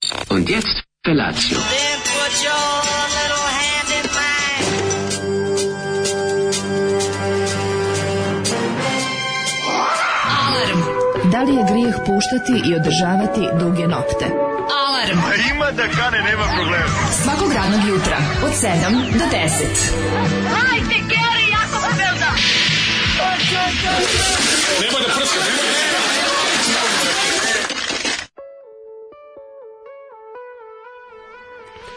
Und jetzt Felatio. Then put your little hand in mine. Alarm. Da li je grijeh puštati i održavati duge nokte? Alarm. Ima da kane, nema problema. Svakog radnog jutra od 7 do 10. Hajde, Geri, jako se velda. Nema da prska,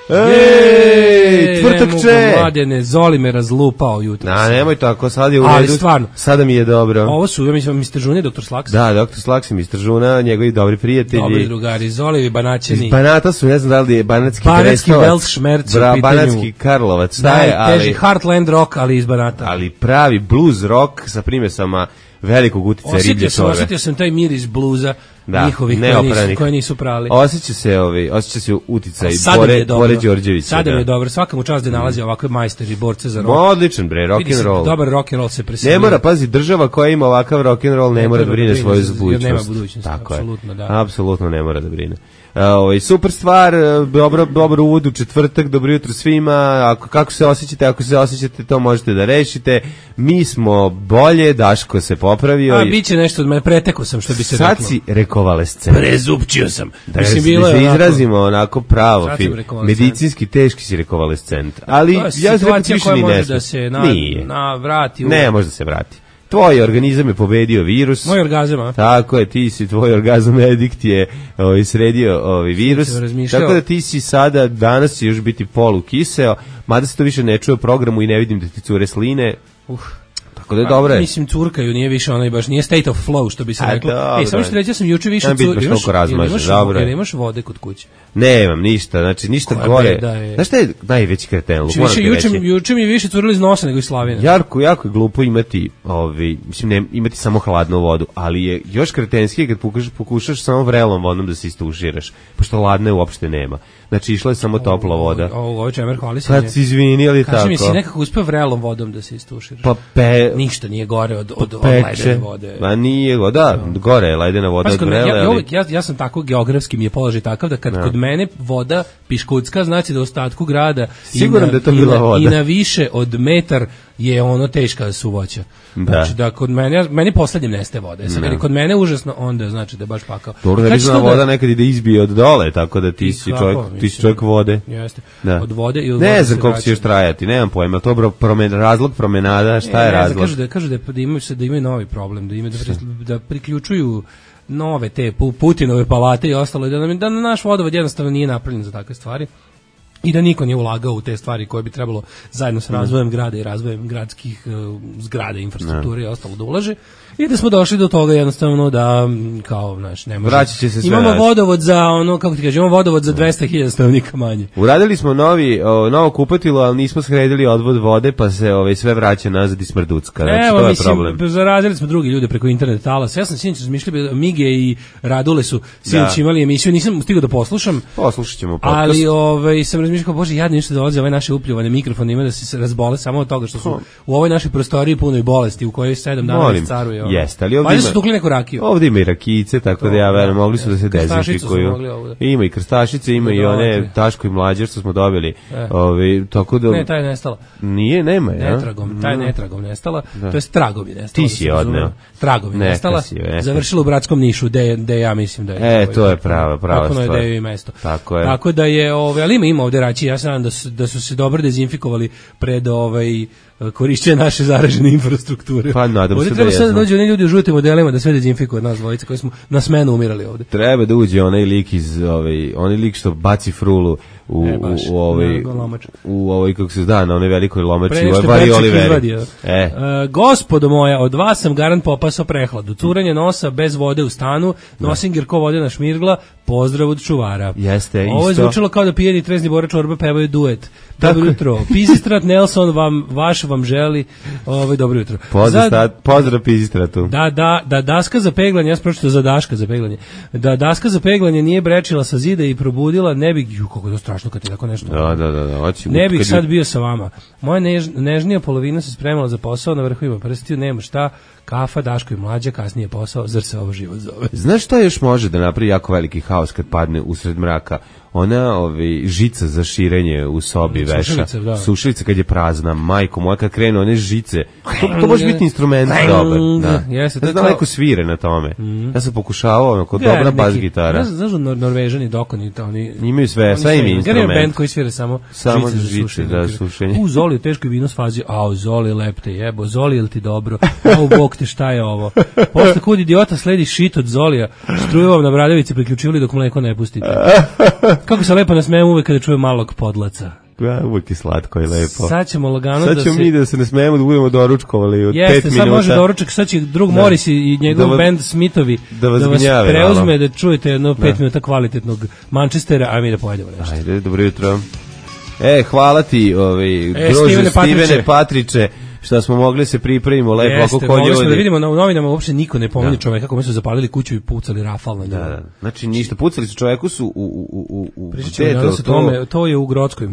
Ej, tvrtakče! Mladene, Zoli me razlupao jutro. Nemoj tako, sad je u redu. Ali stvarno. Sada mi je dobro. Ovo su, ja mislim, Mr. Žuna i Dr. Slaks. Da, Dr. Slaks i Mr. Žuna, njegovi dobri prijatelji. Dobri drugari, Zoli i Banaćeni. Iz Banata su, ne znam da li je Banatski Welsh šmerc u pitanju. Banatski Karlovac, šta je, ali... Teži Heartland rock, ali iz Banata. Ali pravi blues rock sa primesama velikog uticaja riblje čorbe. Osjetio sam taj miris bluza njihovih koji nisu prali. Osjeća se uticaj Bore Đorđevića. Sada mi je dobro, svaka mu čast da nalazi ovakve majstori, borce za rock. Odličan bre, rock'n'roll. Dobar rock'n'roll se preselio. Ne mora, pazi, država koja ima ovakav rock'n'roll ne mora da brine svoju budućnost. Nema budućnosti, apsolutno, da. Apsolutno ne mora da brine. Super stvar, dobro uvod u četvrtak, dobro jutro svima. Kako se osjećate, ako se osjećate, to možete da rešite. Mi smo bolje, Daško se popravio. Biće nešto od mene, pretekao sam, što bi se reklo. Sad si rekovalescent. Prezupčio sam. Da se izrazimo onako pravo, medicinski teški si rekovalescent. Ali ja situacija koja može da se vrati. Ne, može da se vrati. Tvoj organizam je pobedio virus. Moj orgazam, a? Tako je, tvoj orgazam edikt je sredio virus. Tako da ti si sada, danas će još biti polukiseo, mada se to više ne čuje u programu i ne vidim da ti cure sline. Tako da je dobro. Mislim, curkaju, nije više onaj baš, nije state of flow, što bi se reklo. Samo što reći, ja sam juče više curio. Imaš vode kod kuće? Nemam ništa, znači ništa gore. Znaš šta je najveći kreten? Juče mi je više curilo iz nosa nego iz slavine. Jako je glupo imati, imati samo hladnu vodu, ali je još kretenskije kad pokušaš samo vrelom vodom da se istuširaš, pošto hladne uopšte nema. Znači išla je samo topla voda. Ovo čemer hvali se. Sad si izvini, ali tako. Kaži mi, si nekako uspeo vrelom vodom da se istuširaš? Ništa nije gore od ledene vode. Ma nije, gore je ledena voda od vrele. Ja sam tako, geografski mi je položaj takav da kad kod mene voda piškutska, znači da u ostatku grada i na više od metar je ono teška suvoća. Znači da kod meni poslednjem nestaje vode. Jer kod mene užasno, onda znači da je baš pakao. Dobro, da voda nekad ide izbije od dole, tako da ti si čovjek vode. Jeste. Od vode i od vode. Ne znam koliko će još trajati, nemam pojma. To razlog promenada, šta je razlog? Kažu da imaju novi problem, da priključuju nove te Putinove palate i ostalo, da naš vodovod jednostavno nije napravljen za takve stvari. I da niko nije ulagao u te stvari koje bi trebalo zajedno s razvojem grada i razvojem gradskih zgrada, infrastrukture i ostalo da ulaže. I da smo došli do toga jednostavno da kao ne može. Vraćat će se sve. Imamo vodovod za imamo vodovod za 200.000 stanovnika manje. Uradili smo novo kupatilo, ali nismo sredili odvod vode, pa se sve vraća nazad i smrducka. Znači, to je problem. Zaradili smo drugi ljude preko internet talasa. Ja sam sinoć razmišljao, Mige i Radule su sinoć imali emisiju, nisam stigao da poslušam. Poslušat ćemo podcast. Ali sam razmišljao, bože, jadno ništa dolazi ove naše upljuvane mikrofone, ima da se razbole samo od toga što su u ovoj našoj prostoriji punoj bolesti u kojoj 7 dana caruje. Jeste, ali ovdje ovdje ima i rakijice, tako da ja verujem, mogli su da se dezinfikuju. Ima i krstašice, ima i one Taško i Mlađe što smo dobili. Tako da... Ne, taj je nestala. Nije, nema je. Taj je netragom nestala, to je tragom je nestala. Ti si je odneo. Tragom je nestala, završila u Bratskom Nišu, gde ja mislim da je. To je prava stvar. Tako je da je i mesto. Tako je. Tako da je, ali ima ovdje rači, ja sam da su se dobro dezinfikovali pred korišćenje naše zaražene infrastrukture. Pa nadam se da treba sad da dođu oni ljudi u žutim modelima da sve dezinfikuju od nas dvojice koji smo na smenu umirali ovde. Treba da uđe onaj lik onaj lik što baci frulu u kako se zna, na onoj velikoj lomači, u Vari Oliveri. Gospodo moja, od vas sam garant popasao prehladu. Curanje nosa bez vode u stanu, nosim Gerko vodena šmirgla, pozdrav od čuvara. Jeste, isto. Ovo je zvučalo kao da pijeni trezni Bora Čorba pevaju duet. Dobro jutro. Pizistrat Nelson vam želi dobro jutro. Pozdrav Pizistratu. Da daska za peglanje, ja sam pročitao za daška za peglanje. Da daska za peglanje nije brečila sa zida i probudila, ne bih, kako je to strašno kad je tako nešto. Da. Ne bih sad bio sa vama. Moja nežnija polovina se spremala za posao, na vrhu ima prstiju, nema šta, kafa, Daško i Mlađa, kasnije posao, zar se ovo život zove. Znaš šta još može da napravi jako veliki haos kad padne usred mraka? ona žica za širenje u sobi veša. Sušilica kad je prazna, majko moja, kad krenu one žice. To može biti instrument dobar. Da. Jeste, ne znam, neko svire na tome. Ja sam pokušavao, kod dobra bas gitara. Znaš, Norvežani, dokoni, oni imaju sve im instrument. Band koji svira samo žice za sušenje. U Zoli, teško je vino s fazi, u Zoli lep te jebo, Zoli jel ti dobro, bog te šta je ovo. Posle kud idiota sledi shit od Zolija, struju vam na Bradavici priključivali dok mleko ne pustite. Kako se lepo nasmejem uvek kada čujem malog podlaca. Uvijek je slatko i lepo. Sad ćemo lagano sad ćemo mi da se ne smijemo da budemo doručkovali od 5 minuta. Jeste, sad može doručak, sad će drug Morris i njegov band Smithovi da vas preuzme, da čujete jedno 5 minuta kvalitetnog Manchestera, a mi da pojedemo nešto. Ajde, dobro jutro. Hvala ti, druže Stevene Patriče, što smo mogli se pripremimo lepo oko kod ljudi. Jeste, da vidimo, u novinama uopšte niko ne pominje čoveka kome su zapalili kuću i pucali rafal na njega. Da. Znači ništa, pucali su čoveku su u pričat ćemo danas o tome, to je u Grockoj.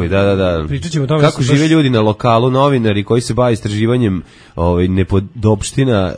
Da. Pričat ćemo o tome. Kako žive ljudi na lokalu, novinari koji se bave istraživanjem nepodopština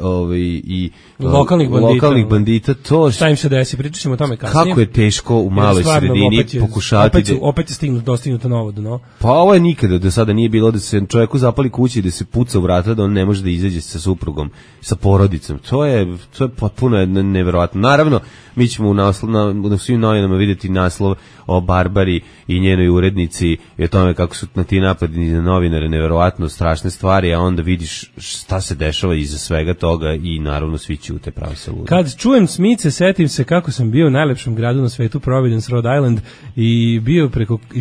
i lokalnih bandita, to šta im se desi, pričat ćemo o tome kasnije. Kako je teško u maloj sredini pokušati opet je dostignuto novo dno. Pa ovo je nikada do sada nije bilo da se čovjeku zapali kući, da se puca u vrata, da on ne može da izađe sa suprugom, sa porodicom. To je potpuno neverovatno. Naravno, mi ćemo na svim novinama vidjeti naslov o Barbari i njenoj urednici i o tome kako su na ti napadi na novinare neverovatno strašne stvari, a onda vidiš šta se dešava iza svega toga i naravno svi ćute, pravi se ludi. Kad čujem Smice, setim se kako sam bio u najlepšem gradu na svetu, Providence, Rhode Island, i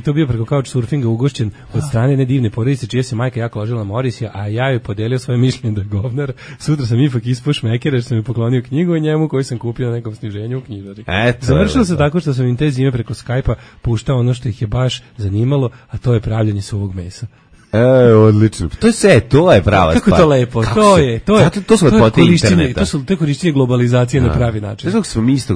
to bio preko couchsurfinga ugošćen od strane jedne divne porodice čija se majka jako ložila na Morisija, a ja joj podelio svoje mišljenje da je govnar. Sutra sam ipak ispao šmekera jer sam mi poklonio knjigu o njemu koju sam kupio na nekom sniženju u knjižari. Završilo se tako što sam im te zime preko Skype-a puštao ono što ih je baš zanimalo, a to je pravljanje suvog mesa. Odlično. To je prava stvar. Kako to lepo. To su lepote interneta. To je korišćenje globalizacije na pravi način. Zato smo mi isto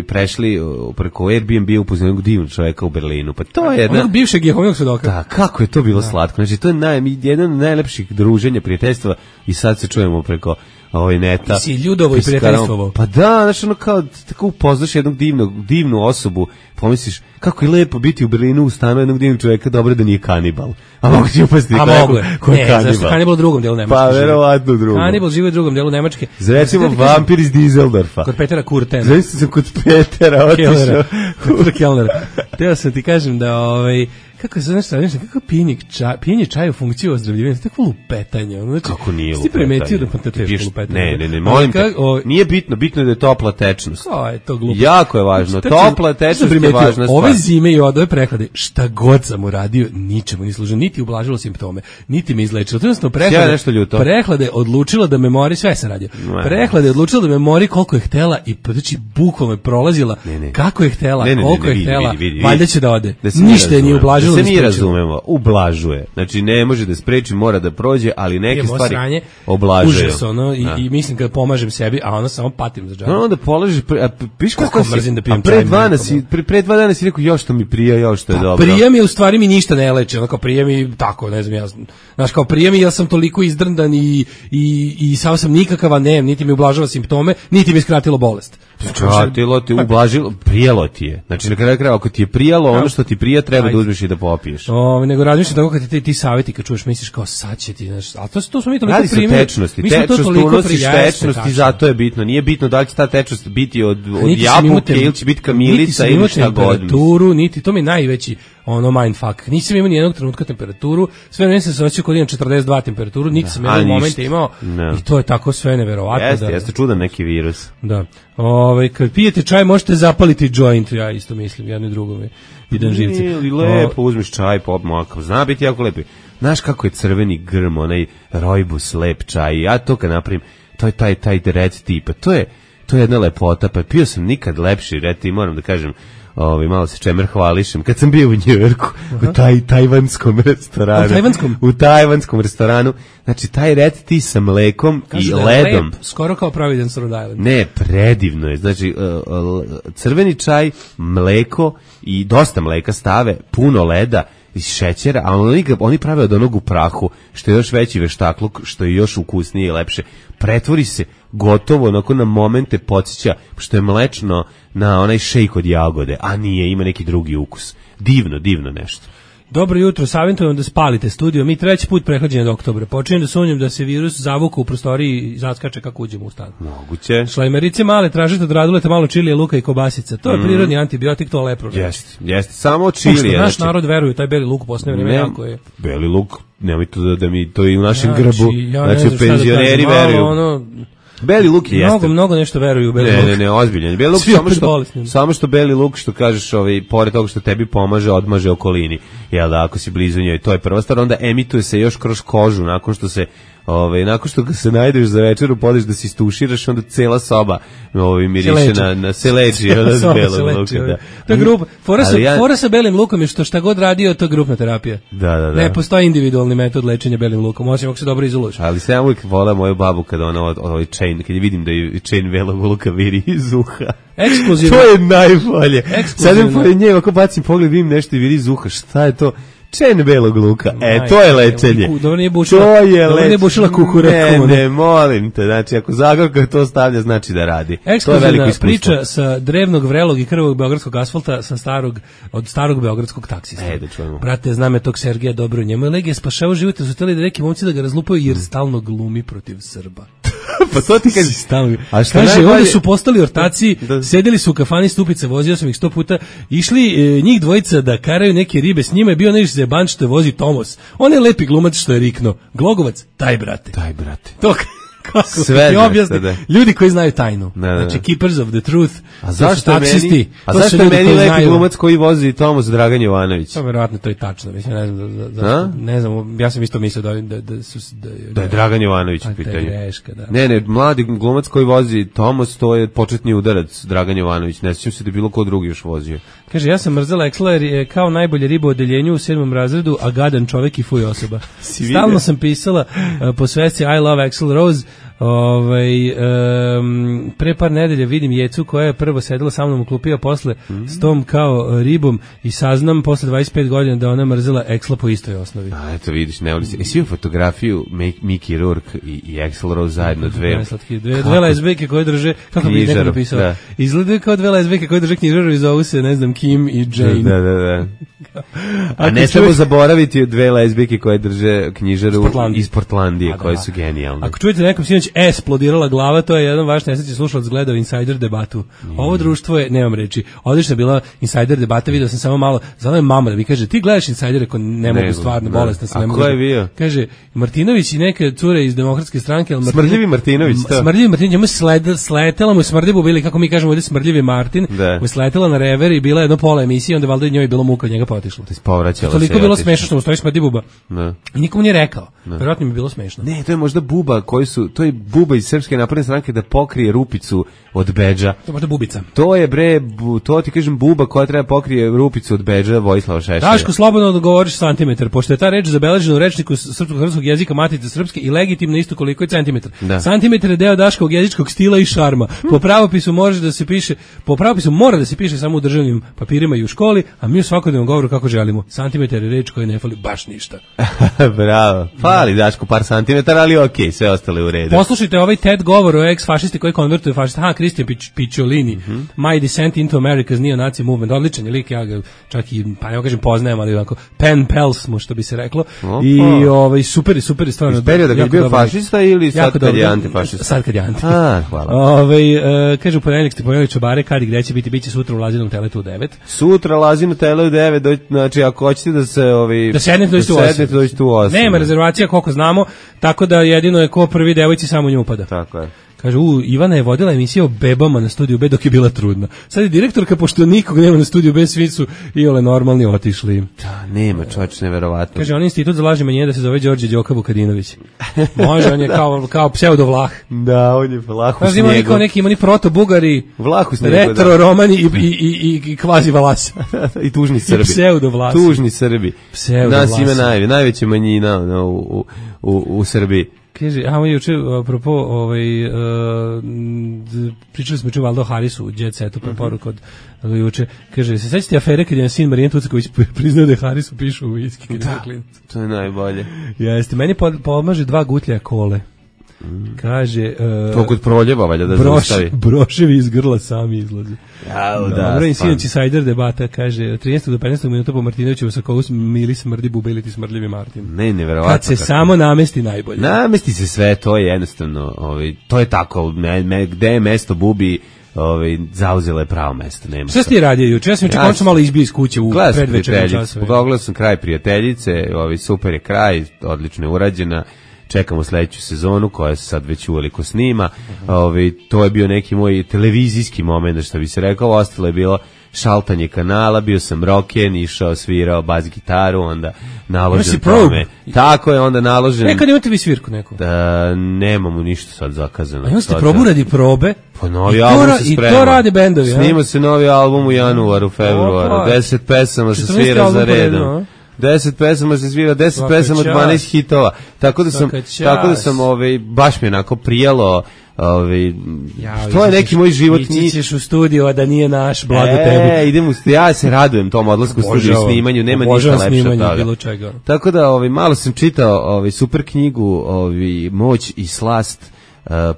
prešli preko Airbnb upoznali jednog divnog čovjeka u Berlinu. Pa to je onog bivšeg Jehovnog svedoka. Da, kako je to bilo slatko. Znači to je jedno od najlepših druženja, prijateljstva i sad se čujemo preko neta. Ti si Ljudovo i prijateljstvovo. Pa da, znači ono kao tako upoznaš jednog divnu osobu, pomisliš kako je lepo biti u Berlinu u stanu jednog divnog čovjeka, dobro da nije kanibal. A mogu ti upasti ko je kanibal. Zašto kanibal u drugom delu Nemačke? Pa verovatno u drugom. Kanibal živi u drugom delu Nemačke. Recimo vampir iz Düsseldorfa. Kod Petera Kurtena. Znači sam kod Petera otišao. Kod Kellnera. Teo sam ti kažem da kako je znaš kako pijenje čaja u funkciju ozdravljivanja, tako lupetanje. Znači, kako nije lupetanje? Ti primetio da to teško lupetanje? Ne, molim te, nije bitno je da je topla tečnost. Je to glupo. Jako je važno, topla tečnost je važna stvar. Ove zime i ove prehlade, šta god sam uradio, ničemu ni služilo, niti ublažilo simptome, niti me izlečilo. Trenutno prehlade odlučila da me mori, sve sam radio. Prehlade odlučila da me mori koliko je htela i znači bukvalno je prolazila kako je htela, koliko je htela, valjda će da ode. Ništa nije ublažilo. Se mi razumemo, ublažuje. Znači ne može da spreči, mora da prođe, ali neke stvari oblažuje. Užas i mislim kad pomažem sebi, a onda samo patim za džabe. Onda polažeš, piš kako mrzim da pijem čaj. Pre 2 dana si rekao još što mi prija, još što je dobro. Prija mi u stvari mi ništa ne leči, ono kao prija mi tako, ne znam ja. Znaš kao prija mi ja sam toliko izdrndan i sam sam nikakav, ne, niti mi ublažava simptome, niti mi skratilo bolest. Skratilo ti, ublažilo, prijelo ti je. Znači na kraju krajeva ako ti je prijalo, ono što ti prija treba da uzmeš i da popiješ. Nego razmišljam tako kad ti savjeti kad čuješ misliš kao sad će ti, znaš, a to smo mi toliko primili. Tečnost unosiš tečnost i zato je bitno. Nije bitno da li će ta tečnost biti od jabuke ili će biti kamilica ili šta god. Niti to mi najveći mindfuck. Nisam imao ni jednog trenutka temperaturu, sve vreme sam se osjećao kod imam 42 temperaturu, niti sam jednog momenta imao i to je tako sve neverovatno. Jeste čudan neki virus. Da. Kad pijete čaj možete zapaliti joint, ja isto mislim, jedno i drugo mi idem živci. Ili lepo uzmiš čaj, popmakao, zna biti jako lepi. Znaš kako je crveni grm, onaj rojbus, lep čaj, ja to kad napravim, to je taj red tipa, to je jedna lepota, pa pio sam nikad lepši red tip, moram da kažem, malo se čemer hvališem, kad sam bio u Njujorku, u tajvanskom restoranu. U tajvanskom restoranu, znači taj red ti sa mlekom i ledom. Lep, skoro kao Providence, Rhode Island. Ne, predivno je, znači crveni čaj, mleko i dosta mleka stave, puno leda iz šećera, a oni prave od onog u prahu, što je još veći veštakluk, što je još ukusnije i lepše. Pretvori se gotovo onako na momente podsjeća, što je mlečno na onaj šejk od jagode, a nije, ima neki drugi ukus. Divno nešto. Dobro jutro, savjetujem da spalite studio. Mi treći put prehlađenja do oktobra. Počinjem da sumnjam da se virus zavuka u prostoriji i zaskače kako uđemo u stan. Moguće. Šlajmerice male, tražite od raduleta malo čilija, luka i kobasica. To je prirodni antibiotik, to lepro. Jeste. Samo čilija. Naš narod veruje, taj beli luk u poslednje vreme jako je. Beli luk, nemoj to da mi to i u našem grbu. Znači, penzioneri veruju. Beli luk je jeste. Mnogo nešto veruju u beli luk. Ne, ozbiljan. Beli luk samo što beli luk, što kažeš, pored toga što tebi pomaže, odmaže okolini. Jel da, ako si blizu njoj, to je prva stvar, onda emituje se još kroz kožu, nakon što ga se najdeš za večeru, podeš da se istuširaš, onda cela soba miriše na seleđi od belog luka. Da. To je grupa. Fora sa belim lukom je što šta god radio, to je grupna terapija. Da. Ne postoji individualni metod lečenja belim lukom, osim ako se dobro izoluješ. Ali se ja uvijek volim moju babu kada ona kad je vidim da je chain belog luka viri iz uha. Ekskluzivno. To je najbolje. Sad pored nje, ako bacim pogled, vidim nešto i viri iz uha. Šta je to? Čen belog luka. To je lečenje. Dobro nije bušila kukureku. Ne, molim te. Znači, ako Zagorka to stavlja, znači da radi. Ekskluzivna priča sa drevnog, vrelog i krvog beogradskog asfalta od starog beogradskog taksista. Da čujemo. Brate, znam je tog Sergeja dobro. Njemu je legija spašao život, su htjeli da neki momci da ga razlupaju jer stalno glumi protiv Srba. Pa to ti kaže. Kaže, ovdje su postali ortaci, sedeli su u kafani Stupice, vozio sam ih 100 puta, išli njih dvojica da karaju neke ribe, s njima je bio nešto zeban što je vozi Tomos. On je lepi glumac što je rikno. Glogovac, taj brate. To kako sve ti objasni. Ljudi koji znaju tajnu. Znači, keepers of the truth. A zašto je meni lepi glumac koji vozi Tomos Dragan Jovanović? Pa verovatno to je tačno. Mislim, ne znam, ja sam isto mislio da je Dragan Jovanović u pitanju. Greška, da. Ne, mladi glumac koji vozi Tomos, to je početni udarac Dragan Jovanović. Ne sjećam se da bilo ko drugi još vozio. Kaže, ja sam mrzela Eksla jer je kao najbolje riba u odeljenju u 7. razredu, a gadan čovek i fuj osoba. Stalno sam pisala po svesci I love Axl Rose. Pre par nedelja vidim Jecu koja je prvo sedela sa mnom u klupi, a posle s tom kao ribom i saznam posle 25 godina da ona mrzela Eksla po istoj osnovi. A eto vidiš, ne voli se. Svi u fotografiju Mickey Rourke i Axl Rose zajedno dve lesbijke koje drže, kako bi neko napisao, izgledaju kao dve lesbijke koje drže knjižaru i zovu se, ne znam, Kim i Jane. Da. A ne treba zaboraviti dve lesbijke koje drže knjižaru iz Portlandije, koje su genijalne. Ako čujete nekom sinoć esplodirala glava, to je jedan vaš nesrećni slušalac gledao Insider debatu. Ovo društvo je, nemam reči, odlična bila Insider debata, vidio sam samo malo, zvala je mama da mi kaže, ti gledaš Insider, ako ne mogu stvarno, bolesna sam, ne mogu. A ko je bio? Kaže, Martinović i neke cure iz Demokratske stranke. Smrdljivi Martinović, to? Smrdljivi Martinović, njemu sletela mu smrdljivu bili, kako mi kažemo ovdje, smrdljivi Martin, mu sletela na rever i bila jedno pola emisije, onda valjda njoj bilo muka od njega potišlo. Toliko bilo smešno što mu stoji smrdi buba. I nikomu nije rekao. Verovatno mi je bilo smešno. Ne, to je možda buba to je buba iz Srpske napredne stranke da pokrije rupicu od bedža. To je možda bubica. To je to ti kažem buba koja treba pokrije rupicu od bedža Vojislava Šešelja. Daško, slobodno da govoriš santimetar, pošto je ta reč zabeležena u rečniku srpskog jezika Matice srpske i legitimno isto koliko je centimetar. Santimetar je deo daškog jezičkog stila i šarma. Po pravopisu mora da se piše samo u državnim papirima i u školi, a mi u svakodnevnom govoru kako želimo. Santimetar je reč koja ne fali baš ništa. Bravo. Fali Daško par santimetara, ali okej, sve ostale u redu. Poslušajte ovaj TED govor o ex-fašisti koji konvertuje fašista. Kristijan Picciolini, My Descent into America's Neo-Nazi Movement. Odličan je lik, ja ga čak i, pa ne kažem poznajem, ali onako, pen pals mu, što bi se reklo. I super stvarno. Iz perioda kad je bio fašista ili sad kad je antifašista? Sad kad je anti. Hvala. Kaže, u ponedeljak ste pojeli čobare, kad i gde će biti sutra u Lazinom teletu u 9. Sutra Lazino tele u 9, znači ako hoćete da se da sednete dođete u 8. Nema rezervacija koliko znamo, tako da jedino je ko prvi devojci samo nju upada. Tako je. Kaže, Ivana je vodila emisiju o bebama na Studiju B dok je bila trudna. Sad je direktorka, pošto nikog nema na Studiju B, svi su i ole normalni otišli. Da, nema, čovječ, neverovatno. Kaže, on institut za lažne manjine da se zove Đorđe Đoka Vukadinović. Može, on je kao pseudo-Vlah. Da, on je Vlah u snijegu. Ima oni proto-Bugari, Vlah u snijegu, retro-romani i kvazi-Valasa. I tužni Srbi. I pseudo-Vlasi. Tužni Srbi. Nas ima najveća manjina u Srbiji. Kaže, juče, apropo, pričali smo juče Valdo Harisu u Jet Setu, pa poruka od juče. Kaže, se sećate afere kad je sin Marijan Tucaković priznao da je Harisu pišu u viski? Da, to je najbolje. Jeste, meni pomaže 2 gutlja kole. Kaže... to kod proljeba, valjda da zaustavi. Broševi iz grla sami izlazi. Dobro, i sinoć Sajder debata, kaže, 13. do 15. minuta po Martinoviću u Sokovu mili smrdi bube ili ti smrdljivi Martin. Ne, neverovatno. Kad se samo namesti najbolje. Namesti se sve, to je jednostavno, to je tako, gde je mesto bubi, zauzela je pravo mesto. Šta si ti radio juče? Ja sam končno malo izbio iz kuće u predvečernjem času. Pogledao sam kraj Prijateljice, super je kraj, odlično je urađena. Čekamo sledeću sezonu koja se sad već uveliko snima. To je bio neki moj televizijski moment, što bi se rekao. Ostalo je bilo šaltanje kanala, bio sam roken, išao, svirao bas gitaru, onda naložen tome. Tako je, onda naložen... Kad imate vi svirku neku? Da, nemamo ništa sad zakazano. A imate probu radi probe? Pa novi album se sprema. I to rade bendovi, snima se novi album u januaru, februaru. 10 pesama se svira za redom. 10 pesama se svira, 10 pesama, 12 hitova. Tako da sam baš mi onako prijelo, što je neki moj život. Ići ćeš u studiju, a da nije naš, blago tebi. Ja se radujem tom odlasku u studiju i snimanju, nema ništa lepše od toga. Tako da malo sam čitao super knjigu Moć i slast,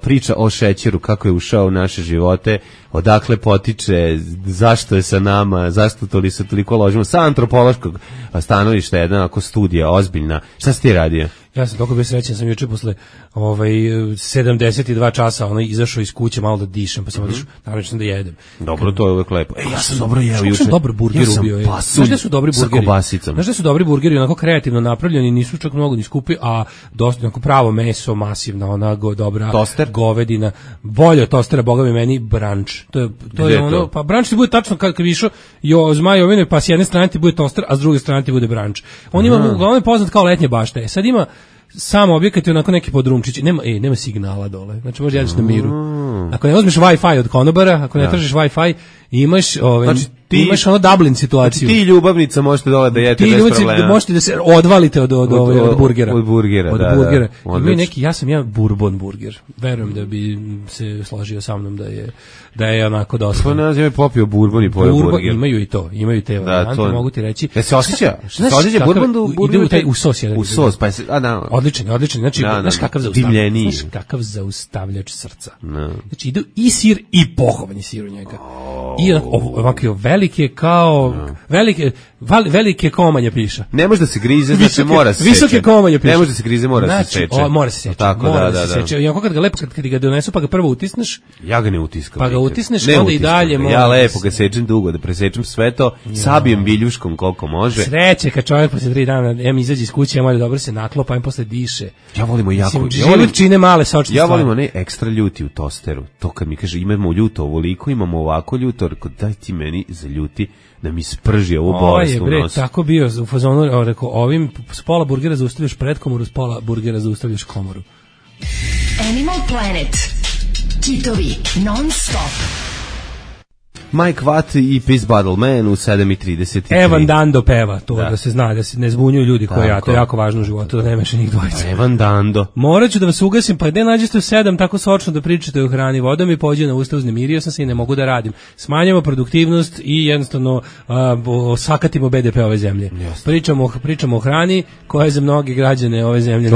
priča o šećeru, kako je ušao u naše živote, odakle potiče, zašto je sa nama, zašto se toliko ložimo, sa antropološkog stanovišta, jedna ako studija ozbiljna. Šta si ti radio? Ja sam toliko bio srećan, sam juče posle 72 časa izašao iz kuće malo da dišem, pa sam otišao, naravno sam da jedem. Dobro, to je uvek lepo. Ja sam dobro jeo juče. Ja sam dobar burger ubio. Znaš da su dobri burgeri? Znaš da su dobri burgeri, onako kreativno napravljeni, nisu čak mnogo ni skupi, a dosta onako pravo meso, masivna, dobra toster? Govedina. Bolje od tostera, boga mi meni, branč. To je ono, pa branč ti bude tačno kad bi išao Zmajovine, pa s jedne strane ti bude toster, a s druge strane ti bude branč. On ima, uglavnom je poznat kao letnje bašte. Sad ima samo objekat je onako neki podrumčić, nema signala dole, znači možda jedeš na miru. Ako ne uzmeš Wi-Fi od konobara, ako ne tražiš Wi-Fi, imaš imaš ono Dublin situaciju. Ti ljubavnica možete dole da jedete bez problema. Ti možete da se odvalite od burgera. Od burgera, da. Imaju neki, ja sam bourbon burger. Verujem da bi se složio sa mnom da je onako dosta. Pa ne znam, je popio bourbon i pojeo burger. Imaju i to, imaju te varijante, mogu ti reći. Ja se osjeća? Se osjeća bourbon do burgera? Ide u sos. U sos, pa odličan. Znači, znaš kakav zaustavljač srca. Znači, ide i sir i pohovani sir u njega. I ovako velike kao velike komanje piša. Ne može da se grize, znači mora se. Visoke komanje piša. Ne može da se grize, mora se seče. Mora se seče. Tako da. I ako kad ga donesu pa ga prvo utisneš. Ja ga ne utiskam. Pa ga utisneš, onda i dalje može. Ja lepo ga sečem dugo, da presečem sve to, sabijem biljuškom koliko može. Sreće kad čovjek posle 3 dana izađe iz kuće, mora dobro se naklopa, posle diše. Ja volim jako. Život čine male sočne stvari. Ja volim one ekstra ljuti u tosteru. To kad mi kaže imamo ljuto ovoliko, imamo ovako ljuto, daj ti meni za ljuti da mi sprži ovu bolest u nos. Tako bio u fazonu, rekao, ovim s pola burgera zaustavljaš predkomoru, s pola burgera zaustavljaš komoru. Animal Planet. Kitovi non stop. Mike Watt i Peace Bottle Man u 7:33. Evan Dando peva, to da se zna, da se ne zbunjuju ljudi koji to je jako važno u životu, da ne meša njih dvojica. Evan Dando. Morat ću da vas ugasim, pa gde nađete u 7 tako sočno da pričate o hrani, voda mi pođe na usta, uznemirio sam se i ne mogu da radim. Smanjamo produktivnost i jednostavno sakatimo BDP ove zemlje. Pričamo o hrani koja je za mnoge građane ove zemlje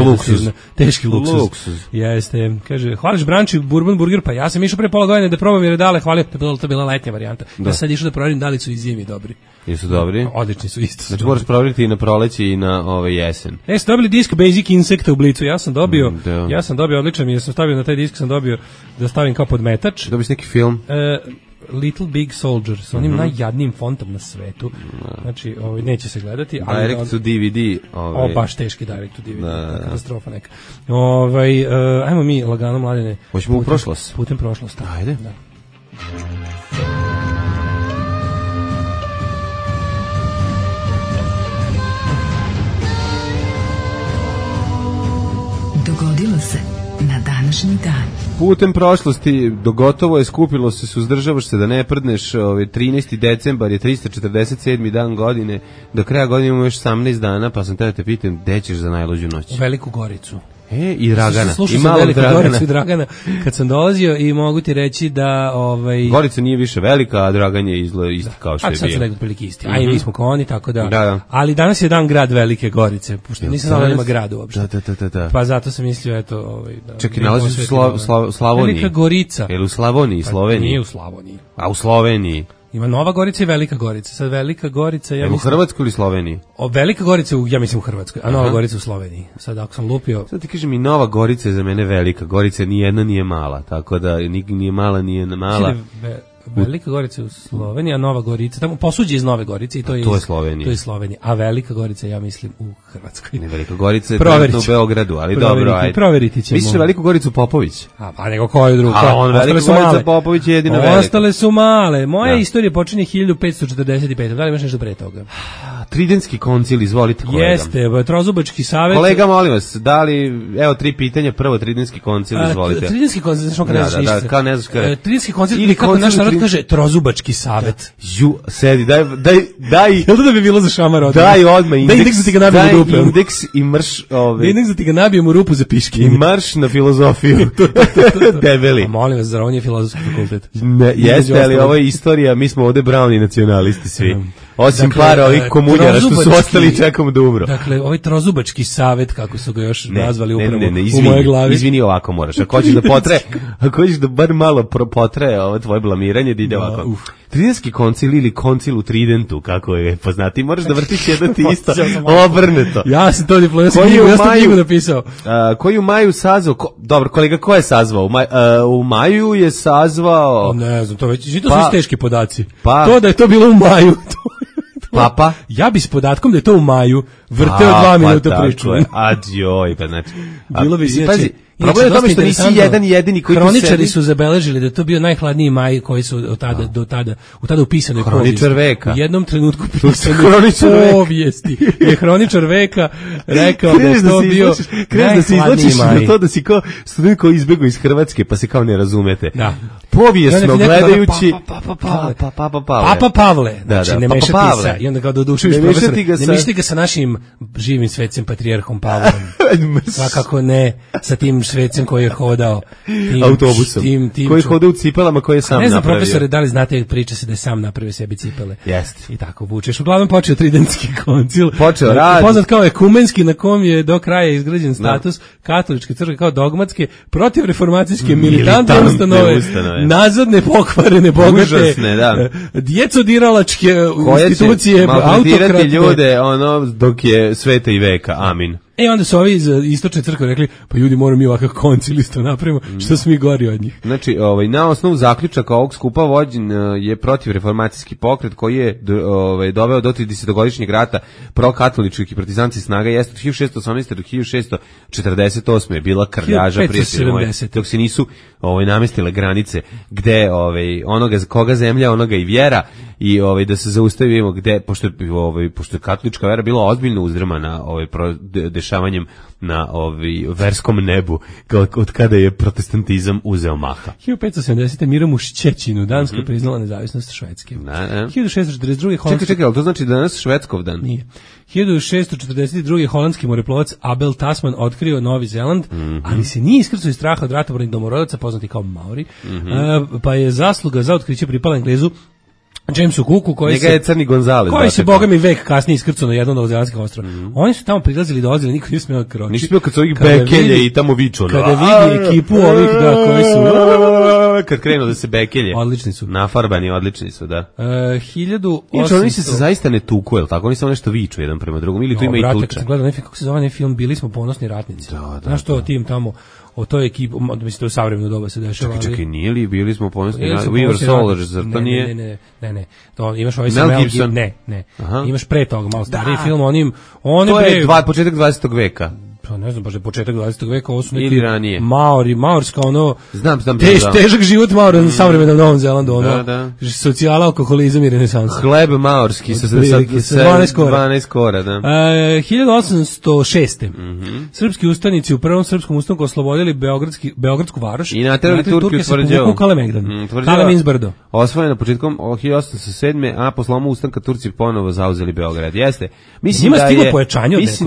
teški luksuz. Jeste, kaže, hvališ branč i bourbon burger, pa ja sam išao pre pola godine da probam jer je dale, hvalio, to bila letnja varijanta. Ja sad išao da proverim da li su i zimi dobri. Jesu dobri? Odlični su isto. Znači moraš provjeriti i na proleće i na jesen. Su dobili disk Basic Insect u Blicu. Ja sam dobio odličan, jer sam stavio na taj disk, sam dobio da stavim kao podmetač. Dobiš neki film? Little Big Soldier, sa onim najjadnijim fontom na svetu. Znači, neće se gledati. Direct to DVD. Baš teški direct to DVD. Katastrofa neka. Ajmo mi lagano, Mladene. Hoćemo u prošlost? Putem prošlost. Ajde. Da. Dogodilo se na današnji dan. Putem prošlosti dogotovo je, skupilo se, suzdržavaš se da ne prdneš. 13. decembar je 347. dan godine. Do kraja godine imamo još 18 dana, pa sam te pitam, gde ćeš za najluđu noć? U Veliku Goricu. I Dragana. Slušao I sam malog Veliku Dragana. Goricu i Dragana kad sam dolazio i mogu ti reći da... Gorica nije više velika, a Dragan je izgleda isti kao što je bio. Sad su nekako prilike isti. A i mi smo kao oni, tako da... Da. Ali danas je dan grad Velike Gorice, pošto nisam znao da ima grad uopšte. Da. Pa zato sam mislio, eto... Da, čekaj, nalazi se u Slavoniji. Velika Gorica. Je li u Slavoniji, Sloveniji? Nije u Slavoniji. A u Sloveniji? Ima Nova Gorica i Velika Gorica. Sad Velika Gorica... Ja u Hrvatskoj ili Sloveniji? Velika Gorica, ja mislim u Hrvatskoj, a Nova Gorica u Sloveniji. Sad ako sam lupio... Sad ti kažem i Nova Gorica je za mene velika. Gorica ni jedna nije mala, tako da nije mala, nije mala. Velika Gorica u Sloveniji, a Nova Gorica, tamo posuđe iz Nove Gorice i to je Slovenija. To je Slovenija, a Velika Gorica ja mislim u Hrvatskoj. Ne, Velika Gorica je trenutno u Beogradu, ali dobro, ajde. Proveriti ćemo. Misliš Veliku Goricu Popović? Pa nego koju drugu? A on Velika Gorica Popović je jedina velika. Ostale su male. Moja istorija počinje 1545. Da li imaš nešto pre toga? Tridentski koncil, izvolite kolega. Jeste, Trozubački savet. Kolega, molim vas, da li, evo 3 pitanja, prvo Tridentski koncil, izvolite. Tridentski koncil, znaš kada ne znaš ništa. Kao ne znaš kada. Tridentski koncil, ili kako naš narod kaže, Trozubački savet. Sedi, daj. Jel da bi bilo za šamar odmah? Daj odmah indeks. Daj indeks da ti ga nabijem u rupu. Daj indeks i marš Daj indeks da ti ga nabijem u rupu za piške. I marš na filozofiju. Debeli. A molim vas, zar on je filozofski fakultet? Jeste, ali ovo je istorija, mi smo ovde browni nacionalisti svi. Osim para ovih komunjara što su ostali i čekamo da umru. Dakle, ovaj Trozubački savet, kako su ga još nazvali upravo izvini, u mojoj glavi. Izvini, ovako moraš. Ako hoćeš da bar malo potre ovo tvoje blamiranje, da ide ovako. Tridentski koncil ili koncil u Tridentu, kako je poznati, moraš da vrtiš jedno ti isto obrnuto. Ja sam to diplomatski knjigu, ja sam knjigu napisao. Koji u maju sazvao, dobro, kolega, ko je sazvao? U maju je sazvao... Ne znam, to već, to su teški podaci. To da je to bilo u maju, Papa? Ja bi s podatkom da je to u maju vrteo 2 minuta priču. Adjoj, pa znači... Bilo bi, pazi, problem je tome što nisi jedini koji tu sedi. Hroničari su zabeležili da je to bio najhladniji maj koji su do tada upisanoj povijesti. Hroničar veka. U jednom trenutku upisanoj povijesti. Je hroničar veka rekao da je to bio najhladniji maj. Na to da si kao student koji izbjegao iz Hrvatske pa se kao ne razumete. Da. Povijesno gledajući... Papa Pavle. Znači, ne mešati sa... I onda kao dodušujuš profesor. Ne mešati ga sa našim živim svecem patrijarhom Pavlom. Svakako ne sa tim svecem koji je hodao autobusom, koji je hodao u cipelama koje je sam napravio. Ne znam, profesore, da li znate, priča se da je sam napravio sebi cipele. Jeste. I tako vučeš. Uglavnom počeo Tridentski koncil. Počeo rad. Poznat kao ekumenski, na kom je do kraja izgrađen status katoličke crkve kao dogmatske, protiv reformacijske militantne ustanove, nazadne, pokvarene, bogate, užasne, da. Djecodiralačke institucije, autokratne. Ljude, dok je sveta i veka. Amin. Onda su ovi iz istočne crkve rekli, pa ljudi, moramo mi ovakav koncil isto napravimo, što smo mi gori od njih. Znači, na osnovu zaključaka ovog skupa vođen je protiv reformacijski pokret koji je doveo do 30-godišnjeg rata prokatoličkih i partizanskih snaga, jeste od 1618. do 1648. je bila krljaža, prijatelji moji, dok se nisu namestile granice gde onoga koga zemlja, onoga i vjera, i da se zaustavimo gde, pošto je katolička vera bila ozbiljno uzdrmana dešavanjem na verskom nebu, od kada je protestantizam uzeo maha. 1570. Mirom u Šćećinu Danska priznala nezavisnost Švedske. 1642. Čekaj, ali to znači danas Švedskov dan? Nije. 1642. holandski moreplovac Abel Tasman otkrio Novi Zeland, ali se nije iskrcao iz straha od ratobornih domorodaca, poznati kao Maori, pa je zasluga za otkriće pripala Englezu Jamesu Cooku, koji se boga mi vek kasnije iskrcao na jedno od novozelandskih ostrva. Oni su tamo prilazili, dolazili, niko nije smeo kročiti. Nisi bio kad su ovih bekelje i tamo viču. Kada vidi ekipu ovih koji su... Kad krenu da se bekelje. Odlični su. Nafarbani, odlični su, da. 1800... Inače, oni se zaista ne tuku, jel tako? Oni samo nešto viču jedan prema drugom, ili tu ima i tuča. Kad sam gledao kako se zove film, Bili smo ponosni ratnici. Znaš to, tim tamo... O toj ekipi, mislim da u savremeno doba se dešava. Čekaj, nije li bili smo ponosni We Were Soldiers, zar to nije? Ne. To imaš ovaj Mel Gibson. Ne. Imaš pre toga malo stariji film, to je početak 20. veka. Pa ne znam, baš je početak 20. veka, ovo su neki ili ranije. Maorska, znam. Težak život Maora na savremenom Novom Zelandu, socijala, alkoholizam i renesans. Hleb maorski sa 12 kora, da. 1806. Srpski ustanici u prvom srpskom ustanku oslobodili Beogradsku varoš i naterali Turke u Kalemegdan. Kaleminzbrdo. Osvojeno početkom 1807. a po slomu ustanka Turci ponovo zauzeli Beograd. Jeste. Mislim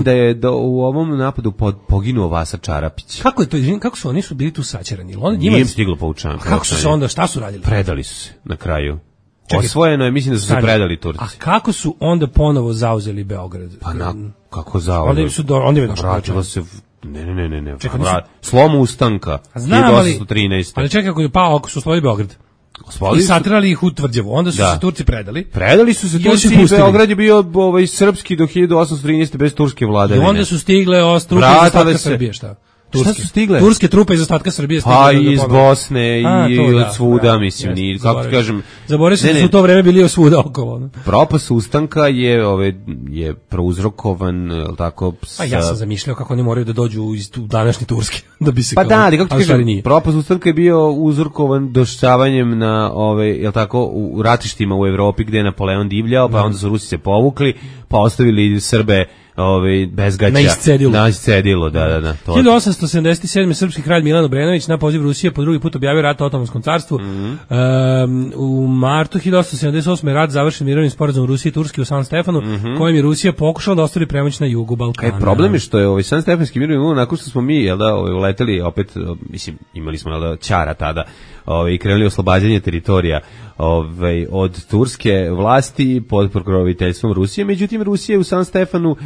da je u ovom napadu poginuo Vasa Čarapić. Kako je to, kako su oni su bili tu sačerani? Nije im stiglo poučavanje. Kako su se onda, šta su radili? Predali su se na kraju. Čekaj, osvojeno je, mislim da su se predali Turci. A kako su onda ponovo zauzeli Beograd? Pa kako zauzeli? Onda je došlo. Vratilo se ne. Čekaj, slom ustanka. Znam, 1813. Ali čekaj, ako su osvojili Beograd. I satrali ih u Tvrđavu. Onda su se Turci predali. Predali su se Turci i Beograd je bio srpski do 1813 bez turske vladavine. I onda su stigle trupe iz ostatka Srbije, šta? Šta su stigle? Turske trupe iz ostatka Srbije stigle. Pa iz Bosne i od svuda, mislim, kako ti kažem. Zaboravio sam da su u to vreme bili svuda okolo. Propast ustanka je prouzrokovan, tako... Pa ja sam zamišljao kako oni moraju da dođu iz današnje Turske, da bi se... Pa da, kako ti kažem, propast ustanka je bio uzrokovan došćavanjem na, jel tako, u ratištima u Evropi gde je Napoleon divljao, pa onda su Rusi se povukli, pa ostavili Srbe bez gaća. Na iscedilo, da. 1877. srpski kralj Milan Obrenović na poziv Rusije po drugi put objavio rat Otomanskom carstvu. U martu 1878. rat završen mirovnim sporazumom Rusije i Turske u San Stefanu, kojim je Rusija pokušala da ostvari premoć na jugu Balkana. Problem je što je San Stefanski mirovni ugovor, nakon što smo mi uleteli opet, mislim, imali smo Ćara tada, i krenuli oslobađanje teritorija od turske vlasti pod pokroviteljstvom Rusije. Međutim, Rusija u San Stefanu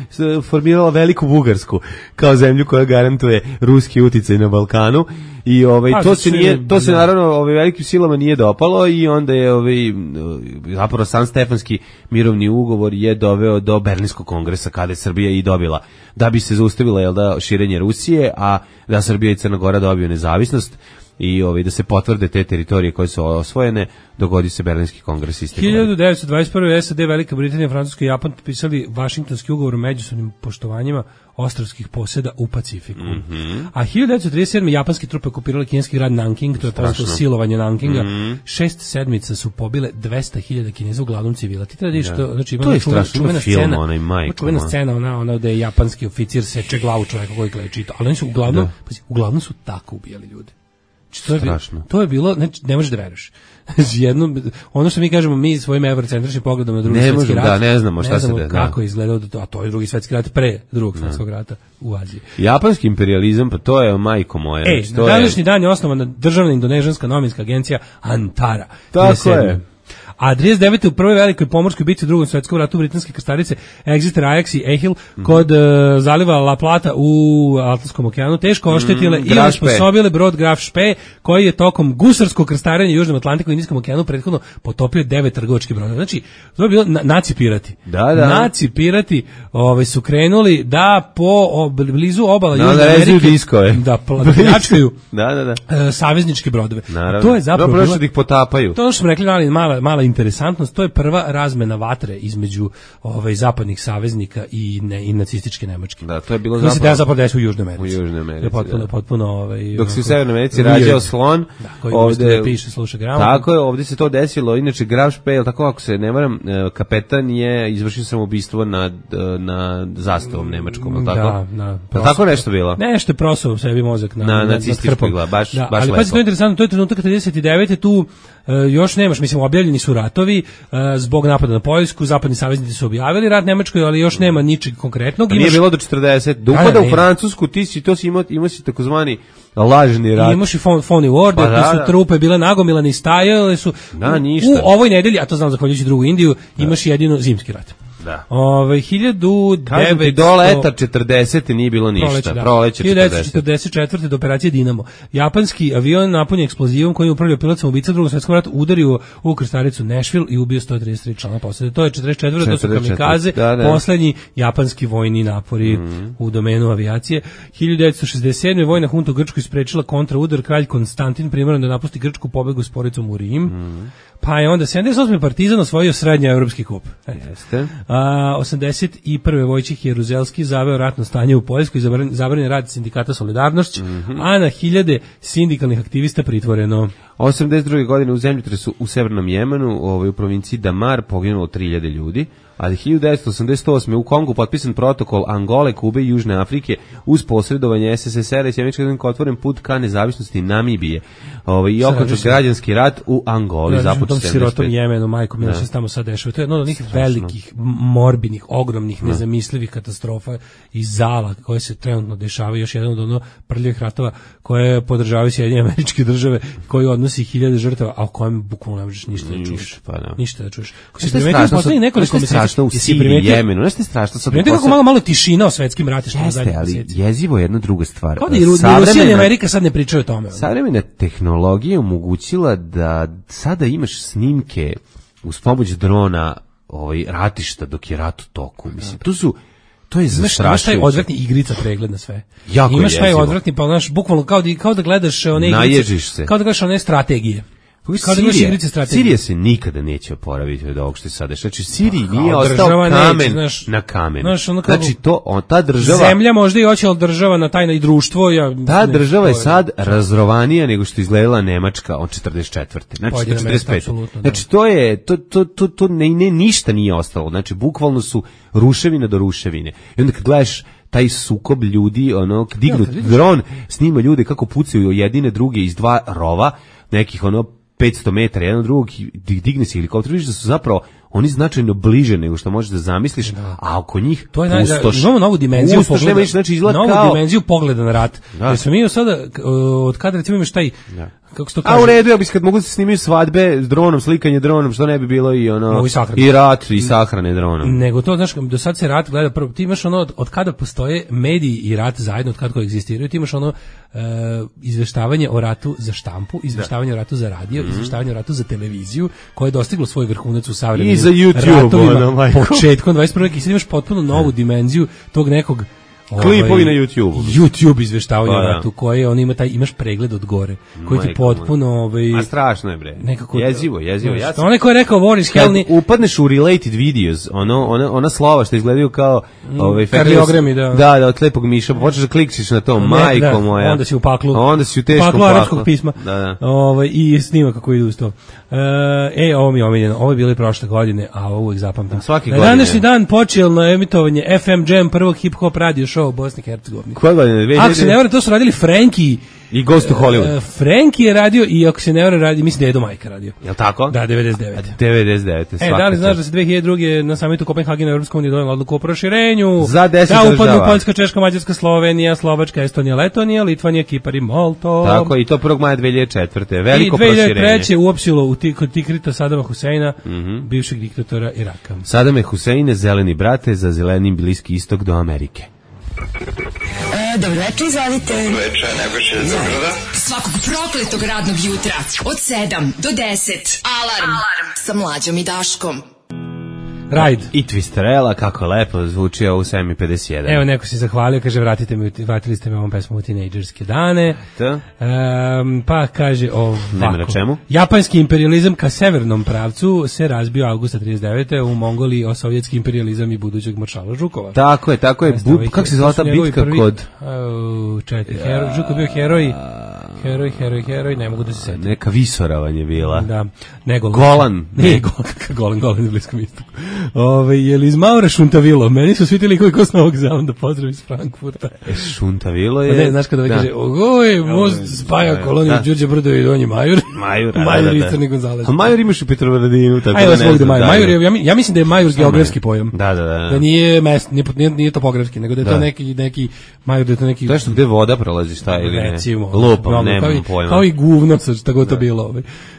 formirala Veliku Bugarsku kao zemlju koja garantuje ruski uticaj na Balkanu i to se naravno velikim silama nije dopalo i onda je zapravo San Stefanski mirovni ugovor je doveo do Berlinskog kongresa kada je Srbija i dobila da bi se zaustavila širenje Rusije, a da Srbija i Crna Gora dobiju nezavisnost i da se potvrde te teritorije koje su osvojene, dogodi se Berlinski kongres iste godine. 1921. SAD, Velika Britanija, Francuska i Japan potpisali Vašingtonski ugovor o međusobnim poštovanjima ostrvskih poseda u Pacifiku. A 1937. japanske trupe okupirale kineski grad Nanking, to je poznato silovanje Nankinga. 6 sedmica su pobile 200.000 Kineza, uglavnom civila. Ti treba što, znači ima čuvena scena, čuvena scena ona gde je japanski oficir seče glavu čoveka koji kleči, ali oni su uglavnom su tako ubijali ljude. To je bilo, ne možeš da veruješ. Ono što mi kažemo, mi svojim eurocentričnim pogledom na drugi svetski rat, ne znamo šta se da. Kako je izgledao, a to je drugi svetski rat pre drugog svetskog rata u Aziji. Japanski imperializam, pa to je majko moja. Na današnji dan je osnovana državna indonežanska novinska agencija Antara. Tako je. A 39. u prvoj velikoj pomorskoj bitci u drugom svetskom ratu britanske krstarice Exeter, Ajax i Ehil kod zaliva La Plata u Atlantskom okeanu teško oštetile i osposobile brod Graf Spee koji je tokom gusarskog krstarenja u Južnom Atlantiku i Indijskom okeanu prethodno potopio 9 trgovačkih brodova. Znači, to je bilo naci pirati. Naci pirati su krenuli da po blizu obala Južne Amerike da pljačkaju savezničke brodove. To je zapravo bilo da ih potapaju. To što smo rekli, mala interesantnost, to je prva razmena vatre između zapadnih saveznika i nacističke Nemačke. Da, to je bilo zapravo desilo u Južnoj Americi. Potpuno dok se u Severnoj Americi rađao slon, koji ovde piše, sluša gramofon. Tako je, ovdje se to desilo. Inače Graf Spee, tako ako se ne varam, kapetan je izvršio samoubistvo nad zastavom nemačkom, tako? Da. Tako nešto bilo. Nešto je prosao sebi mozak na nacističkoj glavi, baš lepo. Ali pazi, to je interesantno, to je trenutak 39. tu još nemaš, mislim, objavljeni su ratovi zbog napada na Poljsku, zapadni saveznici su objavili rat Nemačkoj, ali još nema ničeg konkretnog. Nije bilo do 40. Do upada u Francusku, imao si takozvani lažni rat. Imaš i phony war, gde su trupe bile nagomilane i stajale su. Ništa. U ovoj nedelji, a to znam zahvaljujući drugu Indiju, imaš jedino zimski rat. Da. 1900 do leta 40. nije bilo ništa. Proleće 40. 1944. do operacije Dinamo. Japanski avion napunjen eksplozivom koji je upravljao pilot samoubica u Drugom svetskom ratu udario u krstaricu Nashville i ubio 133 člana posade. To je 44. To su kamikaze, poslednji japanski vojni napori u domenu avijacije. 1967. vojna hunta u Grčkoj sprečila kontraudar, kralj Konstantin primoran da napusti Grčku, pobegu s poricom u Rim. Pa je onda 78. Partizan osvojio srednji evropski kup. Jeste. 81. Vojčih Jeruzelski zaveo ratno stanje u Poljskoj i zabranjen rad sindikata Solidarnošć, a na hiljade sindikalnih aktivista pritvoreno. 82. godine u zemljotresu u severnom Jemenu, u provinciji Damar, poginulo 3000 ljudi. A 1988. u Kongu potpisan protokol Angole, Kube i Južne Afrike uz posredovanje SSSR-a i Sjemenička otvoren put ka nezavisnosti Namibije. I okončan građanski rat u Angoli započeo 75. Sirotom Jemenu, majko Mila, što se tamo sad dešava. To je jedno od onih velikih, morbidnih, ogromnih, nezamislivih katastrofa i zala koje se trenutno dešavaju. Još jedan od ono prljavih ratova koje podržavaju Sjedinjene Američke Države, koji odnosi 1000 žrtava, a o kojem bukvalno ne možeš ništa da čuješ. Ništa da čuješ. Nešto je strašno u Siriji, Jemenu, nešto je strašno sad. Primetite kako malo tišina o svetskim ratištima zadnjih meseci. Ali jezivo je jedna druga stvar. Kao da i Rusija i Amerika sad ne pričaju o tome. Savremena tehnologija je omogućila da sada imaš snimke uz pomoć drona ratišta dok je rat u toku. Mislim, to je zastrašujuće. Imaš taj odvratni igrica pregled na sve. Jako imaš taj odvratni, pa znaš, bukvalno kao da gledaš one igrice. Naježiš se. Kao da gledaš one strategije. Sirija se nikada neće oporaviti od ovog što je sada. Znači, Siriji nije ostao kamen na kamenu. Znači, ta država... Zemlja možda i hoće, ali država na tajna i društvo... Ta država je sad razrovanija nego što izgledala Nemačka od 44. Znači, 45. Znači, to ništa nije ostalo. Znači, bukvalno su ruševina do ruševine. I onda kad gledaš taj sukob ljudi, dignut dron, snima ljude kako pucaju jedine druge iz dva rova, nekih 500 metara jedan od drugog, digne se helikopter, vidiš da su zapravo oni značajno bliže nego što možeš da zamisliš, a oko njih pustoš. Imamo novu dimenziju pogleda, znači dimenziju pogleda na rat. Jer smo mi sada, od kada recimo imaš taj, kako se to kaže? A u redu, ja bih kad mogu da se snimaju svadbe s dronom, slikanje dronom, što ne bi bilo i rat i sahrane dronom. Nego to, znaš, do sad se rat gleda prvo, ti imaš od kada postoje mediji i rat zajedno, od kada koegzistiraju, ti imaš izveštavanje o ratu za štampu, izveštavanje o ratu za radio, izveštavanje o ratu za televiziju, koje je dostiglo svoj vrhunac u savremenim za YouTube, početkom 21. veka i sad imaš potpuno novu dimenziju tog nekog klipovi na YouTube izveštavanja o ratu, koje on ima imaš pregled od gore, koji ti potpuno a strašno je bre. Nekako jezivo. Onaj ko je rekao Boris Helni, upadneš u related videos, ona slova što izgledaju kao kardiogrami, da, od lepog miša, počneš da klikćeš na to, majko moja. Onda si u paklu. Onda si u teškom paklu. Arapskog pisma. I snima kako ide uz to. Ovo mi je omiljeno. Ovo je bilo i prošle godine, a ovo uvijek zapamtim. Na današnji dan počeo na emitovanje FM Jam, prvog hip-hop radio show u Bosni i Hercegovini. Koje godine? Ako se ne vara, to su radili Frankie i Ghost to Hollywood. Frankie je radio i ako se ne vara radi, mislim da je Edo Majka radio. Jel' tako? Da, 99. 99. Da li znaš da se 2002. na samitu Kopenhagena Evropska unija donijela odluku o proširenju? Za 10 država. Da upadnu Poljska, Češka, Mađarska, Slovenija, Slovačka, Estonija, Letonija, Litvanija, Kipar i Molto. Tako, i to 1. maja 2004. Veliko proširenje. I 2003. uopćilo kod Tikrita Sadama Huseina, bivšeg diktatora Iraka. Sadame Huseine, zeleni brate, za zeleni Bliski istok do Amerike. Dobro večer, izvolite. Dobro večer, Nebojša iz Beograda. Svakog prokletog radnog jutra od 7 do 10. Alarm sa Mlađom i Daškom. Ride. I Twisterella, kako lepo zvuči ovo u 7:51. Evo, neko se zahvalio, kaže, vratili ste me ovom pesmom u tinejdžerske dane. Pa kaže ovako. Nema na čemu. Japanski imperializam ka severnom pravcu se razbio avgusta 39. u Mongoliji o sovjetski imperializam i budućeg maršala Žukova. Tako je. Kako se zvala ta bitka kod... Žukov je bio heroj, ne mogu da se setim. Neka visoravan je bila. Da. Ne Golan. Golan na Bliskom istoku. Je li iz Maura Šuntavilo? Meni su svi ti likovi ko s Novog Zelanda, pozdrav iz Frankfurta. Šuntavilo je... Ne, znaš kada kaže, most spaja koloniju Đurđe Brdovi i Donji Majur. Majur i Crni Gonzalez. A Majur imaš u Petrovaradinu, tako da ne znam. Ja mislim da je Majur geografski pojam. Da. Da nije mest, nije topografski, nego da je to neki Majur, da je to neki... To je što gde voda prolazi, šta ili ne? Recimo. Lupam, nemam pojma. Kao i guvno, šta god to bilo.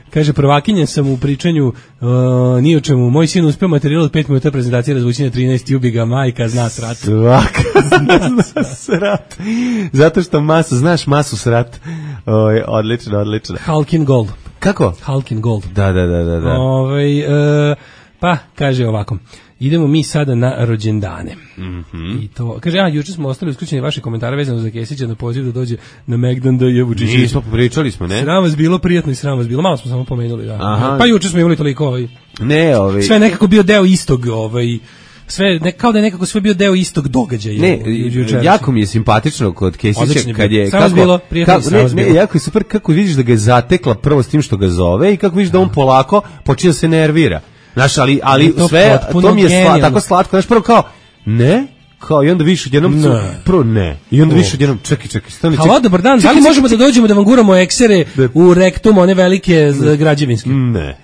Kaže, prvakinjen sam u pričanju ni o čemu. Moj sin uspeo materijal od 5 minuta prezentacije razvući na 13, ubi ga, majka zna srat. Svaka zna srat. Zato što znaš masu srat. Odlično. Halkin Gold. Kako? Halkin Gold. Da. Pa, kaže ovako. Idemo mi sada na rođendane. I to, kaže, juče smo ostali usključeni vaše komentare vezano za Kesića na poziv da dođe na Megdan da je Vučićević. Nismo pričali smo, ne? Sram vas bilo, prijatno i sram vas bilo. Malo smo samo pomenuli, da. Aha. Pa juče smo imali toliko sve nekako bio deo istog, sve kao da je nekako sve bio deo istog događaja. Ne, jako mi je simpatično kod Kesića kad je jako je super kako vidiš da ga je zatekla prvo s tim što ga zove i kako vidiš da on polako počinje da se nervira. Znaš, ali To sve, potpuno to mi je genijalno. tako slatko, znaš, prvo kao, ne, kao i onda više odjednom, prvo ne, i onda više odjednom, čekaj, stani, Halo, dobar dan, da li možemo da dođemo da vam guramo eksere u rektum, one velike građevinske? Ne.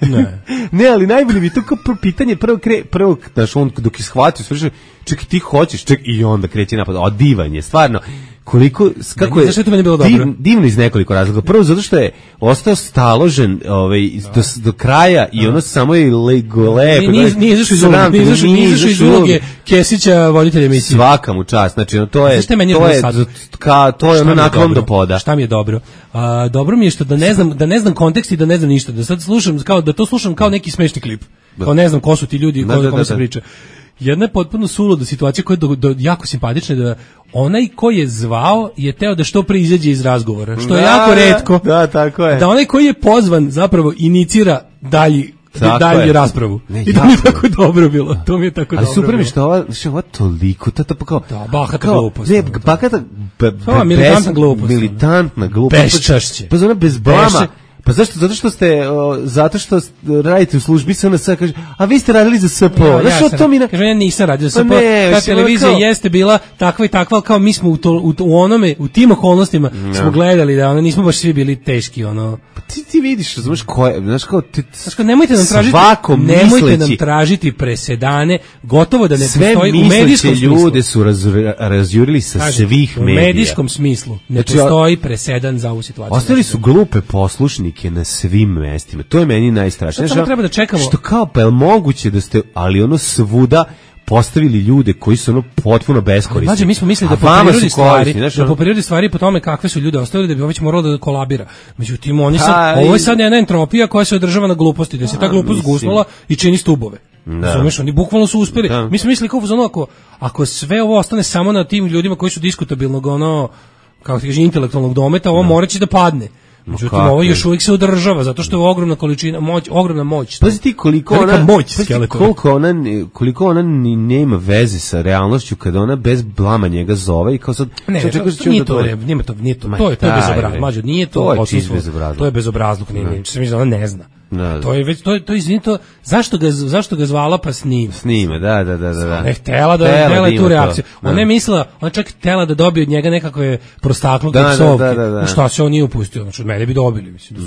Ne, ali najbolje bi to kao pitanje, prvo, znaš, on dok je shvatio, sve čekaj, ti hoćeš, i onda kreće napad, divan je, stvarno, kako je, zašto je to meni bilo dobro? Divno iz nekoliko razloga. Prvo, zato što je ostao staložen do kraja i ono samo je lepo. Nije izašao iz uloge Kesića, voditelja emisije. Svaka mu čast, znači to je ono naklon do poda. Šta mi je dobro? Dobro mi je što da ne znam kontekst i da ne znam ništa, da sad slušam kao neki smešni klip. Kao ne znam ko su ti ljudi, kome se priča. Jedna je potpuno suluda situacija koja je jako simpatična, da onaj ko je zvao je teo da što pre izađe iz razgovora, što je jako retko. Da, tako je. Da onaj koji je pozvan zapravo inicira dalji raspravu. I to mi je tako dobro bilo. To mi je tako dobro. Ali super mi što ova toliko, to pa kao... Da, bahata glupost. Ne, bahata... Militantna glupost. Bezčašće. Pa zona bez blama. Pa zašto? Zato što radite u službi SNS, kaže, a vi ste radili za SPO. Kaže, ja nisam radio za SPO. Ta televizija jeste bila takva i takva, ali kao mi smo u tim okolnostima smo gledali da nismo baš svi bili teški, ono. Pa ti vidiš, znaš ko je, znaš kao nemojte nam tražiti presedane, gotovo da ne postoji u medijskom smislu. Ljude su razjurili sa svih medija. U medijskom smislu ne postoji presedan za ovu situaciju. Ostali su glupe poslušnike na svim mestima. To je meni najstrašnije. Samo treba da čekamo. Što kao, pa je li moguće da ste, ali ono svuda postavili ljude koji su ono potpuno beskorisni. Mlađe, mi smo mislili da po prirodi stvari po tome kakve su ljude ostavili da bi ovo moralo da kolabira. Međutim, ovo je sad jedna entropija koja se održava na gluposti, da se ta glupost gusnula i čini stubove. Razumeš, oni bukvalno su uspeli. Mi smo mislili kao ako sve ovo ostane samo na tim ljudima koji su diskutabilnog, kako ti kaže, intelektualnog dometa, ovo moraće da padne. Međutim, ovo još uvijek se održava, zato što je ogromna količina, ogromna moć. Pazi ti koliko ona nema veze sa realnošću kada ona bez blama njega zove i kao sad... Ne, nije to, to je bezobrazluk, mlađo, nije to odsustvo, to je bezobrazluk, ona ne zna. To je već, to izvinito, zašto ga zvala pa snime, da. Ne htela da je tu reakciju. Ona je mislila, ona čak htela da dobije od njega nekakve prostakluke psovke. Šta se on nije upustio, znači od mene bi dobili, mislim,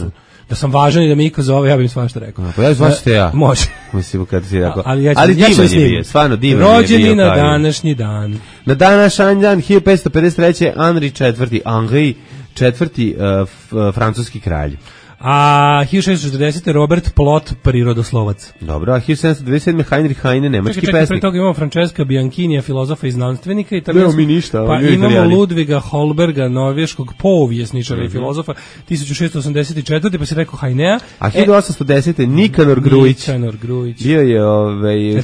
da sam važan i da me iko zove, ja bih im svašta rekao. Pa ja zvaćete ja. Može. Mislim, kad si rekao. Ali divan je bio, stvarno divan je bio. Rođeni na današnji dan. Na današnji dan, 1553. Henri IV, francuski kralj. A 1640. Robert Plot, prirodoslovac. Dobro, a 1727. Heinrich Heine, nemački pesnik. Pre toga imamo Francesca Bianchinija, filozofa i znanstvenika. Pa imamo Ludviga Holberga, norveškog povjesničara i filozofa, 1684. pa se rekao Heinea. A 1810. Nikanor Grujić. Bio je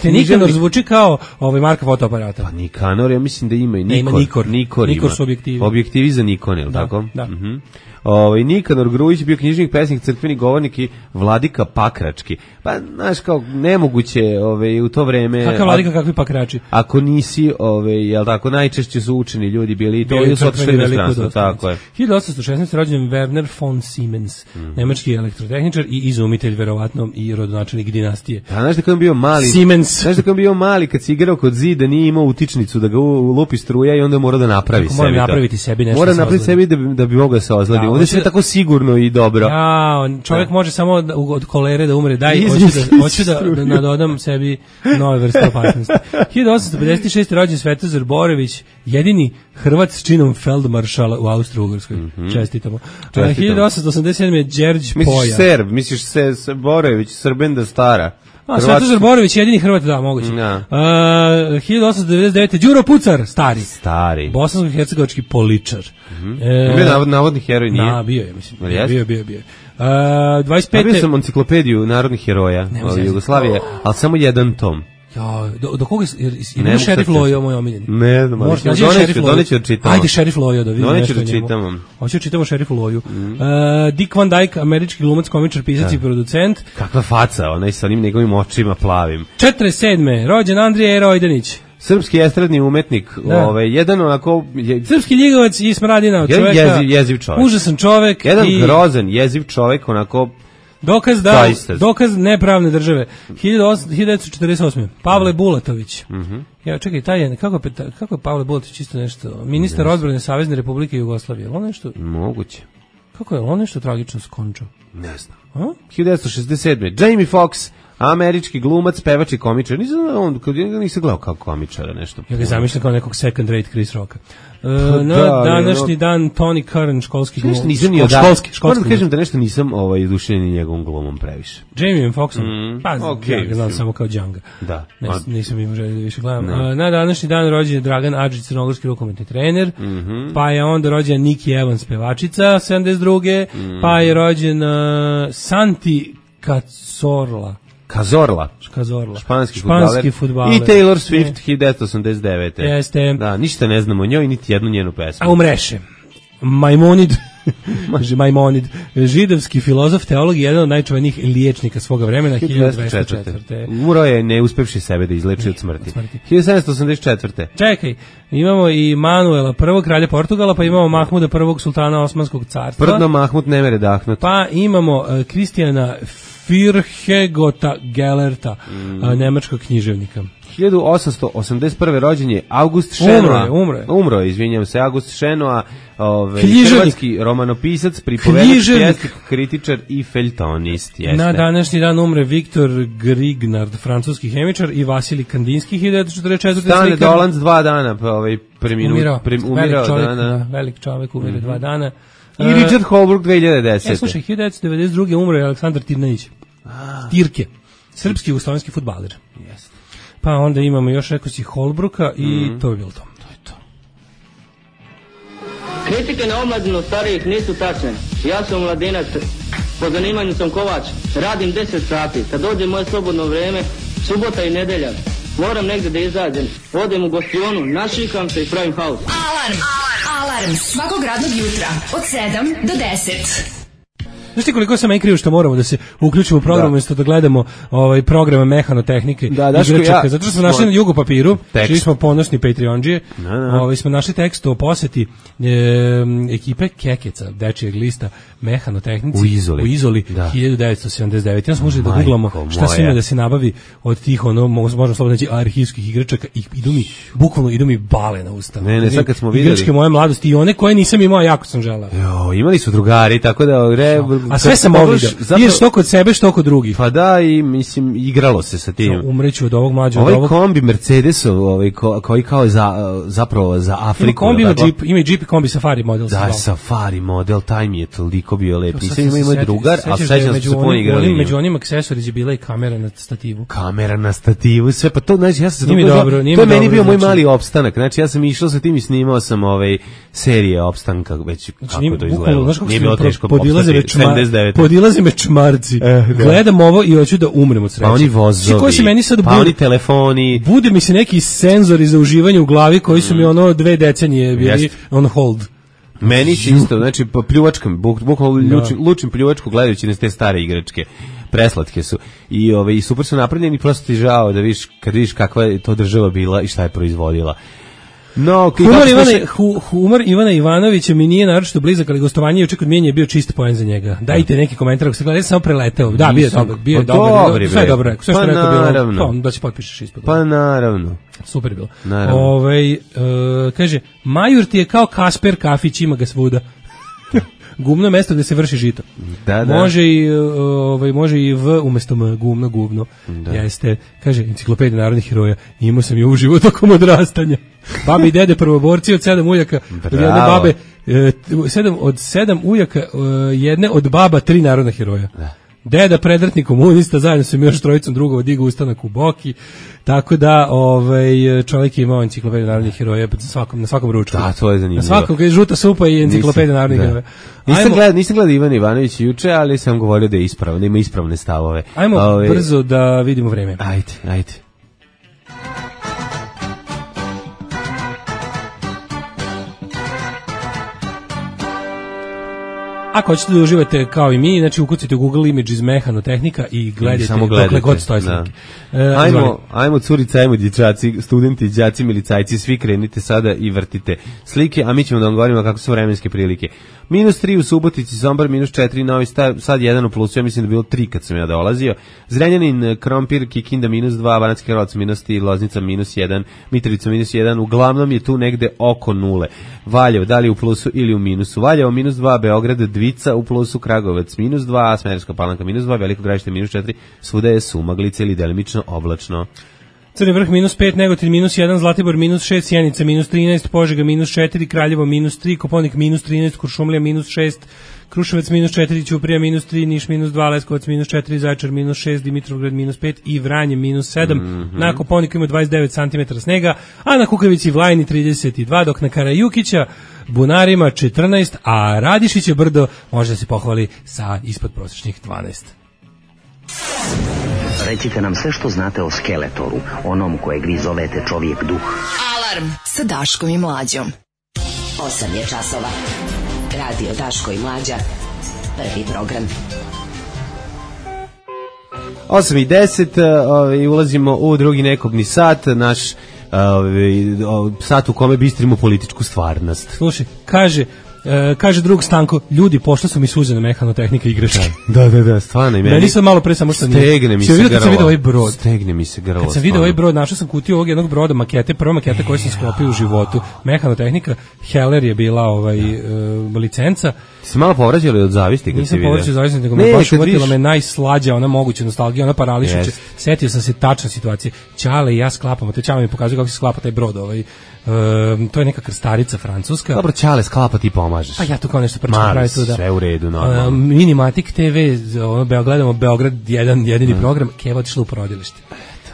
Nikanor zvuči kao Marka fotoaparata. Pa Nikanor, ja mislim da ima i Nikor. Nikor su objektivi. Objektivi za Nikon, je li tako? Da. Nikanor Grujić bio knjižnik, pesnik, crkveni govornik i vladika Pakrački. Pa, znaš, kao nemoguće u to vreme... Kakav vladika, kakvi Pakrači? Ako nisi, jel tako, najčešće su učeni ljudi bili i to je otišli inostranstvo, tako je. 1816. rođen Werner von Siemens, nemački elektrotehničar i izumitelj, verovatno, i rodonačelnik dinastije. A znaš da kad on bio mali... Siemens. Znaš da kad on bio mali, kad si igrao kod zida, nije imao utičnicu da ga lupi struja i onda mora da napravi sebi to. Mora napraviti sebi nešto. Mora napraviti sebi da bi mogao se ozladi. Ovdje sve tako sigurno i dobro. Čovjek može samo od kolere da umre. Hoću da nadodam sebi nove vrste opasnosti. 1856. rođen Svetozar Borević, jedini Hrvat s činom feldmaršala u Austro-Ugrskoj. Čestitamo. 1887. Đerđ Poja. Misliš Borević, Srbenda stara. Svetozar Borović, jedini Hrvat, da, moguće. 1899. Đuro Pucar, stari. Bosansko-hercegovački poličar. Bio navodni heroj, nije? Da, bio je, mislim. Bio. 25. Bio sam enciklopediju narodnih heroja Jugoslavije, ali samo jedan tom. Do koga je Šerif Lojo moj omiljeni? Ne znam, doneću da čitam. Ajde Šerif Lojo da vidimo nešto o njemu. Hoću da čitamo Šerifu Loju. Dick Van Dyke, američki glumac, komičar, pisac i producent. Kakva faca, onaj sa onim njegovim očima plavim. 47. rođen Andrija Rojdanić. Srpski estradni umetnik, jedan onako... Srpski ljigovac i smradina od čoveka. Jeziv čovek. Užasan čovek. Jedan grozan, jeziv čovek, onako... Dokaz nepravne države. 1948. Pavle Bulatović. Ja, čekaj, taj je, kako je Pavle Bulatović isto nešto? Ministar odbrane Savezne Republike Jugoslavije. On nešto... Moguće. Kako je on nešto tragično skončao? Ne znam. 1967. Jamie Foxx, američki glumac, pevač i komičar. Nisam gledao kao komičara nešto. Ja ga zamišljam kao nekog second rate Chris Rocka. Današnji dan Tony Curran, školski glumac. Školski. Moram da kažem da nešto nisam dušen ni njegovom glumom previše. Jamie Foxxom? Pa, ja ga znam samo kao Djanga. Da. Nisam imao želje da više gledam. Na današnji dan rođen je Dragan Adžić, crnogorski rukometni trener, pa je onda rođen Nikki Evans, pevačica, 72. Pa je rođen Santi Cazorla, španski fudbaler. I Taylor Swift, 1989. Jeste. Da, ništa ne znamo o njoj, niti jednu njenu pesmu. A umreše. Majmonid, židovski filozof, teolog i jedan od najčuvenijih liječnika svoga vremena, 1204. Umro je ne uspevši sebe da izleči od smrti. 1784. Čekaj, imamo i Manuela I, kralja Portugala, pa imamo Mahmuda I, sultana Osmanskog carstva. Prdno Mahmud ne mere dahnut. Pa imamo Kristijana Firhegota Gellerta, nemačkog književnika. 1881. rođen je August Šenoa. Umro je, izvinjam se, August Šenoa, hrvatski romanopisac, pripovedač, pjesnik, kritičar i feljtonist. Jeste. Na današnji dan umre Viktor Grignard, francuski hemičar, i Vasilij Kandinski, 1944. Stane Dolanc 2 dana umirao. Velik čovjek, umire 2 dana. I Richard Holbrooke 2010. Slušaj, 1992. umro je Aleksandar Tirnanić. Tirke. Srpski jugoslovenski fudbaler. Jeste. Pa onda imamo još, rekao si, Holbrooka i to je bilo to. To je to. Kritike na omladinu starijih nisu tačne. Ja sam mladinac, po zanimanju sam kovač, radim 10 sati. Kad dođe moje slobodno vreme, subota i nedelja, moram negde da izađem. Odem u gostionu, našikam se i pravim haos. Alarm svakog radnog jutra od 7 do 10. Znaš ti koliko sam krivo što moramo da se uključimo u program umjesto da gledamo programe mehanotehnike i igračaka, zato što smo našli na Jugo papiru, čiji smo ponosni Patreondžije, smo našli tekst o poseti ekipe Kekeca, dečijeg lista mehanotehnici u Izoli 1979. Ja smo moželi da googlamo šta se ima da se nabavi od tih, možemo slobodno reći, arhivskih igračaka i idu mi bale na usta. Ne, sad kad smo videli igračke moje mladosti i one koje nisam imao, jako sam želeo. Imali su drugari, tako da a sve sam ovo vidio. Ideš što kod sebe, što kod drugih. Pa da, i mislim, igralo se sa tim. Umreću od ovog mlađa. Ovaj kombi Mercedesov, koji kao zapravo za Afriku. Ima i Jeep kombi Safari model. Da, Safari model, taj mi je toliko bio lep. Nisam imao drugar, a sećam se puno igrali. Među onim aksesorima je bila i kamera na stativu. Kamera na stativu, sve, pa to, znači, ja sam se to je meni bio moj mali opstanak. Znači, ja sam išao sa tim i snimao sam serije opstanka, već kako to izgledalo. Nije bilo teško podilaze me čmarci. Gledam ovo i hoću da umrem od sreće. Pa oni vozovi, pa oni telefoni. Bude mi se neki senzori za uživanje u glavi koji su mi 2 decenije bili on hold. Meni se isto, znači pljuvačkam, bukvalno lučim pljuvačku gledajući na te stare igračke. Preslatke su i super su napravljeni, prosto ti žao da vidiš kakva je to država bila i šta je proizvodila. No, humor Ivana Ivanovića mi nije naročito blizak, ali gostovanje juče kod Mijenja je bio čist poen za njega. Dajte neki komentar ako se gleda, ja sam samo preleteo. Da, bio je dobar. Sve je dobro rekao. Sve što rekao bilo, da se potpišeš ispod. Pa naravno. Super je bilo. Kaže, Majur ti je kao Kasper kafić, ima ga svuda. Gumno je mesto gde se vrši žito. Da. Može i v umjesto m, gumno. Jeste, kaže, enciklopedija narodnih heroja, imao sam je uživo tokom odrastanja. Babi i dede prvoborci od 7 ujaka, od jedne babe, od 7 ujaka, jedne od baba 3 narodna heroja. Da. Deda predratni komunista, zajedno sa još trojicom drugova digao ustanak u Boki, tako da čovjek je imao enciklopediju narodnih heroja na svakom ručku. Da, to je zanimljivo. Na svakom, kada je žuta supa i enciklopedija narodnih heroja. Nisam gledao Ivan Ivanović juče, ali sam govorio da je ispravno, ima ispravne stavove. Ajmo brzo da vidimo vreme. Ajde. Ako hoćete da uživate kao i mi, znači ukucajte u Google Images mehanotehnika i gledajte dokle god stoje slike. Ajmo curice, ajmo dječaci, studenti, đaci, milicajci, svi krenite sada i vrtite slike, a mi ćemo da vam govorimo kako su vremenske prilike. -3 u Subotici, Sombor -4, Novi Sad 1 u plusu, ja mislim da je bilo 3 kad sam ja dolazio. Zrenjanin, Krompir, Kikinda -2, Banatski Karlovac -3, Loznica -1, Mitrovica -1, uglavnom je tu negde oko nule. Valjevo, da li u plusu ili u minusu. Valjevo -2, Beograd, Dvica u plusu, Kragovac -2, Smederevska Palanka -2, Veliko Gradište -4, svuda je sumaglica ili delimično oblačno. Crni vrh -5, Negotin -1, Zlatibor -6, Sjenica -13, Požega -4, Kraljevo -3, Koponik -13, Kuršumlija -6, Kruševac -4, Ćuprija -3, Niš -2, Leskovac -4, Zaječar -6, Dimitrovgrad -5 i Vranje -7. Na Koponiku ima 29 cm snega, a na Kukavici i Vlajni 32, dok na Karajukića, Bunarima 14, a Radišiće brdo može da se pohvali sa ispod prosječnih 12. Recite nam sve što znate o Skeletoru, onom kojeg vi zovete čovjek duh. Alarm sa Daškom i Mlađom. 8 je časova. Radio Daško i Mlađa. Prvi program. 8:10, ulazimo u drugi nekobni sat, naš sat u kome bistrimo političku stvarnost. Slušaj, kaže drug Stanko, ljudi, pošla su mi suze na mehanotehnika i igračke. Da, stvarno i meni. Meni sam malo pre samo što nije. Stegne mi se grlo. Kad sam vidio ovaj brod. Stegne mi se grlo. Kad sam vidio ovaj brod, našao sam kutiju ovog jednog broda, makete, prva maketa koju sam sklopio u životu. Mehanotehnika, Heller je bila licenca. Si malo povrađali od zavisti kad si vidio? Nisam povrađao od zavisti, nego me baš uvatila me najslađa, ona moguća nostalgija, ona parališuće. Setio sam se tačne situacije. Ćale i ja sklapamo, te Ćale mi pokazuje kako se sklapa taj brod, to je neka krstarica francuska. Dobro, Ćale sklapa, ti pomažeš. Pa ja to kao nešto prčam pravi tu da. Sve u redu, normalno. Minimatik TV, gledamo Beograd jedini program, Keva otišla u porodilište.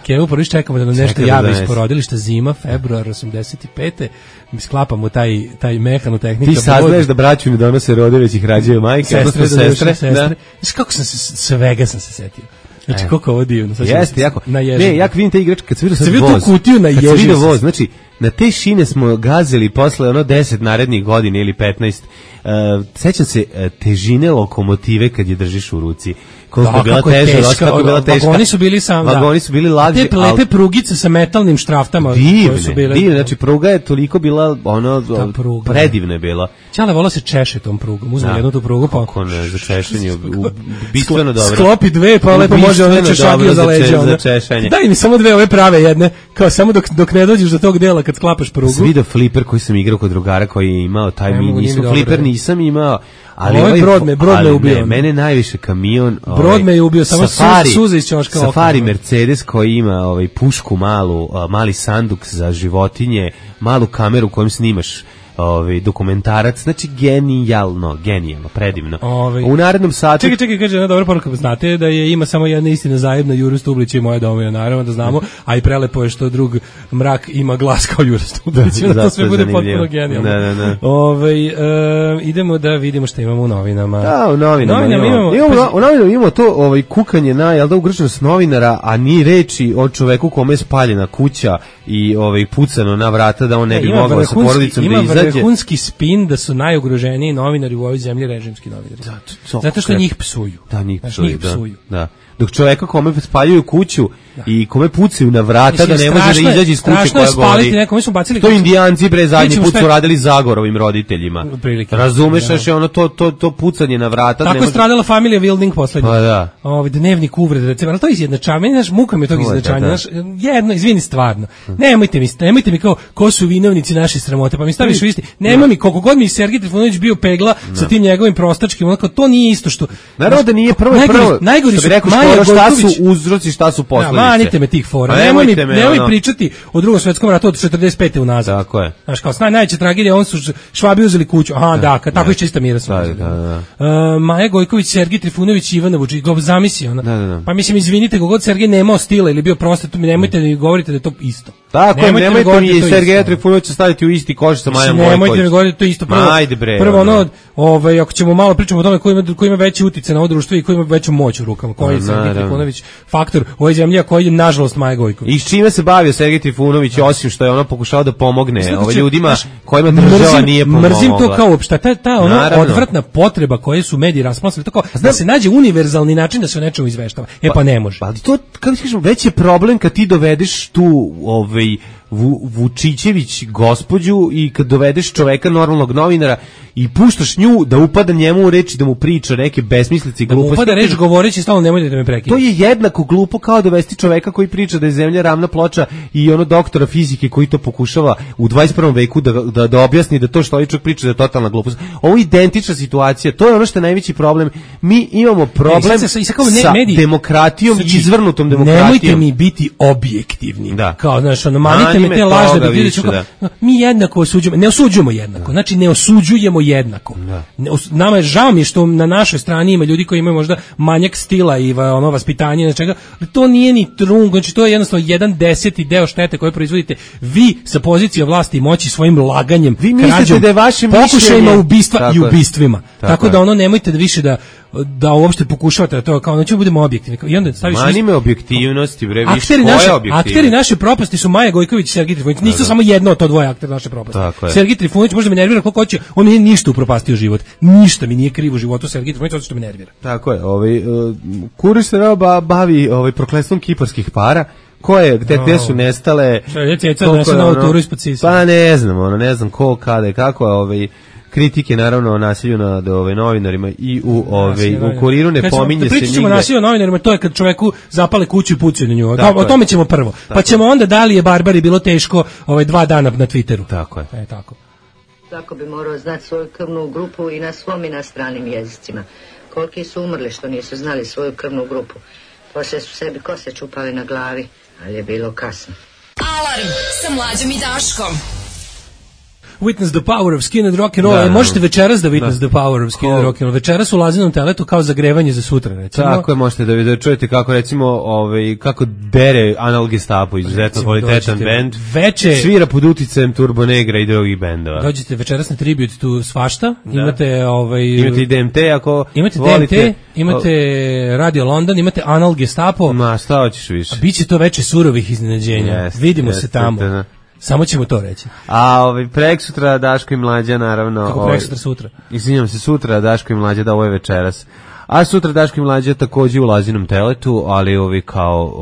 Keva u porodilište, čekamo da nam nešto javi iz porodilišta, zima, februar 85. Mi sklapamo taj mehanotehnika. Ti saznaješ da braću mi donose rode, već ih rađaju majke, odnosno sestre. Znaš kako svega sam se setio. Znači, koliko ovo divno. Jeste, jako. Ne, jak vidim te igračke, kad sam vidio sad voz. Kad sam vidio voz, se. znači, na te šine smo gazili posle 10 narednih godina ili 15. Sećam se težine lokomotive kad je držiš u ruci. Koliko je bila teža, kako je bila teška. Vagoni su bili Vagoni su bili lagđi. Te lepe prugice sa metalnim štraftama. Divne, znači pruga je toliko bila, predivna je bila. Ćale volao se češe tom prugom, uzme jednu tu prugu, pa... Kako ne, za češenje, bistveno dobro. Sklopi dve, pa lepo može ono češagio za leđa. Za češenje. Daj mi samo dve ove prave jedne, kao samo dok ne dođeš do tog dela kad sklapaš prugu. Sam vidio fliper koji sam igrao kod drugara koji je imao, taj fliper nisam imao. Ali ovaj brod me ubio. Mene najviše kamion. Brod me je ubio, samo suze iz ćoška. Safari Mercedes koji ima pušku malu, mali sanduk za životinje, malu kameru kojom snimaš dokumentarac, znači genijalno, predivno. U narednom satu... Čekaj, kaže jedna dobra poruka, znate da ima samo jedna istina zajedno, Juro Stublić je moja domina, naravno da znamo, a i prelepo je što drug Mrak ima glas kao Juro Stublić, da to sve bude potpuno genijalno. Idemo da vidimo šta imamo u novinama. Da, u novinama imamo to kukanje na, jel da, ugroženost novinara, a ni reči o čoveku kome je spaljena kuća i pucano na vrata da on ne bi mogao sa porodicom da izađe. Vrhunski spin da su najugroženiji novinari u ovoj zemlji režimski novinari. Zato što njih psuju. Da, njih psuju. Da. Dok čoveka kome spaljuju kuću i kome pucaju na vrata da ne može da izađe iz kuće koja gori. Nekome su bacili. To Indijanci zadnji put su radili Zagorovim roditeljima. Razumeš što je ono to pucanje na vrata. Tako je stradala familija Wilding poslednji. Pa da. Dnevnik uvrede, recimo, ali to je izjednačavanje, znaš, muka mi je tog izjednačavanja. Jedno, izvini stvarno. Nemojte mi kao ko su vinovnici naše sramote, pa mi staviš u isti. Nema mi, koliko god mi Sergej Trifunović bio pegla sa tim njegovim prostačkim, onako, to nije isto što... Naravno da nije prvo. Najgori su šta su uzroci, šta su posledice. Manite me tih fora. Nemoj pričati o Drugom svetskom ratu od 45. unazad. Tako je. Znaš, kao najveća tragedija, on su Švabi uzeli kuću. Aha, da, tako iz čista mira su. Maja Gojković, Sergej Trifunović, Ivana Vučić, zamisli ona. Pa mislim, izvinite, kogod Sergej nemao stila ili bio prostat, nemojte da mi govorite da je to isto. Tako, nemojte mi i Sergeja Trifunovića staviti u isti koš sa Majom Gojković. Nemojte mi govoriti to isto. Prvo ono, ako ćemo malo pričamo o tome ko ima veći uticaj na ovo društvo i ko ima veću moć u rukama, koji je Sergej Trifunović faktor u ovoj zemlji, a koji je nažalost Maja Gojković. I s čime se bavio Sergej Trifunović, osim što je ono pokušao da pomogne ljudima kojima država nije pomogla. Mrzim to kao uopšte, ta odvratna potreba koje su mediji rasplasili, tako da se nađe univerzalni način da se o nečemu izveštava. Pa ne može. Ali to, kako ti kažemo, već je problem kad ti dovedeš tu Vučićević gospođu i kad dovedeš čoveka, normalnog novinara, i puštaš nju da upada njemu u reč i da mu priča neke besmislice i gluposti. Da mu upada reč govoreći stalno nemojte da me prekidate. To je jednako glupo kao dovesti čoveka koji priča da je zemlja ravna ploča i ono doktora fizike koji to pokušava u 21. veku da objasni da to što ovaj čovjek priča da je totalna glupost. Ovo je identična situacija, to je ono što je najveći problem. Mi imamo problem sa demokratijom i izvrnutom demokratijom. Nemojte mi biti objektivni. Da. Kao, znaš, manite me te lažne da vidiš. Mi jednako osuđujemo, ne osuđujemo jednako, znači ne osuđujemo jednako. Nama je žao mi što na našoj strani ima ljudi koji imaju možda manjak stila i ono vaspitanje, čega, ali to nije ni trungo, znači to je jednostavno 1/10 deo štete koje proizvodite vi sa pozicije vlasti i moći svojim laganjem, vi krađom, da je vaše pokušajima ubistva i ubistvima. Tako da ono nemojte da više da uopšte pokušavate to kao nećemo budemo objektivni. I onda staviš manime objektivnosti, bre, više akteri naše propasti su Maja Gojković i Sergej Trifunović. Nisu samo jedno od to dvoje aktera naše propasti. Sergej Trifunović možda me nervira koliko hoće, on mi nije ništa upropastio život. Ništa mi nije krivo u životu Sergej Trifunović, zato što me nervira. Tako je, Kuriš se bavi prokletstvom kiparskih para. Gde su nestale? Pa ne znam ko, kada i kako, kritike naravno o nasilju nad novinarima i u Kuriru ne pominje se nigde. Pričat ćemo o nasilju nad novinarima, to je kad čoveku zapale kuću i pucaju na nju. O tome ćemo prvo. Pa ćemo onda da li je Barbari bilo teško 2 dana na Twitteru. Tako je. Tako. Svako bi morao znati svoju krvnu grupu i na svom i na stranim jezicima. Koliki su umrli što nisu znali svoju krvnu grupu. Poslije su sebi kose čupali na glavi, ali je bilo kasno. Alarm sa Mlađom i Daškom. Witness the power of skin and rock and roll. Možete večeras da witness the power of skin and rock and roll. Večeras u Lazinom teletu kao zagrevanje za sutra, recimo. Tako je, možete da čujete kako, recimo, kako dere Anal Gestapo, izuzetno kvalitetan bend. Svira pod uticajem Turbo Negra i drugih bendova. Dođete večeras na tribute tu svašta. Imate imate i DMT ako imate volite. DMT, imate Radio London, imate Anal Gestapo. Ma, šta hoćeš više? Biće to veče surovih iznenađenja. Vidimo se tamo. Samo ćemo to reći. A preksutra Daško i Mlađa, naravno. Kako preksutra sutra? Izvinjam se, sutra Daško i Mlađa, da, ovo je večeras. A sutra Daško i Mlađa takođe u Lazinom teletu, ali kao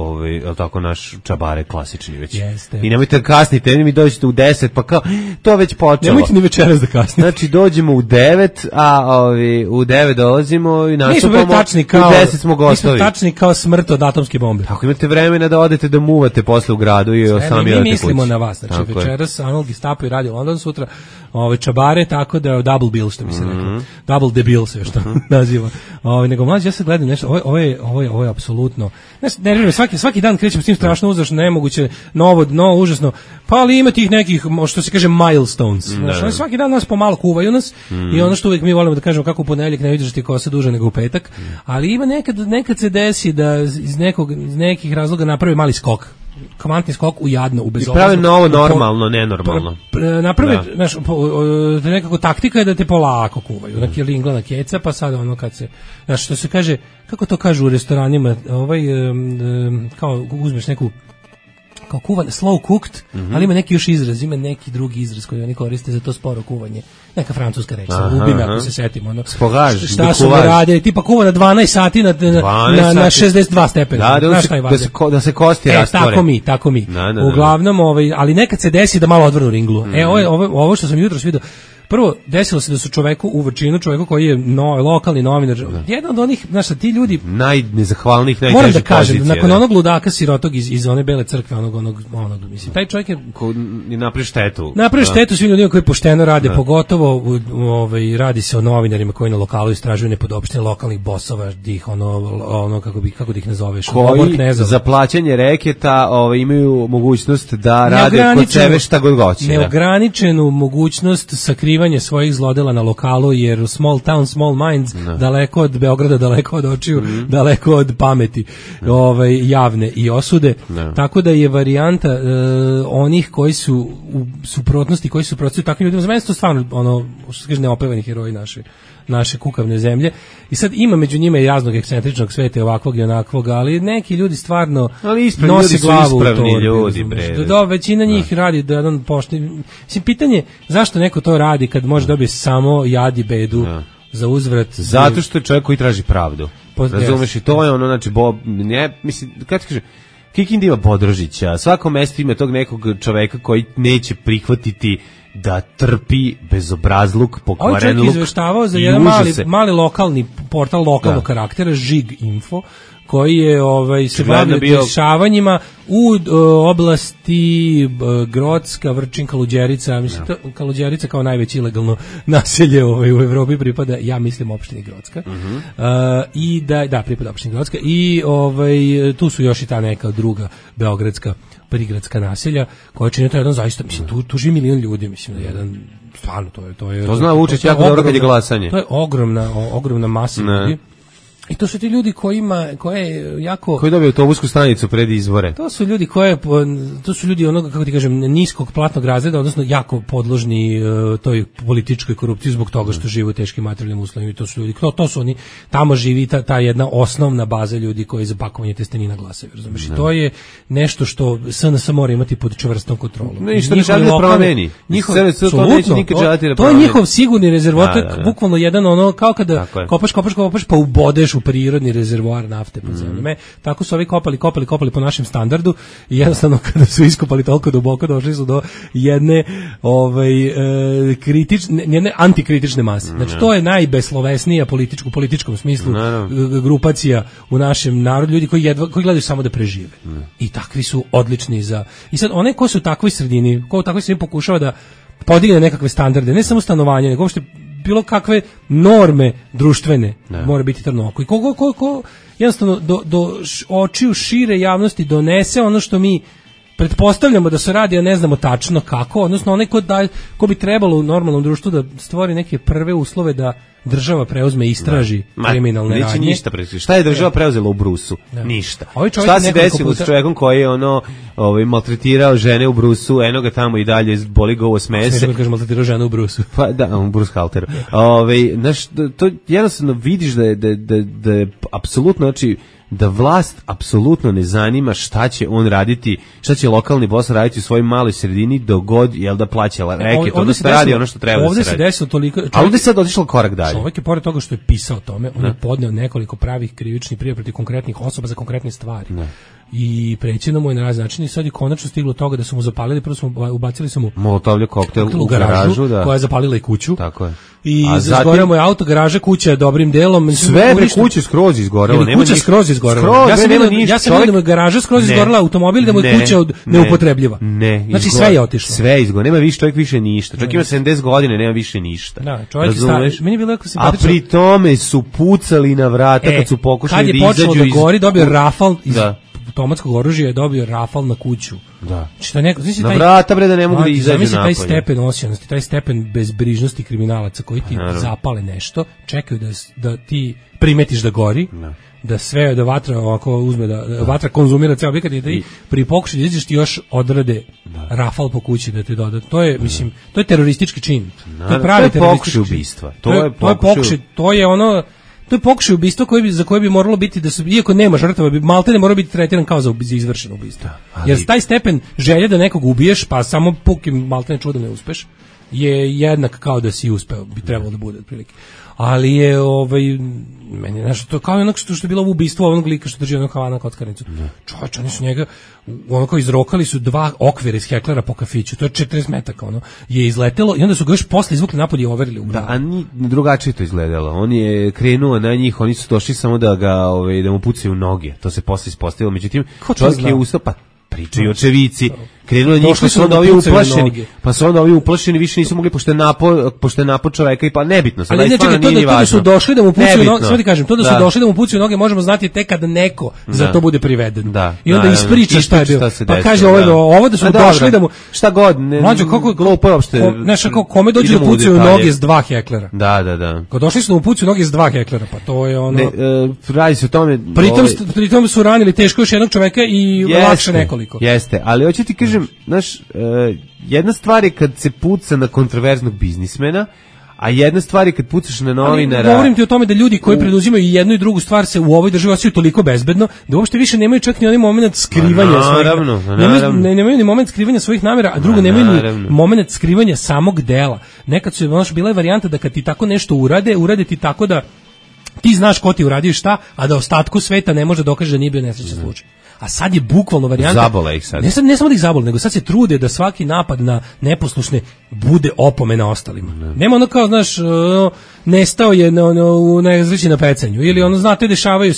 tako naš čabare klasični već. Jeste. I nemojte kasnite, mi dođete u 10, pa kao to već počelo. Nemojte ni večeras da kasnite. Znači dođemo u 9, a u 9 dolazimo i nastupamo. U 10 smo gotovi. Mi smo tačni kao smrt od atomske bombe. Ako imate vremena da odete da muvate posle u gradu i sami odete kući. Mi mislimo na vas, znači večeras Anal Gestapo i Radio London, sutra čabare, tako da double bill, što mi se rekao. Double debil se još to naziva. Nego Mlađe, ja sad gledam nešto, ovo je apsolutno, ne, svaki dan krećem s tim strašno uzrašno, nemoguće, novo, užasno, pa ali ima tih nekih, što se kaže, milestones. Svaki dan nas pomalo kuvaju nas i ono što uvijek mi volimo da kažemo kako u ponedjeljak ne vidiš ti kosa duže nego u petak, ali ima nekad se desi da iz nekih razloga napravi mali skok. Kvantni skok u jadno, u bezobrazno. I prave novo normalno, nenormalno. Naprave, znaš, nekako taktika je da te polako kuvaju, na kilingla, na keca, pa sad ono kad se, znaš, što se kaže, kako to kažu u restoranima, kao uzmeš neku, kao kuvan, slow cooked, ali ima neki još izraz, ima neki drugi izraz koji oni koriste za to sporo kuvanje. Neka francuska reč, ubi me ako se setim. Spogaž, šta su radili, tipa kuva na 12 sati na 62 stepena. Da se kosti rastvore. Tako mi. Uglavnom, ali nekad se desi da malo odvrnu ringlu. Ovo što sam jutros vidio, prvo, desilo se da su čoveku u Vrčinu, čoveku koji je lokalni novinar, jedan od onih, znaš, ti ljudi najnezahvalnijih, najtežih pozicija. Moram da kažem, nakon onog ludaka sirotog iz one Bele crkve, onog, mislim, taj čovjek je napravi štetu. Napravi štetu svim ljudima koji pošteno rade, pogotovo radi se o novinarima koji na lokalu istražuju nepodopštine lokalnih bosova, ih kako da ih nazoveš, koji za plaćanje reketa imaju mogućnost da rade kod sebe šta god hoće. Neograničenu mogućnost sakrivanja istraživanje svojih zlodela na lokalu, jer small town, small minds, daleko od Beograda, daleko od očiju, daleko od pameti, javne i osude. Tako da je varijanta onih koji su u suprotnosti, koji su protiv takvim ljudima, za mene su to stvarno što se kaže neopevani heroji naše kukavne zemlje. I sad ima među njima i raznog ekscentričnog sveta, ovakvog i onakvog, ali neki ljudi stvarno nose glavu u to. Većina njih radi da jedan pošteni. Mislim, pitanje mislim neko to radi kad može dobiti samo jad i bedu za uzvrat. Zato što je čovjek koji traži pravdu. Razumeš, i to je ono, znači, mislim, kada ti kaže, Kikinda ima Bodrožića, svako mesto ima tog nekog čoveka koji neće prihvatiti da trpi bezobrazluk, pokvaren luk. Ovaj čovjek izveštavao za jedan mali lokalni portal lokalnog karaktera, Žig Info, koji je se bavio dešavanjima u oblasti Grocka, Vrčin, Kaluđerica, mislim Kaluđerica kao najveće ilegalno naselje u Evropi pripada, ja mislim, opštini Grocka. I da pripada opštini Grocka i tu su još i ta neka druga beogradska prigradska naselja koja čine to jedan zaista, mislim, tu živi milion ljudi, mislim, jedan stvarno to je to zna Vučić jako dobro kad je glasanje. To je ogromna masa ljudi. I to su ti ljudi koje jako... Koji dobiju autobusku stanicu pred izbore. To su ljudi onoga, kako ti kažem, niskog platnog razreda, odnosno jako podložni toj političkoj korupciji zbog toga što žive u teškim materijalnim uslovima. I to su ljudi, to su oni, tamo živi ta jedna osnovna baza ljudi koji za pakovanje testenina glasaju, razumiješ? I to je nešto što SNS mora imati pod čvrstom kontrolom. Ne, što ne želi da promeni. To je njihov sigurni rezervoar, to je bukvalno jedan kao kada kopaš, pa ubodeš u prirodni rezervoar nafte pod zemljom. Tako su ovi kopali po našem standardu i jednostavno kada su iskopali toliko duboko došli su do jedne jedne antikritične mase. Znači to je najbeslovesnija u političkom smislu grupacija u našem narodu, ljudi koji gledaju samo da prežive. I takvi su odlični za... I sad one ko su u takvoj sredini, pokušava da podigne nekakve standarde, ne samo stanovanje, nego uopšte bilo kakve norme društvene, mora biti trno oko. I ko jednostavno do očiju šire javnosti donese ono što mi pretpostavljamo da se radi, a ne znamo tačno kako, odnosno onaj ko bi trebalo u normalnom društvu da stvori neke prve uslove da država preuzme i istraži kriminalne radnje. Neće ništa preuzeti. Šta je država preuzela u Brusu? Ništa. Šta se desilo s čovjekom koji je maltretirao žene u Brusu, eno ga tamo i dalje boli ga ovo smese. Smiješ da kaže maltretirao žene u Brusu. Pa da, u Bruce Halteru. To jednostavno vidiš da je apsolutno, znači, da vlast apsolutno ne zanima šta će on raditi, šta će lokalni boss raditi u svojoj maloj sredini dok god da plaća reket, odnosno radi ono što treba da se radi. Ovdje se desilo toliko... Ali ovdje je sad otišlo korak dalje. Čovjek je pored toga što je pisao o tome, on je podneo nekoliko pravih krivičnih prijava protiv konkretnih osoba za konkretne stvari. I prećeno mu je na razne načine i sad je konačno stiglo toga da su mu zapalili, prvo smo ubacili mu molotovljev koktel u garažu, koja je zapalila i kuću. Tako je. I izgoreo mu je auto, garaža, kuća je dobrim delom. Sve kuće skroz izgorelo. Kuća skroz izgorela. Ja sam vidio da mu je garaža skroz izgorela, automobil, da mu je kuća neupotrebljiva. Znači sve je otišlo. Sve je izgorelo. Nema više čovjek više ništa. Čovjek ima 70 godina, nema više ništa. Da, čovjek je stari. Meni je bilo jako simpatično. A pri tome su pucali na vrata kad su pokušali da izađu iz... Kad je počelo da gori, dobio rafal iz automatskog oružja, je dobio rafal na kuću. Da. Na vrata bre da ne mogu da izađu napolje. Taj stepen osionosti, taj stepen bezbrižnosti kriminalaca koji ti zapale nešto, čekaju da ti primetiš da gori, da sve, da vatra ovako uzme, da vatra konzumira ceo objekat i da pri pokušaju da izađeš ti još odrade rafal po kući da te doda. To je, mislim, to je teroristički čin. To je pravi teroristički ubistva. To je pokušaj ubistva za koje bi moralo biti da su, iako nema žrtava, bi maltene morao biti tretiran kao za izvršeno ubistvo. Jer taj stepen želje da nekog ubiješ, pa samo pukim maltene čudom ne uspeš, je jednak kao da si uspeo, bi trebalo da bude otprilike. Ali je meni je nešto to kao onog što je bilo ubistvo onog lika što drži onog Havana kockarnicu. Čovječ, oni su njega onako izrokali su 2 okvira iz heklera po kafiću, to je 40 metaka je izletelo i onda su ga još posle izvukli napolje i overili u glavu. Da, a drugačije to izgledalo. On je krenuo na njih, oni su došli samo da mu pucaju noge. To se posle ispostavilo. Međutim, čovjek je ustao, pa pričaju očevici. krenulo njih, pa su onda ovi uplašeni, više nisu mogli, pošto je napo čoveka i pa nebitno. Ali znači to da su došli da mu pucaju noge, sve ti kažem, to da su došli da mu pucaju noge možemo znati tek kad neko za to bude priveden. I onda ispriča šta je bilo. Pa kaže ovo da su došli da mu šta god, mlađo kako glupo je uopšte. Znaš kako kome dođu da pucaju noge s 2 heklera. Da. Kad došli su da mu pucaju noge s 2 heklera, pa to je ono. Radi se o tome. Pritom su ranili teško još jednog čoveka i lakše nekoliko. Jeste, ali hoću ti kažem, znaš, jedna stvar je kad se puca na kontroverznog biznismena, a jedna stvar je kad pucaš na novinara. Govorim ti o tome da ljudi koji preduzimaju jednu i drugu stvar se u ovoj državi osjećaju toliko bezbedno da uopšte više nemaju čak ni onaj moment skrivanja nemaju ni moment skrivanja svojih namera, a drugo nemaju ni moment skrivanja samog dela. Nekad su bila je varijanta da kad ti tako nešto urade ti tako da ti znaš ko ti uradio šta, a da ostatku sveta ne može dokaže da nije bio nesrećan slučaj. A sad je bukvalno varijanta. Zabole ih sad. Ne samo da ih zabole, nego sad se trude da svaki napad na neposlušne bude opomena ostalima. Nema ono kao, znaš, nestao je u nezreći na pecanju. Ili ono, znate, dešavaju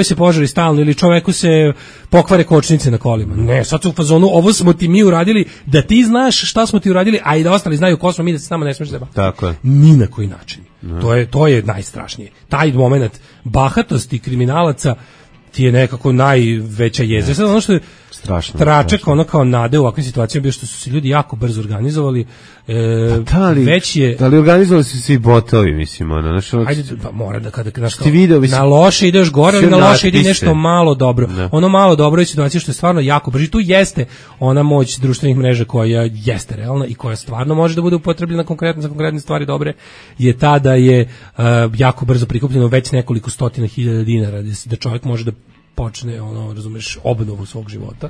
se požari stalno, ili čoveku se pokvare kočnice na kolima. Ne, sad su u fazonu, ovo smo ti mi uradili, da ti znaš šta smo ti uradili, a i da ostali znaju ko smo mi, da se s nama ne smiješ zebati. Tako je. Ni na koji način. To je najstrašnije. Taj moment bahatosti kriminalaca ti je nekako najveća jezda. Sad ono što je tračak, ono kao nade u ovakvim situacijama bio što su se ljudi jako brzo organizovali. Da li organizovali su svi botovi, mislim, ono, ajde, pa mora da kada na loše ideš gore, ali na loše ide nešto malo dobro. Ono malo dobro je situacija što je stvarno jako brzo. Tu jeste ona moć društvenih mreža koja jeste realna i koja stvarno može da bude upotrebljena konkretno za konkretne stvari dobre, je ta da je jako brzo prikupljeno već nekoliko stotina hiljada dinara, da čovjek može da počne, ono, razumeš, obnovu svog života.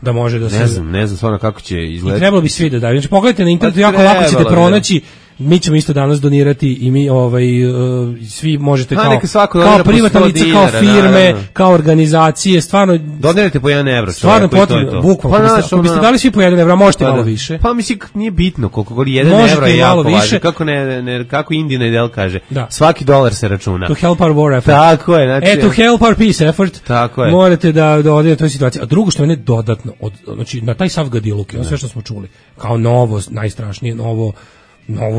Da može da se... Ne znam stvarno kako će izgledati. I trebalo bi svi da daju. Znači, pogledajte na internetu, jako lako ćete pronaći. Mi ćemo isto danas donirati i mi svi možete kao privatna lica, kao firme, kao organizacije, stvarno donirajte po 1 evro. Stvarno potrebno, bukvalno. Ako biste dali svi po 1 evro, možete malo više. Pa mislim nije bitno koliko god 1 evro je jako važno. Kako Indina Idel kaže, svaki dolar se računa. To help our war effort. Tako je, znači. To help our peace effort. Tako je. Morate da odete u toj situaciji. A drugo što je dodatno, znači na taj sav gadiluk, sve što smo čuli, kao novo, najstrašnije novu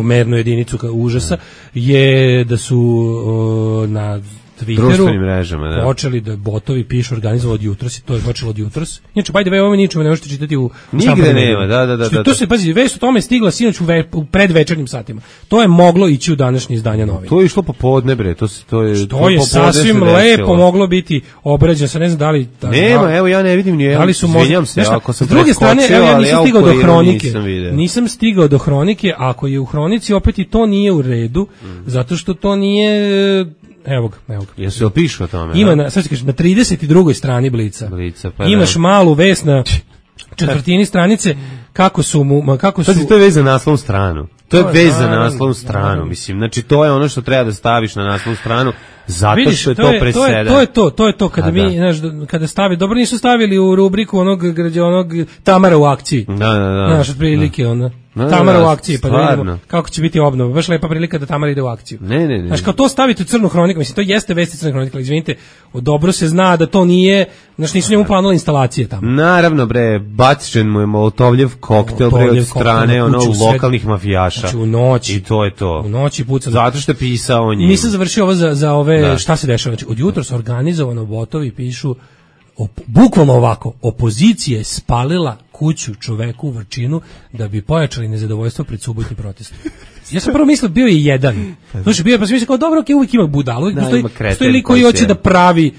mernu jedinicu užasa, je da su na Twitteru počeli da botovi pišu organizovao od jutros i to je počelo od jutros. Inače, by the way, ovo ničemu ne možete čitati u nigde nema, da. To se, pazi, vest o tome stigla sinoć u predvečernjim satima. To je moglo ići u današnje izdanja novina. To je išlo popodne, bre, to je sasvim lepo moglo biti obrađeno, sa ne znam da li... Nema, evo ja ne vidim ni da li su izvinjam se, ako sam preskočio, s druge strane, evo ja nisam stigao do hronike. Nisam stigao do hronike, ako je u hronici opet i to nije u redu, zato što to nije... Evo ga. Jesu li pišu o tome? Ima, sad ću kažem, na 32. strani Blica. Pa imaš malu vest na četvrtini stranice kako su... Pazi, to je vez za naslovnu stranu. To je vez za naslovnu stranu, mislim. Znači, to je ono što treba da staviš na naslovnu stranu, zato što je to presedan. To je to, kada mi, znaš, kada stavi, dobro nisu stavili u rubriku onog Tamara u akciji. Znaš, otprilike, Tamara u akciji, pa da vidimo kako će biti obnova. Baš lepa prilika da Tamara ide u akciju. Ne. Znaš, kao to staviti u crnu hroniku, mislim, to jeste vesti crne hronike, ali izvinite, dobro se zna da to nije, znaš, nisu njemu planule instalacije tamo. Naravno, bre, bačen mu je Molotovljev koktel, bre, od strane lokalnih mafijaša. Znači, u noći. I to je to. U noći puca. Zato što je pisao o njim. Nisam završio ovo za ove, šta se dešava. Znači, od jutros organizovano botovi pišu bukvalno ovako, opozicija je spalila kuću čoveku u Vrčinu da bi pojačali nezadovoljstvo pred subotnim protestom. Ja sam prvo mislio, bio je jedan. Znači, pa sam mislio kao, dobro, uvijek ima budalu, postoji lik koji hoće da pravi,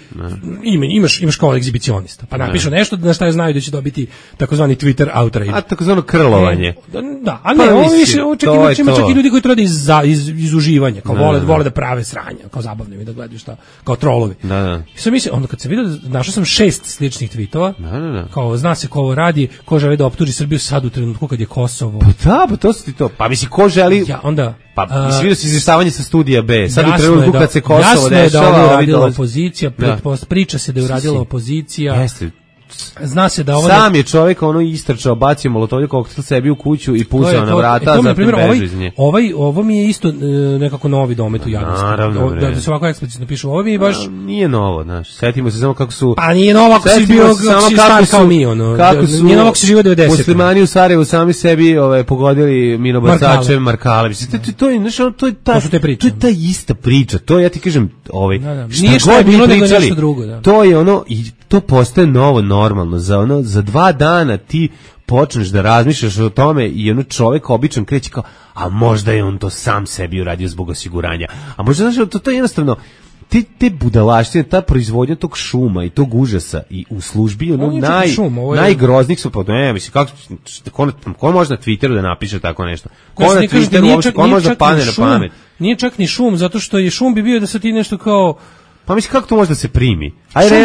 imaš kao egzibicionista, pa napišu nešto na šta znaju da će dobiti takozvani Twitter outrage. A takozvano krlovanje. Da, a ne, ovo više, ima čak i ljudi koji to rade iz uživanja, kao vole da prave sranja, kao zabavno mi da gledaju šta, kao trolovi. Da. I sam mislio, onda kad sam vidio, našao sam 6 sličnih tweetova, kao zna se ko ovo radi, ko želi da optuži Srbiju sad u trenutku kad je Kosovo. Pa to su ti to. Pa misli, ko želi... Onda vidio si izvještavanje sa studija B. Sad u trenutku kad se Kosovo dešava, jasno je da je uradila opozicija, priča se da je uradila opozicija. Jeste. zna se da ovo sam je čovjek ono istrčao, bacio molotovljev koktel sebi u kuću i pucao na vrata, to, zatim beže iz nje. Ovo mi je isto nekako novi domet u javnosti. Naravno, da se ovako eksplicitno piše, ovo mi je baš... Nije novo, znaš, setimo se samo kako su... Pa nije novo ako si bio star kao mi, ono. Nije novo ako si živio 90. Muslimani u Sarajevu sami sebi pogodili minobacače Markale. To je, znaš, to je ta ista priča. To je, ja ti kažem, šta god mi pričali, to je ono, i to postaje novo normalno. Za 2 dana ti počneš da razmišljaš o tome i ono čovjek običan kreće kao, a možda je on to sam sebi uradio zbog osiguranja. A možda, znaš, to je jednostavno, te budalaštine, ta proizvodnja tog šuma i tog užasa i u službi ono najgroznijih su, pa ne, mislim, ko može na Twitteru da napiše tako nešto? Ko na Twitteru, ko može da padne na pamet? Nije čak ni šum, zato što je šum bi bio da se ti nešto kao... Pa mislim, kako to može da se primi? Ajde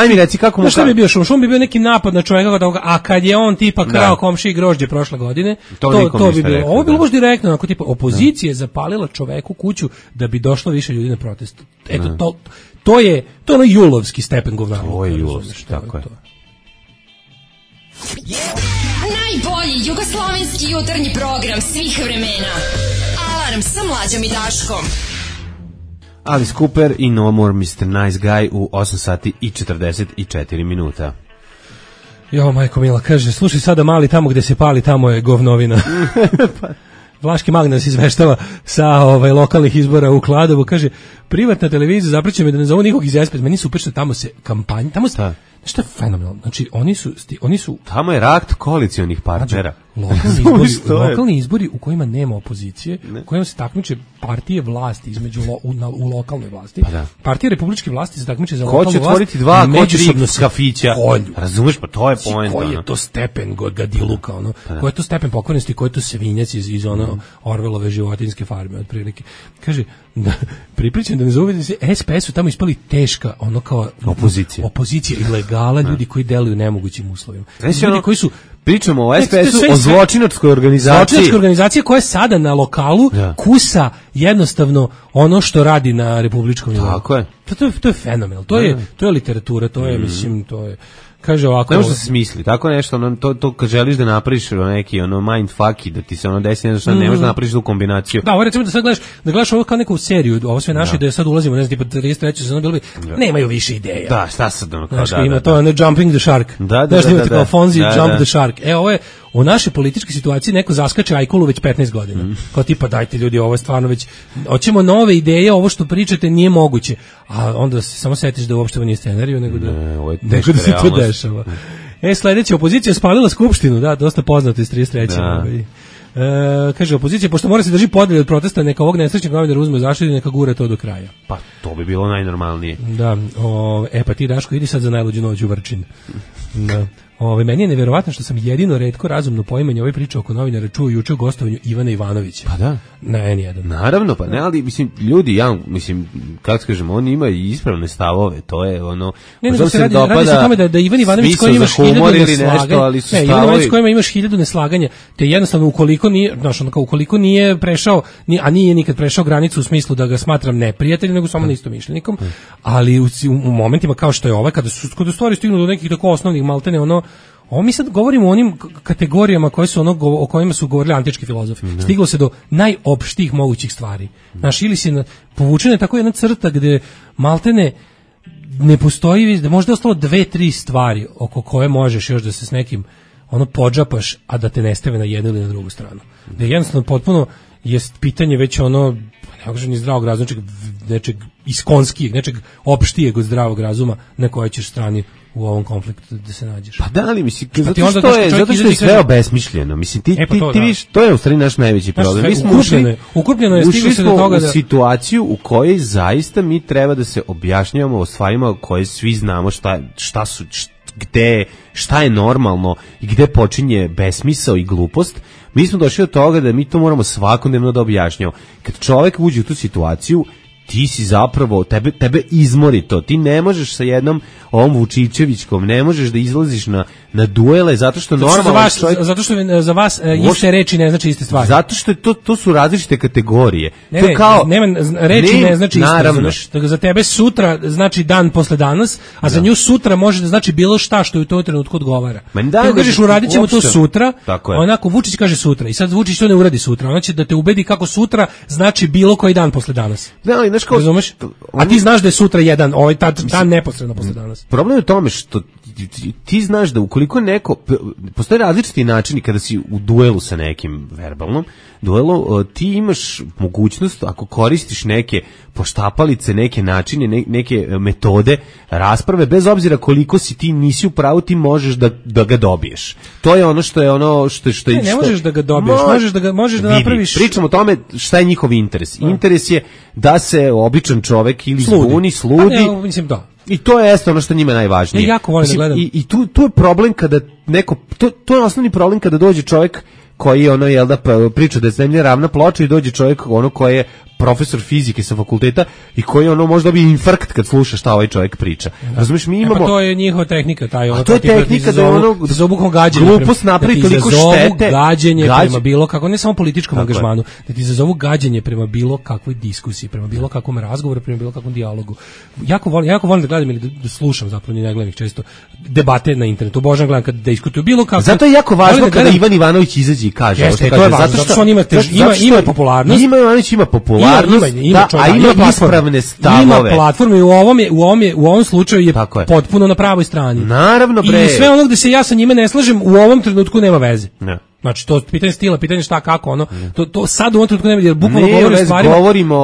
mi reci kako mu... Šta bi bio šum? Šum bi bio neki napad na čovjeka, a kad je on tipa krao komšiji grožđe prošle godine, to bi bilo. Ovo bi bilo baš direktno, onako tipa, opozicija je zapalila čoveku kuću da bi došlo više ljudi na protest. Eto, to je ono julovski stepen govnarluka. To je julovski, tako je. Najbolji jugoslovenski jutarnji program svih vremena. Alarm sa Mlađom i Daškom. Alice Cooper i No More Mr. Nice Guy u 8 sati i 44 minuta. Jo, majko mila, kaže, slušaj sada mali, tamo gde se pali, tamo je govnovina. Vlaški mag nas izveštava sa lokalnih izbora u Kladovu, kaže, privatna televizija zapreće me da ne zovu nikog iz SPS, meni super što tamo se kampanja, tamo se... Što je fenomenalno? Znači, oni su... Tamo je rakt koalicionih partnera. Lokalni izbori u kojima nema opozicije, u kojima se takmiče partije vlasti između u lokalnoj vlasti. Pa da. Partije republičke vlasti se takmiče za lokalnu vlast. Ko će otvoriti 2, ko 3 kafića? Razumeš, pa to je point. Koji je to stepen gadiluka, ono? Koji je to stepen pokvarenosti, koji je to svinjac iz ono Orvelove životinjske farme, otprilike. Kaže, pripričam da ne zove se SPS-u tamo ispali teška, ono kao opozicija ilegala, ljudi koji deluju nemogućim uslovima. Ljudi koji su... Pričamo o SPS-u, o zločinačkoj organizaciji. Zločinačka organizacija koja je sada na lokalu kusa jednostavno ono što radi na republičkom nivou. Tako je. To je fenomenal. To je literatura, to je, mislim, to je... Kaže ovako... Ne može da se smisli, tako nešto, to kad želiš da napraviš neki mindfuck i da ti se desi nešto, ne možeš da napraviš tu kombinaciju. Da, ovo recimo da sad gledaš ovo kao neku seriju, ovo sve naše, da sad ulazimo, ne znam, tipa 33. sezona, bilo bi, nemaju više ideja. Da, šta sad ono kao, ima to, Jumping the Shark. Da, imate kao Fonzie, Jump the Shark. Ovo je, u našoj političkoj situaciji neko zaskače Ajkulu već 15 godina. Kao tipa, dajte ljudi, ovo je stvarno već, hoćemo nove ideje, ovo što pričate nije moguće. A onda se samo setiš da uopšte nije scenariju, nego da se to dešava. Sledeća, opozicija spalila skupštinu, da, dosta poznato iz 33. Kaže, opozicija, pošto mora se drži podjelje od protesta, neka ovog nesrećnog novinara uzme zaštitu, neka gure to do kraja. Pa, to bi bilo najnormalnije. Da, pa ti, Daško, idi sad za najluđu noć u Vrčin. Da. Meni je nevjerovatno što sam jedino retko razumno poimanje ove priče oko novinara čuo juče u gostovanju Ivana Ivanovića. Pa da. Na N1. Naravno, pa ne, ali mislim, ljudi, kako kažem, oni imaju ispravne stavove, to je ono... radi se o tome da Ivan Ivanović koji imaš 1000 neslaganja, Ivan Ivanović kojima imaš 1000 neslaganja, te jednostavno ukoliko nije prešao, a nije nikad prešao granicu u smislu da ga smatram neprijateljem, nego samo neistomišljenikom, ali u momentima kao što je ovaj, kada stvari stignu do nekih tako osnovnih maltene, ovo mi sad govorimo o onim kategorijama koje su o kojima su govorili antički filozofi. Stiglo se do najopštijih mogućih stvari. Znaš, ili si povučena je tako jedna crta gde maltene ne postoji, da možda je ostalo 2-3 stvari oko koje možeš još da se s nekim podžapaš, a da te ne stave na jednu ili na drugu stranu. Da je jednostavno potpuno jest pitanje već ne kažem ni zdravog razuma, nečeg iskonskijeg, nečeg opštijeg od zdravog razuma na kojoj ćeš strani u ovom konfliktu da se nađeš. Pa da li, mislim, zato što je sve obesmišljeno. Mislim, ti vidiš, to je u stvari naš najveći problem. Mi smo ušli u situaciju u kojoj zaista mi treba da se objašnjavamo o stvarima koje svi znamo šta su, šta je normalno i gde počinje besmisao i glupost. Mi smo došli do toga da mi to moramo svakodnevno da objašnjavamo. Kad čovjek uđe u tu situaciju, ti si zapravo, tebe izmori to. Ti ne možeš sa jednom ovom Vučićevićkom, ne možeš da izlaziš na duele, zato što normalno čovjek... Zato što za vas iste reči ne znači iste stvari. Zato što to su različite kategorije. Ne, reči ne znači isto. Za tebe sutra znači dan posle danas, a za nju sutra može da znači bilo šta što u tom trenutku odgovara. Ti kažeš uradit ćemo to sutra, onako Vučić kaže sutra i sad Vučić to ne uradi sutra. Ona će da te ubedi kako sutra znači bilo koji dan posle danas. Razumeš? A ti znaš da je sutra jedan, dan neposredno posle danas. Problem je u tome što ti znaš da ukoliko neko, postoje različiti načini kada si u duelu sa nekim verbalnom duelu, ti imaš mogućnost, ako koristiš neke poštapalice, neke načine, neke metode rasprave, bez obzira koliko si ti nisi u pravu, ti možeš da ga dobiješ. To je ono što je ne možeš da ga dobiješ, možeš da napraviš. Pričamo o tome šta je njihov interes. Interes je da se običan čovek ili zbuni, sludi. Mislim da. I to je ono što njima najvažnije. Ja jako volim da gledam. I tu je problem kada neko, to je osnovni problem kada dođe čovjek koji da priča da je zemlja ravna ploča i dođe čovjek koji je profesor fizike sa fakulteta i koji možda bi infarkt kad sluša šta ovaj čovjek priča. Razumiješ, mi imamo... Pa to je njihova tehnika, to je tehnika da glupost napravi toliko štete. Gađenje prema bilo kako, ne samo političkom angažmanu, da ti izazovu gađenje prema bilo kakvoj diskusiji, prema bilo kakvom razgovoru, prema bilo kakvom dijalogu. Jako volim da gledam ili da slušam, zapravo ne gledam ih često, debate na internetu. Obožavam gledam kad diskutuju bilo kako. Zato je jako važno kada Ivan Ivanović izađe i kaže. Jeste, to je važno, zato što on ima popularnost. Ivan Ivanović ima popularnost. A ima ispravne stavove. Ima platformu i u ovom slučaju je potpuno na pravoj strani. Naravno, bre. I sve ono gde se ja sa njime ne slažem u ovom trenutku nema veze. Ne. Znači to pitanje stila, pitanje šta kako to sad u ovom trenutku nema, jer bukvalno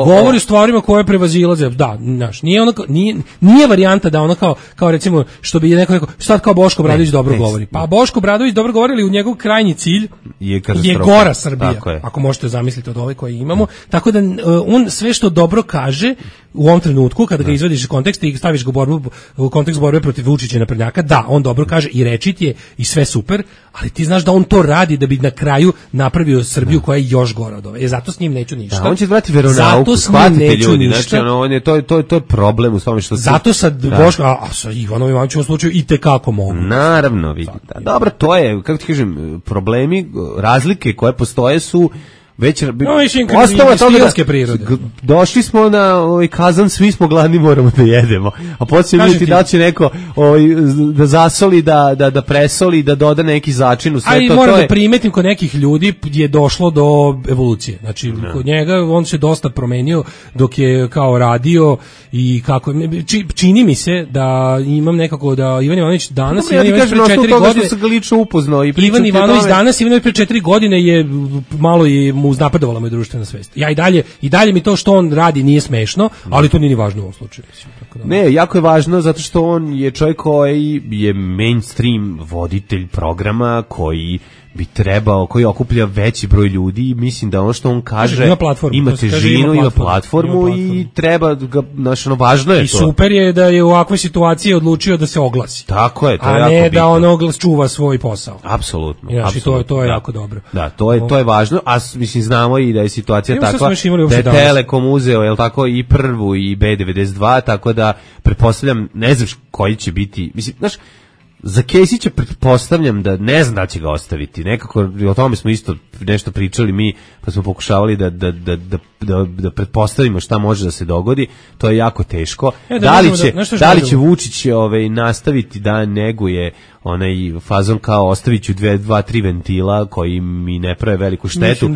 govori o stvarima koje prevazilaze. Da, znaš, nije varijanta da ono kao recimo što bi neko rekao, sad kao Boško Obradović dobro govori. Pa Boško Obradović dobro govori, ali u njegov krajnji cilj je gora Srbija. Ako možete zamisliti od ove koje imamo, tako da on sve što dobro kaže u ovom trenutku kada ga izvadiš iz konteksta i staviš ga u kontekst borbe protiv Vučića i naprednjaka, da, on dobro kaže i rečit je i sve super, ali ti znaš da on to radi da bi na kraju napravio Srbiju koja je još gora od ove. Zato s njim neću ništa. Da, on će vrati veronauku, shvatite ljudi. Znači, to je problem u tome što... Zato sad Boško, a sa Ivanom Ivanovićem u slučaju i tekako mogu. Naravno, vidite. Dobro, to je, kako ti kažem, problemi, razlike koje postoje su već ostalo stilske prirode. Došli smo na kazan, svi smo gladni, moramo da jedemo. A poslije vidjeti da će neko da zasoli, da presoli, da doda neki začin u sve to. Ali moram da primetim kod nekih ljudi je došlo do evolucije. Znači, kod njega on se dosta promenio dok je kao radio i kako... Čini mi se da imam nekako da Ivan Ivanović danas... Ivan Ivanović pre 4 godine... Što ga lično upoznao i Ivan Ivanović danas, Ivan Ivanović pre 4 godine je malo i mu uznapredovala moja društvena svest. Ja i dalje mi to što on radi nije smešno, ali to nije ni važno u ovom slučaju. Tako da. Ne, jako je važno zato što on je čovjek koji je mainstream voditelj programa koji bi trebao, koji okuplja veći broj ljudi i mislim da ono što on kaže ima težinu, ima platformu i treba ga, znači ono važno je i to. I super je da je u ovakvoj situaciji odlučio da se oglasi. Tako je, to je jako bitno. A ne da on oglas čuva svoj posao. Apsolutno. Znači to je jako dobro. Da, to je važno, a mislim znamo i da je situacija takva da je Telekom uzeo, jel tako, i prvu i B92, tako da pretpostavljam, ne znaš koji će biti, mislim, znaš, za Kesića pretpostavljam da ne znam da će ga ostaviti. Nekako o tome smo isto nešto pričali mi, pa smo pokušavali da pretpostavimo šta može da se dogodi. To je jako teško. Da li će Vučić nastaviti da neguje onaj fazon kao ostavit ću 2-3 ventila koji mi ne prave veliku štetu.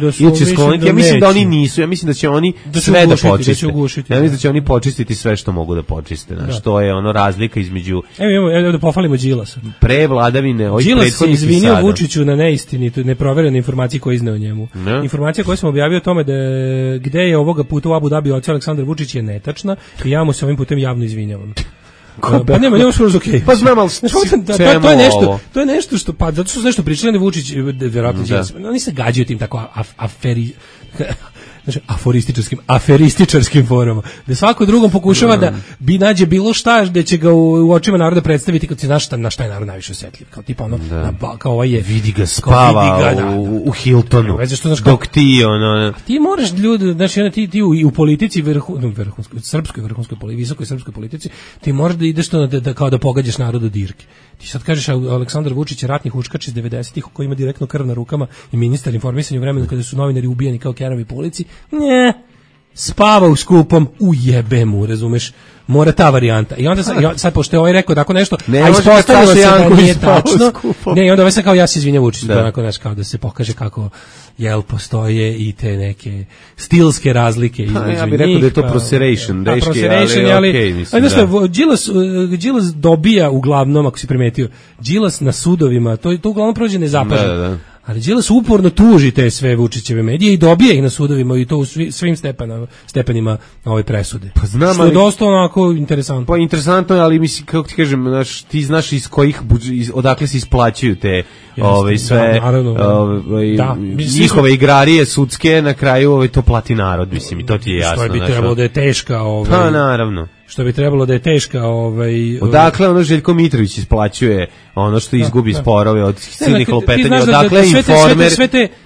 Ja mislim da oni nisu. Ja mislim da će oni sve da počiste. Ja mislim da će oni počistiti sve što mogu da počiste. Znači, to je ono razlika između... Evo da pohvalimo Đilasa. Pre vladavine ovih prethodnih sada. Đilas se izvinio Vučiću na neistinitu, neproverene informacije koje izneo njemu. Informacija koju sam objavio o tome da gde je ovoga puta u Abu Dhabi otišao Aleksandar Vučić je netačna i ja mu se ovim putem javno izvinjavam. Pa nema skoro okej. Pa znam, ali to je nešto što, pa zato što su nešto pričali na Vučić, verovatno Đilas. Oni se gađaju tim tako znači, aferističarskim formama, da svako drugom pokušava da bi nađe bilo šta da će ga u očima naroda predstaviti kao ti znaš na šta je narod najviše osjetljiv, kao tipa ono, kao ovaj je vidi ga spava u Hiltonu, dok ti ono... Ti moraš ljudi, znači ti u politici srpskoj vrhunskoj politici, visokoj srpskoj politici, ti moraš da ideš to da kao da pogađaš narodu dirke. Ti sad kažeš Aleksandar Vučić je ratni huškač iz 90-ih koji ima direktno krv na rukama i ministar informisanja u vremenu kada su novinari ubijani kao kerovi po ulici. Ne, spava u skupom, ujebe mu, razumeš? Mora ta varijanta. I onda sad pošto je ovaj rekao tako nešto, a ispostavilo se da nije tačno. Ne, i onda ovaj sad kao ja se izvinjam Vučiću, onako nešto kao da se pokaže kako postoje i te neke stilske razlike između njih. Ja bih rekao da je to proseration, deški, ali okej, mislim. Đilas dobija uglavnom, ako si primetio, Đilas na sudovima, to uglavnom prođe nezapaženo. Ali Đilas uporno tuži te sve Vučićeve medije i dobije ih na sudovima i to u svim stepenima ove presude. Pa znam, što je dosta onako interesantno. Pa interesantno je, ali mislim, kako ti kažem, ti znaš iz kojih, odakle se isplaćuju te sve njihove igrarije sudske, na kraju to plati narod, mislim, i to ti je jasno. Što bi trebalo da je teška... Pa naravno. Što bi trebalo da je teška... Odakle Željko Mitrović isplaćuje ono što izgubi sporove od silnih lopetanja, odakle Informer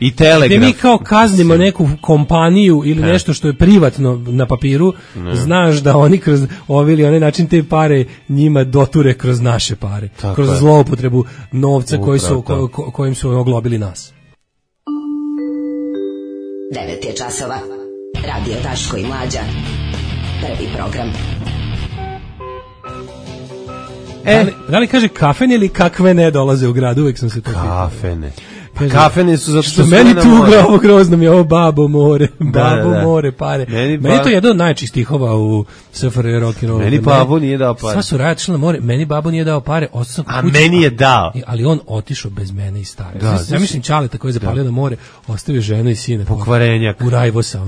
i Telegraf. Gde mi kao kaznimo neku kompaniju ili nešto što je privatno na papiru, znaš da oni kroz ovaj ili onaj način te pare njima doture kroz naše pare. Kroz zloupotrebu novca kojim su oglobili nas. 9 je časova. Radio Daško i Mlađa. Prvi program. Da li kaže kafene ili kakve ne dolaze u grad? Uvijek sam se to pitao. Kafene. Kafene su zato što meni tuga ovo grozno mi je ovo babo more, more pare. Meni je to jedan od najčih stihova u SFRJ rock and roll. Meni babo nije dao pare. Sva su radila na more, meni babo nije dao pare, a meni je dao. Ali on otišao bez mene i stare. Ja mislim Čaleta koji je zapalio na more, ostavio ženu i sina. Pokvarenjak. U Rajvosa. U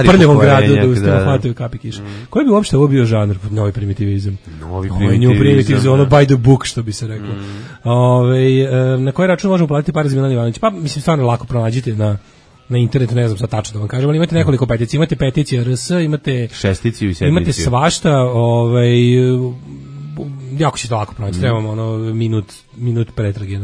prljavom gradu da ustavno hvataju kapi kiša. Koji bi uopšte ovo bio žanr? Novi primitivizam. Novi primitivizam. Ono by the book, što bi se reklo. Na koji račun možemo platiti pare za Milan Ivanović? Pa mislim stvarno lako pronađite na internetu, ne znam sad tačno da vam kažem, ali imate nekoliko peticija, imate peticija RS, imate šesticiju i sedmiciju. Imate svašta, jako ćete lako pronaći, trebamo minut pretrage.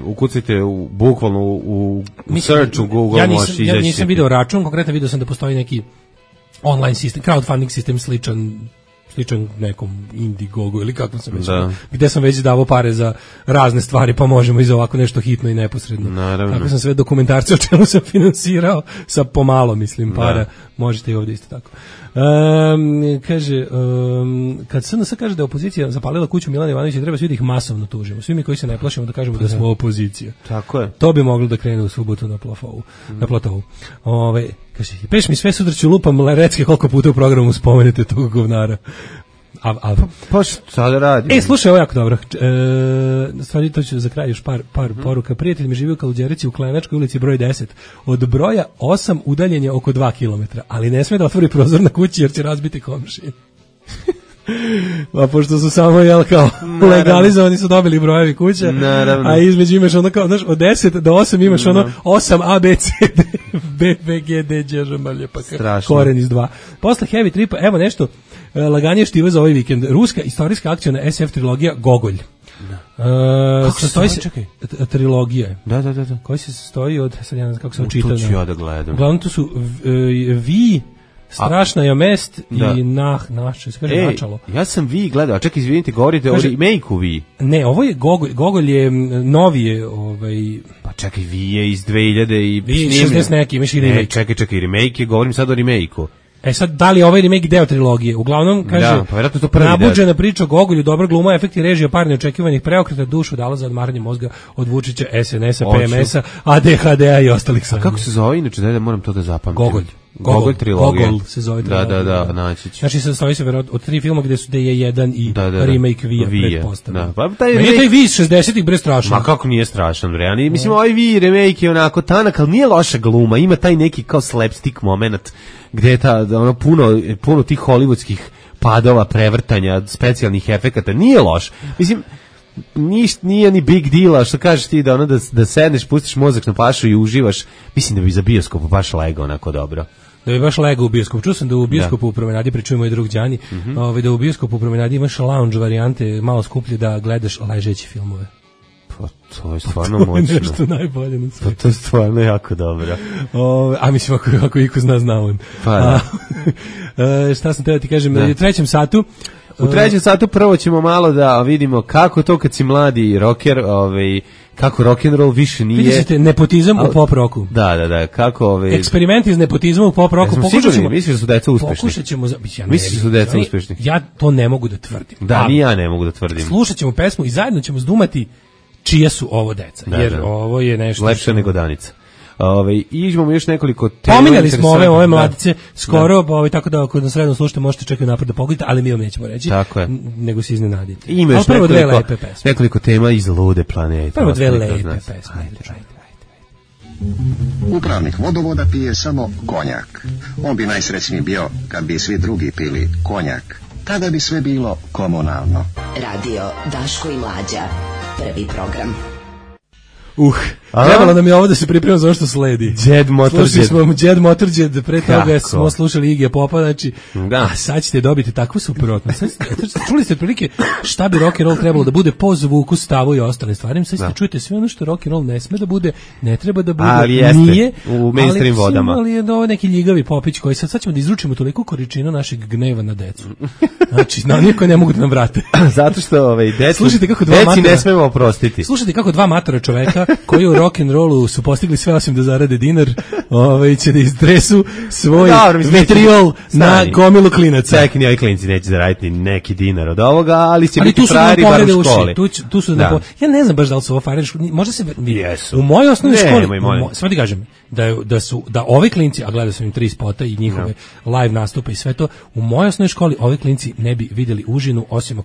Ukucajte bukvalno u search u Google, možeš izaći. Ja nisam video račun, konkretno video sam da postoji neki online sistem, crowdfunding sistem sličan nekom Indiegogu ili kako sam već, gde sam već davao pare za razne stvari, pa možemo i za ovako nešto hitno i neposredno. Naravno. Tako sam sve dokumentarce o čemu sam finansirao sa pomalo, mislim, para. Možete i ovdje isto tako. Kaže, kad SNS kaže da je opozicija zapalila kuću Milana Ivanovića, treba svi da ih masovno tužimo. Svi mi koji se ne plašimo da kažemo da smo opozicija. Tako je. To bi moglo da krene u subotu na platovu. Kaže, peš mi sve sutraću lupam recke koliko puta u programu spomenete tog govnara. Pa šta da radi? Slušaj, ovo jako dobro. Stvari, to ću za kraj još par poruka. Prijatelj mi živi u Kaluđerici u Klenačkoj ulici broj 10. Od broja 8 udaljen je oko 2 km, ali ne sme da otvori prozor na kući jer će razbiti komšije. Pa pošto su samo legalizovani su dobili brojevi kuća, a između imaš ono kao, znaš, od 10 do 8 imaš ono 8 A, B, C, D, B, B, G, D, Đ, Ž, M, L, pa koren iz 2. Posle Heavy Tripa, evo nešto laganije štiva za ovaj vikend. Ruska istorijska akciona SF trilogija Gogolj. Kako se stoji? Trilogija. Da. Koji se stoji od, sad ja ne znam kako se očita. To ću ja da gledam. Uglavnom to su Vi, Strašna je mest i naše, se kaže načalo. Ja sam Vi gledao, a čekaj, izvinite, govorite o remake-u Vi. Ne, ovo je Gogolj je novije, Pa čekaj, Vi je iz 2000 i... Vi je 60 neki, imaš i remake. Čekaj, remake je, govorim sad o remake-u. Sad, da li je ovaj remake deo trilogije? Uglavnom, kaže, nabuđena priča o Gogolju, dobra gluma, efekti režija, par neočekivanih preokreta, dušu dala za odmaranje mozga od Vučića, SNS-a, PMS-a, ADHD-a i ostalih sranja. A kako se zove inače, da moram to da zapamtim? Gogolj trilogija. Gogol se zove trilogija. Da, naći ću. Znači, sastoji se od 3 filma gde je jedan i remake Vija pretpostavljen. Pa taj Vi iz 60-ih bre strašan. Ma kako nije strašan, bre? Mislim, ovaj Vi remake je onako tanak, ali nije loša gluma, ima taj neki kao slapstick moment, gde je puno tih hollywoodskih padova, prevrtanja, specijalnih efekata, nije loš. Mislim, nije ni big deal, što kažeš ti da ono da sedneš, pustiš mozak na pašu i uživaš, mislim da bi za bioskop baš legao onako dobro. Da bi baš legao u bioskopu. Čuo sam da u bioskopu u Promenadi, pričuje moj drug Đani, da u bioskopu u Promenadi imaš lounge varijante, malo skuplje da gledaš ležeći filmove. Pa to je stvarno moćno. Nešto najbolje na svijetu. Pa to je stvarno jako dobro. A mislim, ako iko zna on. Pa da. Šta sam teo ti kažem, u trećem satu... U trećem satu prvo ćemo malo da vidimo kako to kad si mladi rocker, kako rock'n'roll više nije... Vidite, nepotizam u pop roku. Da, kako... Eksperimenti iz nepotizma u pop roku. Misliš da su deca uspešni? Pokušat ćemo... Misliš da su deca uspešni? Ja to ne mogu da tvrdim. Da, ni ja ne mogu da tvrdim. Slušat ćemo pesmu i zajedno ćemo zdumati čija su ovo deca. Jer ovo je nešto... Lepše nego Danica. I imamo još nekoliko tema. Pominjali smo ove mladice skoro, tako da ako nas redno slušate možete čekati napred da pogledate, ali mi vam nećemo reći. Tako je. Nego se iznenadite. Ima još nekoliko tema iz lude planete. Prvo dve lepe pesme. Upravnik vodovoda pije samo konjak. On bi najsrećniji bio kad bi svi drugi pili konjak. Tada bi sve bilo komunalno. Radio Daško i Mlađa. Prvi program. Trebalo nam je ovo da se pripremamo za ono što sledi. Slušali smo Jed Motorhead, pre toga smo slušali Iggy Popa, znači, a sad ćete dobiti takvu suprotnost. Čuli ste otprilike šta bi rock and roll trebalo da bude po zvuku, stavu i ostalim stvarima. Sad ćete čujete sve ono što rock and roll ne sme da bude, ne treba da bude, ali jeste, nije, u mainstream vodama. Ali je ovo neki ljigavi popić koji sad ćemo da izručimo toliko količinu našeg gneva na decu. Znači, na niko ne mogu da nam vrate. Zato što deci ne smemo oprostiti. Slušajte kako dva matora čoveka koji u rock and rollu su postigli sve osim da zarade dinar, će da izdresu svoj vitriol na gomilu klinaca. Čekaj, ni ovi klinci neće zaraditi neki dinar od ovoga, ali će biti frajeri bar u školi. Tu su ja ne znam baš da li su ovo frajeri, možda se u mojoj osnovnoj školi, sve ti kažem, da ovi klinci, a gledao sam im 3 spota i njihove live nastupe i sve to, u mojoj osnovnoj školi ovi klinci ne bi vidjeli užinu, osim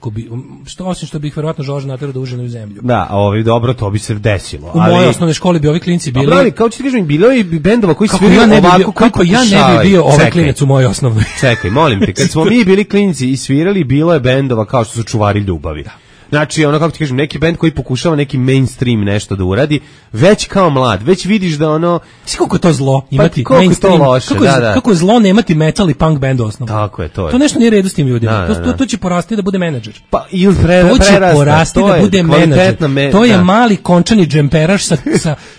što bi ih verovatno Žorža naterao da užinu u zemlju. Da, a ovi dobro, to bi se desilo. U mojoj osnovnoj školi bi ovi klinci bili... Ali, kao ću ti kažem, bilo je bendova koji svirali ovako... Kako ja ne bi bio ovaj klinac u mojoj osnovnoj? Čekaj, molim te, kad smo mi bili klinci i svirali, bilo je bendova kao što su Čuvari ljubavi. Znači, ono, kako ti kažem, neki bend koji pokušava neki mainstream nešto da uradi, već kao mlad, već vidiš da ono... Svi koliko je to zlo imati pa, mainstream, to loše, kako je zlo nemati metal i punk band osnovno. Tako je, to je. To nešto nije redu s tim ljudima, to će porasti da bude menadžer. Pa, ili to će porasti da bude menadžer. To je mali končani džemperaš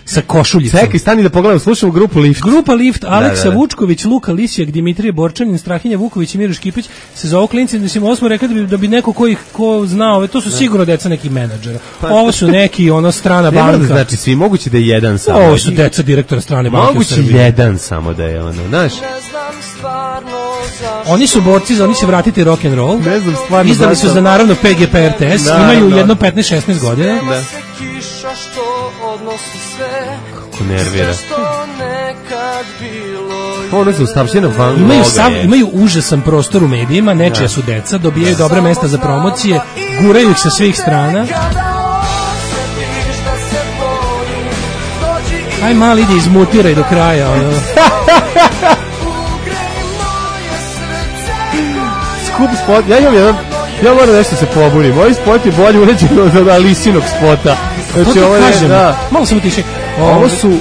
sa košuljicom. Čekaj, stani da pogledam, slušamo grupu Lift. Grupa Lift, Aleksa Vučković, Luka Lisijak, Dimitrije Borčanin, Strahinja Vuković i Miro Škipić se zovu klinci, mislim, ovo smo rekli da bi neko ko zna, to su sigurno deca nekih menadžera. Ovo su neki strana banka. Znači svi moguće da je jedan samo. Ovo su deca direktora strane banke. Moguće jedan samo da je znaš. Oni su borci za oni će vratiti rock and roll. Ne znam stvarno. Izdali su za naravno PGP RTS, imaju jedno 15-16 godina. Da. Kako nervira. Ono se ustavšena van imaju užasan prostor u medijima, nečija su deca, dobijaju dobra mesta za promocije, guraju ih sa svih strana. Aj mali ide izmutiraj do kraja. Skup spot, ja moram nešto se pobunim. Ovaj spot je bolje uređen od Alisinog spota. Znači, ovo kažem, malo samo tiše. Ovo su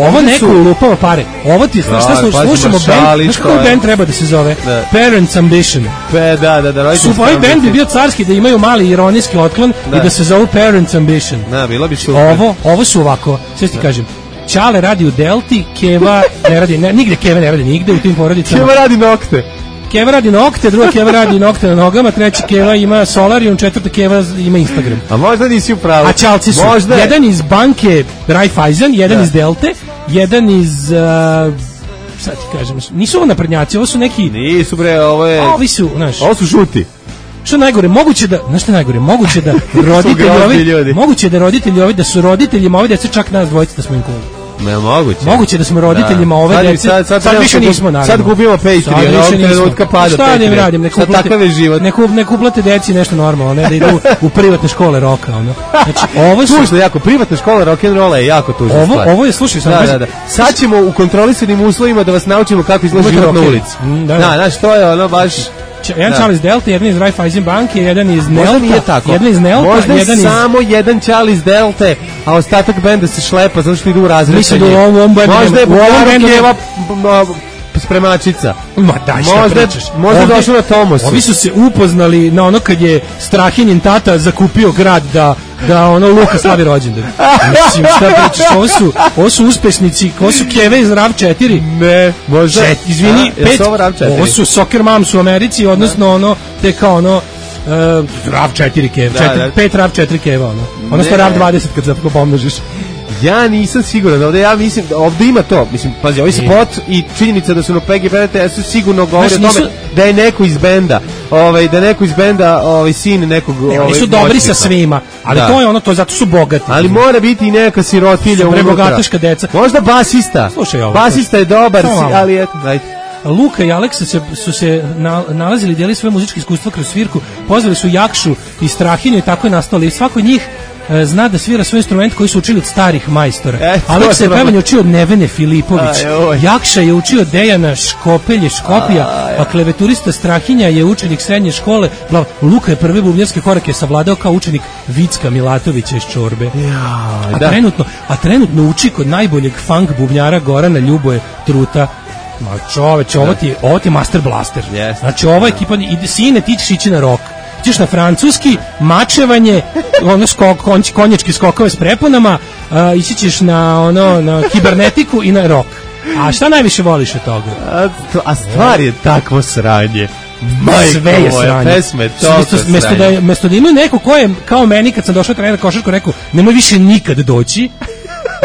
ovo neko lupava pare. Ovo ti šta slušamo band, znaš kako band treba da se zove? Parents Ambition. Da. Ovaj band bi bio carski da imaju mali ironijski otklon i da se zovu Parents Ambition. Da, bilo bi super. Ovo su ovako, sve ti kažem. Ćale radi u Delti, Keva ne radi, nigde Keva ne radi nigde u tim porodicama. Keva radi nokte. Keva radi nokte, druga Keva radi nokte na nogama, treći Keva ima Solarium, četvrta Keva ima Instagram. A možda nisi u pravu. A čalci su jedan iz banke Raiffeisen, jedan iz Delte, jedan iz... sad ti kažem, nisu ovo naprednjaci, ovo su neki... Nisu bre, ovo je... Ovi su, znaš... Ovo su žuti. Što najgore, moguće da, znaš što najgore, moguće da roditelji ovi, da su roditeljima ovi dece čak nas dvojice da smo im cool. Moguće da smo roditeljima ove dece. Sad više nismo, naravno. Sad gubimo Patreon, ovog trenutka pada Patreon. Šta da im radim, nek uplate deci nešto normalno, ne da idu u privatne škole roka. Znači, ovo su... Tužno, jako, privatna škola rock'n'rolla je jako tužna stvar. Ovo je, slušaj, sam... Sad ćemo u kontrolisanim uslovima da vas naučimo kako izgleda život na ulici. Znaš, to je ono baš... jedan Charles Delta, jedan iz Raiffeisen banke, jedan iz Možda nije Nelta, tako. jedan iz Nelta, Možda jedan iz... samo jedan Charles Delte, a ostatak benda se šlepa zato što idu u razred. Mislim da u ovom bendu... Možda je bendu Keva spremačica. Ma daj, šta pričaš? Možda došlo na Tomosu. Ovi su se upoznali na ono kad je Strahinjin tata zakupio grad da ono Luka slavi rođendan. Mislim, šta pričaš? Ovo su uspešnici, ovo su Keve iz RAV 4. Ne, možda. Izvini, ovo su Soccer Moms u Americi, odnosno ono, te kao ono, RAV 4 Keve, 5 RAV 4 Keva, ono. Odnosno RAV 20 kad zapravo pomnožiš. Ja nisam siguran, ja mislim da ovde ima to, mislim, pazi, ovaj spot i činjenica da su na PGPRTS-u sigurno govori o tome da je neko iz benda, da je neko iz benda, sin nekog... Oni su dobri sa svima, ali to je ono, to zato su bogati. Ali mora biti i neka sirotilja unutra. Prebogataška deca. Možda basista. Slušaj ovo. Basista je dobar, ali eto, dajte. Luka i Aleksa su se nalazili, dijeli svoje muzičke iskustva kroz svirku, pozvali su Jakšu i Strahinju i tako je nastalo. I svako od njih zna da svira svoj instrument koji su učili od starih majstora. Aleksa je pevanje učio od Nevene Filipović. Jakša je učio Dejana Škopija, a kleveturista Strahinja je učenik srednje škole. Luka je prve bubnjarske korake savladao kao učenik Vicka Milatovića iz Čorbe. A trenutno uči kod najboljeg funk bubnjara Gorana Ljuboje Truta. Ma čoveče, ovo ti je Master Blaster. Znači ova ekipa, sine, ti ćeš ići na rock. Ćeš na francuski, mačevanje, ono konjačke skokove s preponama, ići ćeš na kibernetiku i na rock. A šta najviše voliš od toga? A stvar je takvo sranje. Sve je sranje. Pesme, toliko sranje. Mesto da imaju neko ko je, kao meni kad sam došao trener košarku, rekao, nemoj više nikad doći.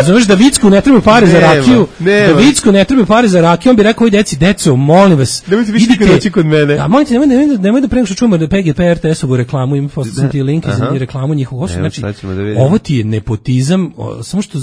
Znaš da Vicku ne treba pare za rakiju, da Vicku ne treba pare za rakiju, on bi rekao, oj deco, molim vas, nemojte više nikad doći kod mene. A molite, nemoj da prema što čujemo da PGPRTS-ovu reklamu, im poslao sam ti link i reklamu njihovu. Znači, ovo ti je nepotizam, samo što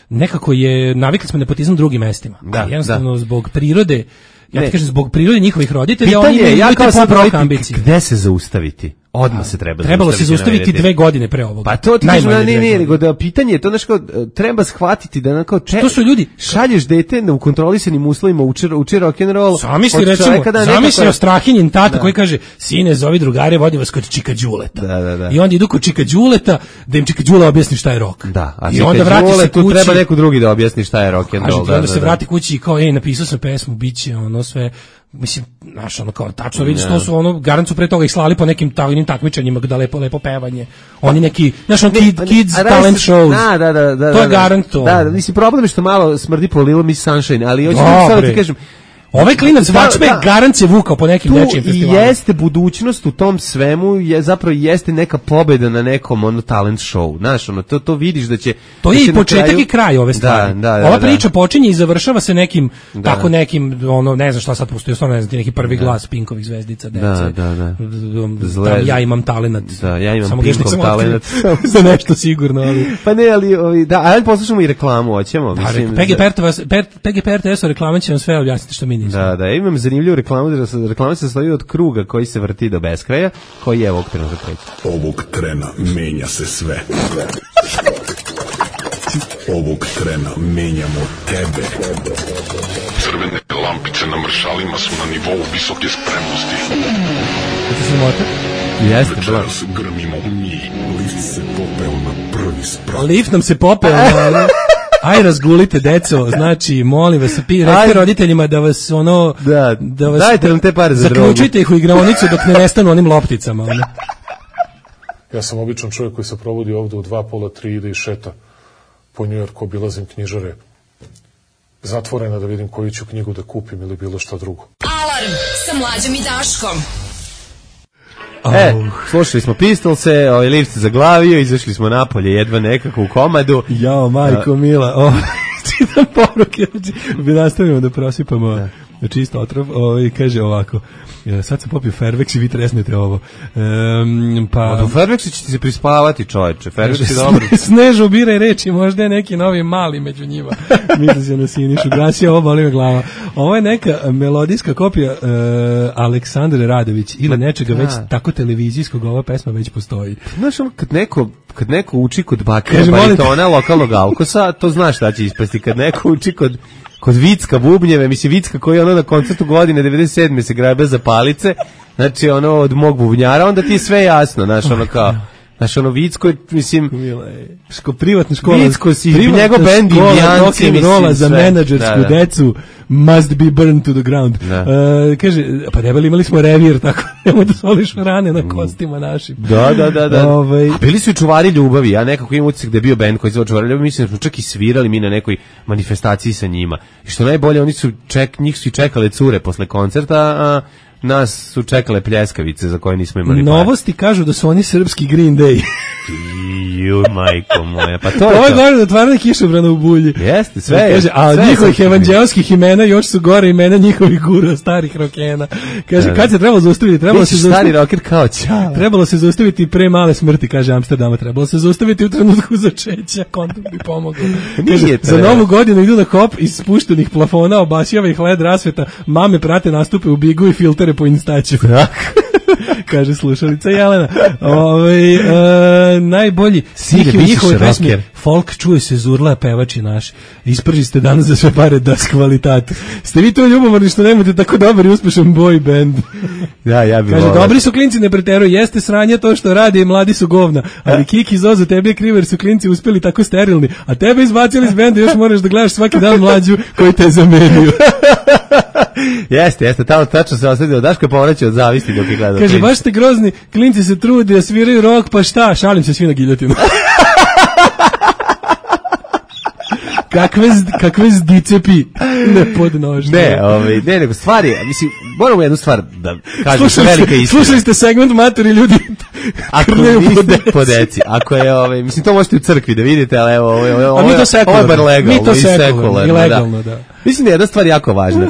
nekako je, navikli smo nepotizam drugim mestima. Jednostavno zbog prirode, ja ti kažem, zbog prirode njihovih roditelja, oni imaju te pop-rock ambicije. Gde se zaustaviti? Odmah se trebalo se zaustaviti 2 godine pre ovoga. Pa to ti kažem, nego da pitanje je to, znači kao, treba shvatiti da onako to su ljudi, šalješ dete u kontrolisanim uslovima, uči rock'n'roll. Zamisli recimo Strahinjin tata koji kaže, sine, zovi drugare, vodim vas kod Čika Đuleta. I onda idu kod Čika Đuleta da im Čika Đula objasni šta je rock. I onda vrati se kući. Tu treba neko drugi da objasni šta je rock'n'roll. Onda se vrati kući i kao, napisao sam pesmu, biće ono sve. Mislim, znaš, ono kao, tačno vidiš, to su ono, garancu pre toga ih slali po nekim takmičenjima da lepo pevanje. Oni neki, znaš, kids talent shows. Da. To je garant to. Da, mislim, problem je što malo smrdi po Little Miss Sunshine, ali hoću da ti kažem, ovaj klinac Vačbe garant se vukao po nekim nečijim festivalima. I jeste budućnost u tom svemu, zapravo jeste neka pobeda na nekom talent show. Znaš, to vidiš da će... To je i početak i kraj ove stvari. Ova priča počinje i završava se nekim, tako nekim, ne znam šta sad postoji, stvarno ne znam, neki prvi glas Pinkovih zvezdica, dece. Ja imam talenat. Da, ja imam Pinkov talenat. Za nešto sigurno, ali... Pa ne, ali, da, ali poslušamo i reklamu, hoćemo. PGPRTS-o reklama će vam sve objasniti što mi. Da, imam zanimljivu reklamu, reklama se sastoji od kruga koji se vrti do beskraja, koji je ovog trena zakreće. Ovog trena menja se sve. Ovog trena menjamo tebe. Crvene lampice na mršalima su na nivou visoke spremnosti. Kako se mota? Jeste, večeras grmimo mi. Lift se popeo na prvi sprat. Lift nam se popeo na... Aj razgulite deco, znači molim vas, recite roditeljima da vas da vas dajte nam te pare za drogu. Zaključite ih u igraonicu dok ne nestanu onim lopticama. Ja sam običan čovjek koji se provodi ovde u 2, pola, 3 ide i šeta po Njujorku, obilazim knjižare zatvorena da vidim koju ću knjigu da kupim ili bilo šta drugo. Alarm sa Mlađom i Daškom. Slušali smo Pistolse, lift se zaglavio, izašli smo napolje jedva nekako u komadu. Jao, majko mila, čitam poruke, bi nastavimo da prosipamo čisto otrov, kaže ovako, sad sam popio Fairvex i vi tresnete ovo. U Fairvexu će ti se prispavati, čovječe, Fairvex je dobro. Snežu biraj reči, možda je neki novi mali među njima. Misli se na Sinišu, gasio, ovo boli me glava. Ovo je neka melodijska kopija Aleksandre Radović ili nečega već tako televizijskog, ova pesma već postoji. Znaš, kad neko kad neko uči kod bakira baritona lokalnog alkosa, to znaš šta će ispasti. Kad neko uči kod Vicka bubnjeve, mislim Vicka koji je na koncertu godine 97. se grabe za palice, znači od mog bubnjara, onda ti je sve jasno, znaš, kao... Znaš, Vicko je, mislim... privatna škola. Vicko si, njegov bend Indijanci, mislim, za menadžersku decu must be burned to the ground. Kaže, pa debeli, imali smo revir, tako nemoj da soliš rane na kostima našim. Da. Bili su i Čuvari ljubavi, ja nekako imam utisak da je bio bend koji zove Čuvari ljubavi, mislim da smo čak i svirali mi na nekoj manifestaciji sa njima. I što najbolje, njih su i čekale cure posle koncerta, a nas su čekale pljeskavice za koje nismo imali. Novosti kažu da su oni srpski Green Day. Ju, majko moja, pa to je ovo je gore da otvarane kišobrana u bulji. Jeste, sve je. Kaže, a njihovih evanđelskih imena još su gore imena njihovih gura, starih rokena. Kaže, kad se trebalo zaustaviti? Trebalo se stari roker kao čao. Trebalo se zaustaviti pre male smrti, kaže Amsterdama. Trebalo se zaustaviti u trenutku začeća, kondom bi pomogao. Kaže, za novu godinu idu na hop iz spuštenih plafona, obasjava ih led rasveta, mame prate nastupe u Bigu i filtere po Instaću. Kaže slušalica Jelena. Najbolji stih njihove pesme folk čuje se zurla pevači naš. Isprži ste danas za sve pare das kvalitatu. Ste vi to ljubomorni što nemate tako dobar i uspešan boy band? Ja bih kaže, dobri su klinci, ne preteruju, jeste sranje to što rade i mladi su govna, ali Kiki Zozo, tebi je krivo jer su klinci uspeli tako sterilni, a tebe izbacili iz benda, još moraš da gledaš svaki dan mlađu koji te zamenjuju. Jeste, tamo tačno se osledi od Daška povraća od zavisti dok je gledao. Kaže, baš ste grozni, klinci se trude, sviraju rock, pa šta, šalim se svi na giljotinu. Kakve zdicepi nepodnožne. Ne, nego stvari, mislim, moramo jednu stvar da kažem, velika istina. Slušali ste segment Matori ljudi krljaju po deci. Ako je, mislim, to možete u crkvi da vidite, ali evo, ovo je bar legalno. Mi to sekularno, i legalno, da. Mislim da je jedna stvar jako važna.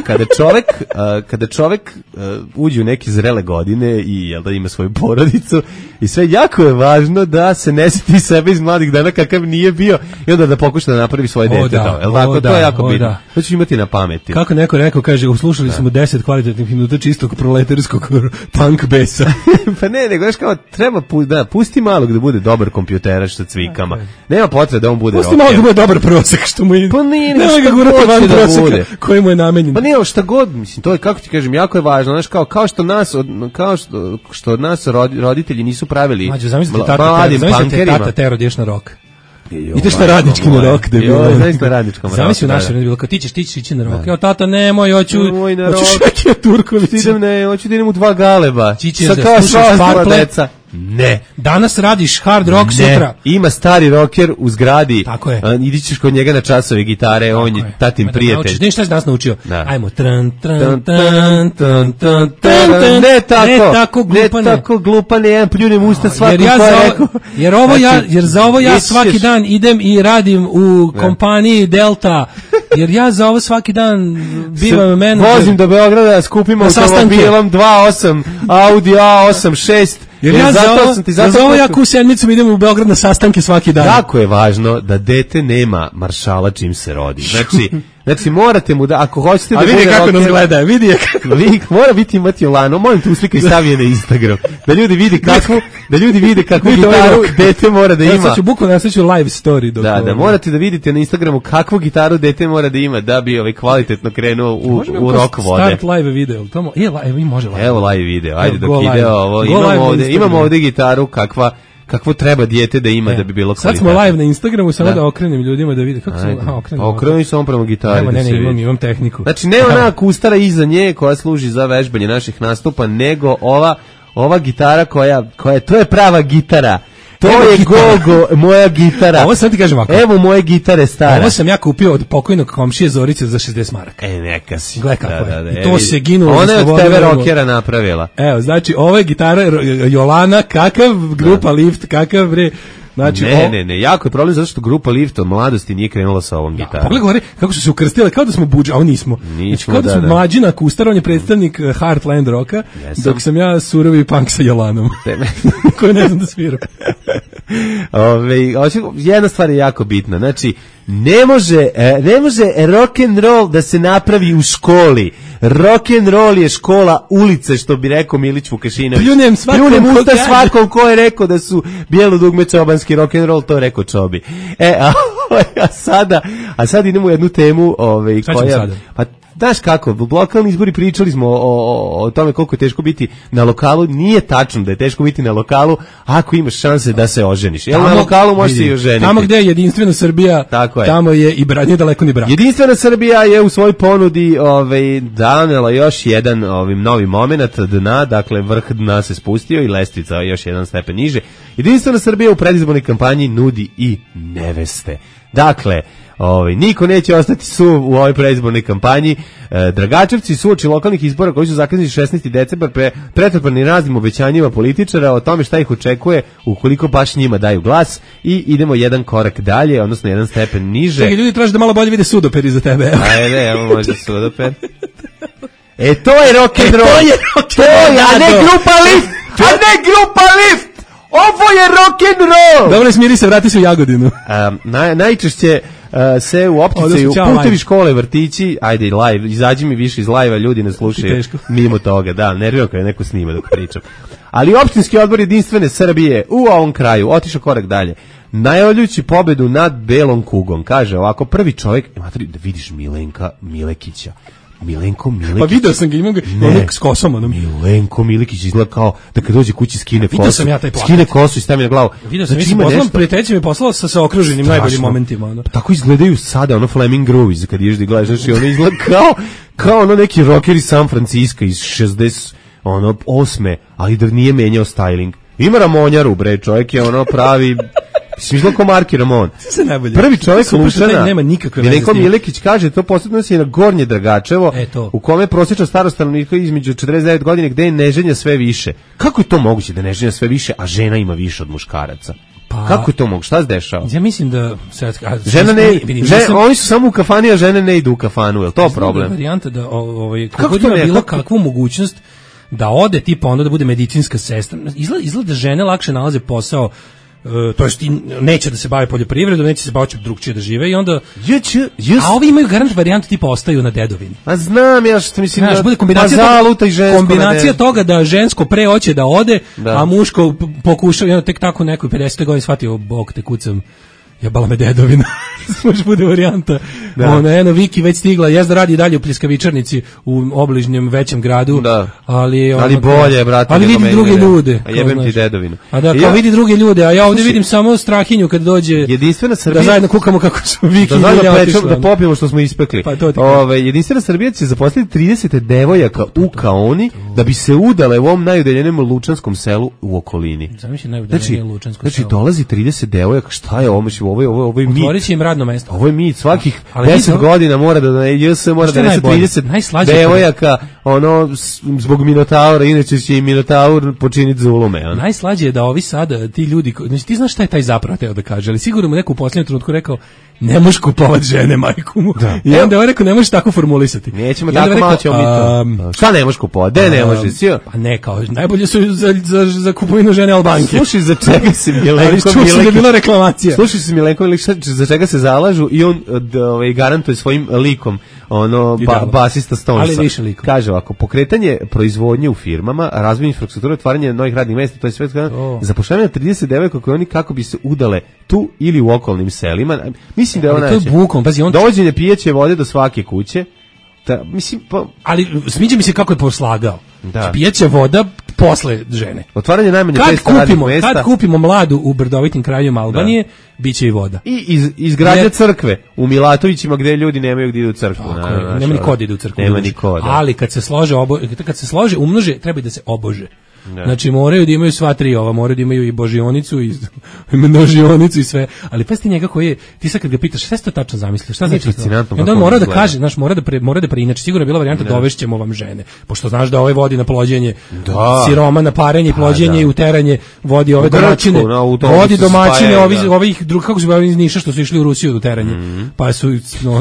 Kada čovek uđe u neke zrele godine i jel da ima svoju porodicu i sve, jako je važno da se ne sjeti sebe iz mladih dana kakav nije bio i onda da pokuša da napravi svoje dete. To je jako bitno. To ću imati na pameti. Kako neko rekao, kaže, uslušali smo 10 kvalitetnih minuta čistog proletarskog punk besa. Pa ne, nego znaš kao, treba pusti malog da bude dobar kompjuteraš sa cvikama. Nema potrebe da on bude rocker. Pusti malog da bude dobar prosek, što mu je... Pa nije, šta god da bude. Koji mu je namenjen. Pa nije, šta god, mislim, to je, kako ti kažem, jako je važno, znaš, kao što od nas roditelji nisu pravili mladim pankerima. Tata tero ideš na rok. Ideš na radnički na rok, da je bilo. Zaista na radničkom roku. Zamisli u našem vremenu bilo, kao ti ćeš ići na rok. Evo, tata, nemoj, hoću Šekija Turković. Hoću da idem u 2 galeba. Sa kao sva deca. Ne. Danas radiš hard rock, sutra. Ima stari rocker u zgradi. Tako je. Idi ćeš kod njega na časove gitare, on je tatin prijatelj. Znaš šta si danas naučio? Ajmo. Ne tako glupane, jedan pljunem usta svako ko je rekao. Jer za ovo ja svaki dan idem i radim u kompaniji Delta. Jer ja za ovo svaki dan bivam menadžer. Vozim do Beograda, skupim automobilom 2.8, Audi A86. Jer ja za ovo ja ku sedmicom idem u Beograd na sastanke svaki dan. Jako je važno da dete nema maršala čim se rodi. Znači morate mu da, ako hoćete da bude rocker... A vidi kako nas gleda, vidi je kako... Mora biti imati Olano, molim te uslika i stavi na Instagram. Da ljudi vide kakvu gitaru dete mora da ima. Sad ću bukvalno live story. Da, morate da vidite na Instagramu kakvu gitaru dete mora da ima da bi kvalitetno krenuo u rock vode. Start live video. Evo može live. Evo live video, ajde dok ide ovo. Imamo ovde gitaru kakvo treba dijete da ima da bi bilo kvalitetno. Sad smo live na Instagramu, samo da okrenem ljudima da vide kako se okreni samo prema gitari. Imam tehniku. Znači ne ona kustara iza nje koja služi za vežbanje naših nastupa, nego ova gitara koja to je prava gitara. To je Gogo, moja gitara. Ovo sam ti kažem ovako. Evo moje gitare stara. Ovo sam ja kupio od pokojnog komšije Zorice za 60 maraka. Neka si. Gle kako je. I to se ginulo. Ona je od tebe rockera napravila. Evo, znači, ovo je gitara Jolana, kakav grupa Lift, kakav bre... Znači, ne, jako je problem zato što grupa Lift od mladosti nije krenula sa ovom gitarom. Pogledaj gore kako su se ukrstile, kao da smo budža, a ovo nismo. Znači, kao da smo mlađina Kustar, on je predstavnik Heartland Rocka, dok sam ja surovi punk sa Jolanom, koji ne znam da sviram. Jedna stvar je jako bitna, znači, ne može rock and roll da se napravi u školi. Rock and roll je škola ulice, što bi rekao Milić Vukašinović. Pljunem usta svakom ko je rekao da su bijelo dugme čobanski rock and roll, to je rekao Čobi. A sad idemo u jednu temu, koja pa znaš kako, lokalni izbori, pričali smo o tome koliko je teško biti na lokalu. Nije tačno da je teško biti na lokalu ako imaš šanse da se oženiš. Jel na lokalu možeš se i oženiti. Tamo gde je Jedinstvena Srbija, tamo je i nije daleko ni brak. Jedinstvena Srbija je u svojoj ponudi danela još jedan novi moment dna, dakle vrh dna se spustio i lestvica još jedan stepen niže. Jedinstvena Srbija u predizbornoj kampanji nudi i neveste. Dakle, niko neće ostati suv u ovoj predizbornoj kampanji. Dragačevci su uoči lokalnih izbora koji su zakazani 16. decembar pretrpani raznim obećanjima političara o tome šta ih očekuje ukoliko baš njima daju glas, i idemo jedan korak dalje, odnosno jedan stepen niže. Čekaj, ljudi traže da malo bolje vide sudoped iza tebe. Ajde, evo može sudoped. To je rock and roll. A ne grupa Lift. Ovo je rock and roll. Dobro, smiri se, vrati se u Jagodinu. Najčešće se u opticaju putevi, škole, vrtići, ajde live, izađi mi više iz live-a, ljudi ne slušaju mimo toga, da, nerviram kada neko snima dok pričam. Ali opštinski odbor Jedinstvene Srbije u ovom kraju otišao korak dalje, najavljujući pobedu nad belom kugom. Kaže ovako, prvi čovjek, da vidiš Milenka Milekića. Milenko Milikić. Pa video sam ga, imam ga s kosom. Milenko Milikić izgleda kao da kad dođe kući skine kosu. Vidio sam ja taj plakat. Skine kosu i stavi na glavu. Vidio sam, prijatelj mi je poslao sa okruženim najboljim momentima. Tako izgledaju sada, Flaming Grooves, kad ješ da gledaš, znači ono izgleda kao ono neki rocker iz San Francisco iz 68. ali da nije menjao styling. Ima Ramonjaru, bre, čovjek je pravi... Smišlo ko Marki Ramon. Prvi čovjek Lučana, Milenko Milekić, kaže, to posebno se i na Gornje Dragačevo, u kome prosječna starost stanovnika između 49 godina, gde je neženja sve više. Kako je to moguće da neženja sve više, a žena ima više od muškaraca? Kako je to moguće? Šta se dešava? Ja mislim da... Oni su samo u kafani, a žene ne idu u kafanu. Je li to problem? Varijanta da kako ima bilo kakvu mogućnost da ode tipa onda da bude medicinska sestra. Izgleda da žene lakše nalaze posao, to jest neće da se bave poljoprivredom, neće se baviti drugčije da žive i onda... A ovi imaju garant varijantu tipa ostaju na dedovini. A znam ja što mislim da... Bude kombinacija toga da žensko pre hoće da ode, a muško pokušao i onda tek tako nekoj 50. godini shvatio, bog te kucam, jebala me dedovina. Može bude varijanta. Viki već stigla, jezda radi dalje u pljeskavičarnici u obližnjem većem gradu, ali bolje, brate. Ali vidi druge ljude. A jebem ti dedovinu. A da, kao vidi druge ljude, a ja ovdje vidim samo Strahinju kad dođe. Jedinstvena Srbija. Da zajedno kukamo kako su Viki da popijemo što smo ispekli. Jedinstvena Srbija će zaposliti 30 devojaka u Kaoni da bi se udale u ovom najudaljenijem lučanskom selu u okolini. Znači dolazi 30 devojaka, šta je ovo? Ovo je mit. Otvorit će im radno mesto. Ovo je mit, svakih 10 godina mora da donese 30 devojaka, zbog Minotaura, inače će i Minotaur počiniti zulume. Najslađe je da ovi sada, ti ljudi, znači ti znaš šta je taj zapravo teo da kaže, ali sigurno mu neko u posljednjem trenutku rekao, ne možeš kupovati žene, majku mu. I onda je rekao, ne možeš tako formulisati. Nećemo tako, malo ćemo mi to. Šta ne možeš kupovati? Ne možeš? Pa ne, kao, najbolje su za kupovinu žene Albanke. Slušaj, za čega se Milenko Milikić... Ali je bila reklamacija. Slušaj se Milenko Milikić, za čega se zalažu i on garantuje svojim likom, basista Stonesa. Ali više likom. Kaže ovako, pokretanje proizvodnje u firmama, razvoj infrastrukture, otvaranje novih radnih mjesta, to je sve zapošljavanje 30 devojaka koje oni kako bi se udale tu ili u okolnim selima. Mislim da je ona dovođenje pijeće vode do svake kuće. Ali sviđa mi se kako je poslagao. Pijeća voda posle žene. Otvaranje najmanje 500 radnih mjesta. Kad kupimo mladu u brdovitim krajevima Albanije, bit će i voda. I izgradnja crkve u Milatovićima gdje ljudi nemaju gdje idu u crkvu. Nema ni kod idu u crkvu. Nema ni kod. Ali kad se slože, umnože, treba da se obože. Znači moraju da imaju sva tri moraju da imaju i božionicu i množionicu i sve, ali pa ti njega koji je, ti sad kad ga pitaš šta se to tačno zamisliš, šta znači to? Onda mora da kaže, znaš, mora da preinači, sigurno je bila varijanta dovešćemo vam žene, pošto znaš da ovaj vodi na plođenje, siroma na parenje, plođenje i uteranje, vodi ove domaćine, vodi domaćine ovih drugih, kako su bili iz Niša što su išli u Rusiju do teranje, pa su,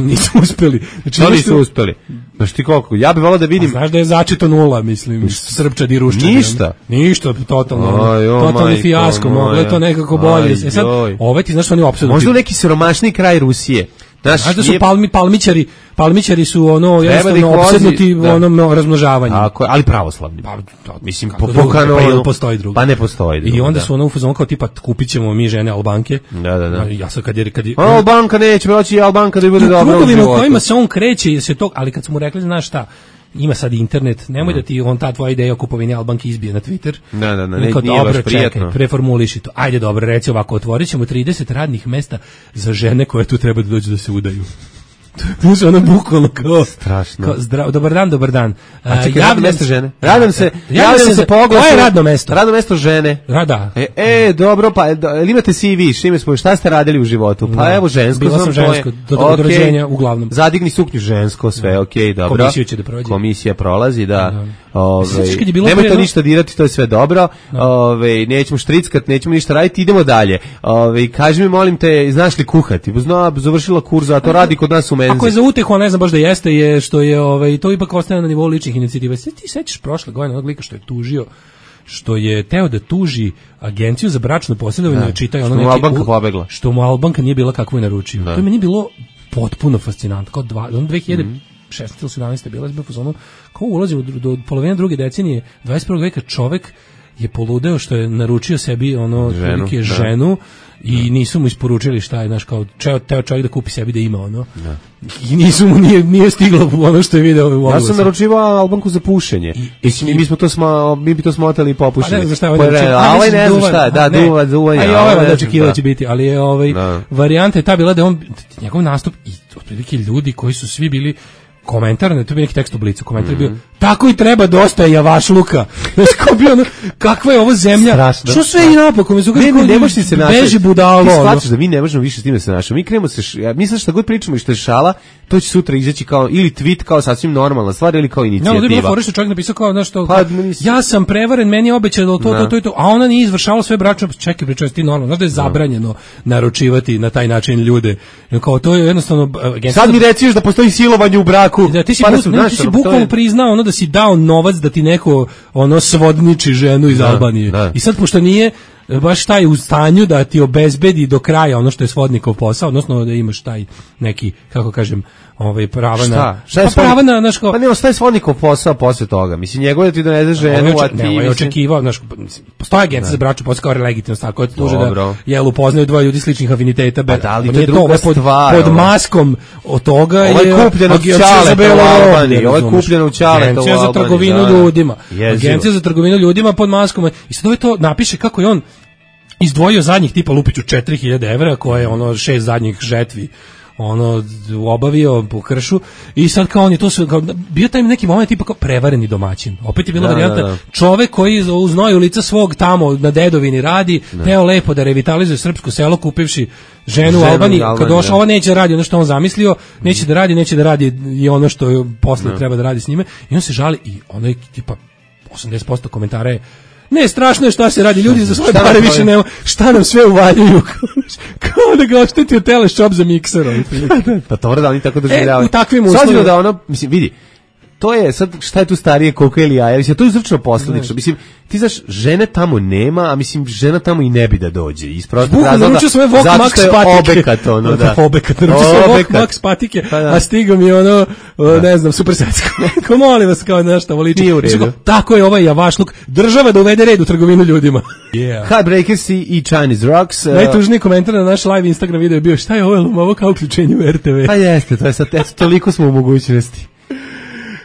nisu uspeli. Znači nisu uspeli. Znaš ti koliko, ja bih volao da vidim. Znaš da je začeto 0, mislim, Srpčad i Ruščad. Ništa, totalni fijasko, moglo je to nekako bolje. Sad, ti znaš oni uopšte... Možda u neki siromašniji kraj Rusije, Znaš da su palmićari su ono jednostavno opsednuti onom razmnožavanjem. Tako je, ali pravoslavni. Mislim, postoji drugo. Pa ne postoji drugo. I onda su ono u fazonu kao tipa kupit ćemo mi žene Albanke. Da. Ja sad kad je Albanka neće proći, Albanka da bude dobra u životu. Kojima se on kreće se to, ali kad su mu rekli, znaš šta, ima sad internet, nemoj da ti ta tvoja ideja o kupovini Albanke izbije na Twitter. Da, nije baš prijatno. Čekaj, preformuliši to. Ajde, dobro, reci ovako, otvorit ćemo 30 radnih mesta za žene koje tu treba da dođu da se udaju. Tu se ono bukvalno kao strašno. Kao, dobar dan. A čekaj, radno mesto žene. Javljam se po oglasu. Koje je radno mesto? Radno mesto žene. Da. Dobro, pa imate CV, šta ste radili u životu? Pa evo žensko. Bila sam žensko, do rođenja uglavnom. Zadigni suknju žensko, sve okej, dobro. Komisiju će da prođe. Komisija prolazi, da. Nemoj to ništa dirati, to je sve dobro. Nećemo štrickat, nećemo ništa raditi, idemo dalje. Kaži mi, molim te, znaš li kuhati? Završila kurs, a to radi kod nas u menzi. Ako je za utehu, ne znam baš da jeste, je što je to ipak ostaje na nivou ličnih inicijativa. Ti sećaš prošle godine onog lika što je tužio, što je teo da tuži agenciju za bračno posredovanje, čitaju ono neki... Što mu Albanka pobegla. Što mu Albanka nije bila kakvu je naručio. To je meni bilo potpuno fascinantno. Kao 2016 ili 17 bila je fazonu, kao ulazimo do polovine druge decenije 21. veka, čovek je poludeo što je naručio sebi ženu i nisu mu isporučili šta je, znaš, kao teo čovjek da kupi sebi da ima ono. Da. I nisu mu nije stiglo ono što je video u oglasu. Ja sam naručivao Albanku za pušenje. I mi bi to smotali i popušili. Pa ne znam šta je ovaj ne znam šta je, duvanje. A i ovaj da očekivao će biti, ali je varijanta je ta bila da njegov nastup i otprilike ljudi koji su svi bili komentar, ne, to bi neki tekst u Blicu, komentar je bio, tako i treba, dosta je javašluka. Znaš, kao bio ono, kakva je ovo zemlja? Strašno. Što sve i napokon? Ne možeš se našati. Beži budalo. Ti shvataš da mi ne možemo više s tim da se našamo. Mi krenemo mi sad šta god pričamo i što je šala, to će sutra izaći kao, ili tweet kao sasvim normalna stvar, ili kao inicijativa. No, da je bilo fora što čovjek napisao kao, znaš, to, ja sam prevaren, meni je obećano to, a ona nije izvršavala sve bračno, čekaj, pričaj, ti normalno, znaš da je zabranjeno naručivati na taj način ljude. Kao, to je jednostavno... Sad mi reciš da postoji silovanje u braku. Da, ti si bukvalno priznao ono da si dao novac da ti neko ono svodniči ženu iz Albanije. I sad pošto nije baš taj u stanju da ti obezbedi do kraja ono što je svodnikov posao, odnosno da imaš taj neki, kako kažem, prava na... prava na, znaš, kao... Pa ne, ostaje svodnikov posao posle toga. Mislim, njegove ti donese ženu, a ti... Ne, očekivao, znaš, postoje agencija za bračnu posao kao legitimno stvar, koja ti tuže da upoznaju dvoje ljudi sličnih afiniteta. Pa da, ali to je druga stvar. Pod maskom od toga je... Ovo je kupljeno u Ćaleta u Albaniji. Ovo je kupljeno u Ćaleta u Albaniji. Agencija za trgovinu ljudima. Agencija za trgovinu ljudima pod maskom. I sad to napiše kako je on izdvojio zadnjih tipa Lupiću 4000 evra, koje je 6 zadnjih žetvi obavio po kršu, i sad kao on je to sve, kao, bio taj neki moment tipa kao prevareni domaćin. Opet je bila varijanta, čovek koji u znoju lica svog tamo na dedovini radi, teo lepo da revitalizuje srpsko selo kupivši ženu u Albaniji, kad došao, ovo neće da radi ono što on zamislio, neće da radi i ono što posle treba da radi s njime, i on se žali, i ono je tipa 80% komentara je: ne, strašno je šta se radi, ljudi za svoje pare više nema, šta nam sve uvaljuju, kao da ga oštetio teleshop za mikser. Pa to da oni tako doživljavaju. U takvim uslovima. Da ono, mislim, vidi, to je sad, šta je tu starije, koliko ili jaja, mislim, to je uzročno posledično, mislim, ti znaš, žene tamo nema, a mislim, žena tamo i ne bi da dođe, iz prostog razloga, zato što je obekat, ono, da. Obekat, naručio sam Vok Max patike, a stigo mi ne znam, super secko. Ko molim vas, kao nešto voliči. Nije u redu. Tako je ovaj javašluk, država da uvede red u trgovinu ljudima. Heartbreakers i Chinese Rocks. Najtužniji komentar na naš live Instagram video je bio: šta je ovo kao uključenje u RTV? Pa jeste, to je sad, toliko smo u mogućnosti.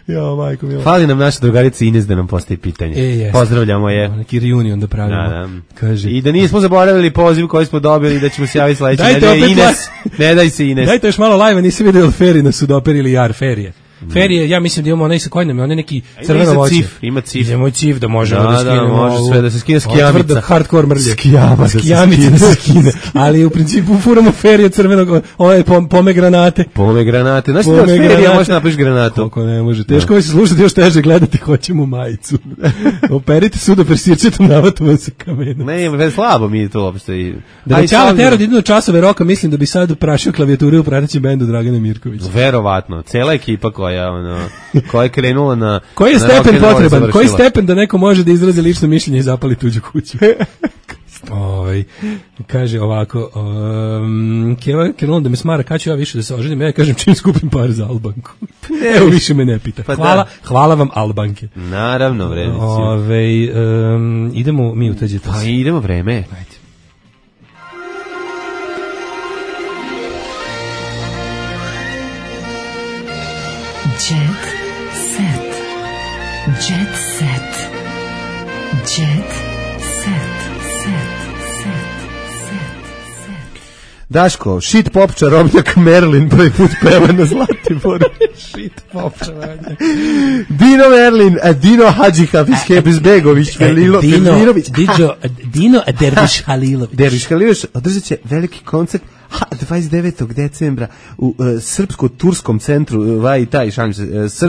Jo, majko milo. Fali nam naša drugarica Ines da nam postavi pitanje. Pozdravljamo je. Neki reunion da pravimo. Kaže. I da nismo zaboravili poziv koji smo dobili, da ćemo se javiti sledeće nedelje. Ines, ne daj se, Ines. Dajte još malo live, nisi vidio Feri na Sudoperi ili Jar Ferije. Ferije, ja mislim da imamo onaj sa kojim on je neki crveno voće. Ima cif. Idemo cif da možemo da skinemo. Može sve da se skine skijamica. Hardcore mrlje. Skijamica da se skine. Ali u principu furamo Ferije crvenog, ove pome granate. Znaš da od Ferija možeš napraviš granatu? Koliko ne može. Teško je se slušati, još teže gledati, hoćemo majicu. Operite sudoper sirčetom navatom sa kamenom. Ne, slabo mi je to uopšte. Da Ćala Tero da idu na časove roka, mislim da bi sad prašio klavijaturu u pratećem bendu Dragana Mirkovića. Verovatno. Cela ekipa koja je krenula na... Koji je stepen potreban? Koji stepen da neko može da izrazi lično mišljenje i zapali tuđu kuću? Kaže ovako, Keva krenula da me smara, kad ću ja više da se oženim, ja kažem čim skupim par za Albanku. Evo, više me ne pita. Hvala vam Albanke. Naravno, vredici. Idemo mi u teđe. Pa idemo, vreme. Ajde. Jet set. Jet set. Jet set. Daško, shit pop čarobnjak Merlin prvi put peva na Zlatiboru. Shit pop čarobnjak. Dino Merlin, Dino Hadžihafizbegović, Velilović. Dino Derviš Halilović. Derviš Halilović održat će veliki koncert 29. decembra u Srpsko-turskom centru,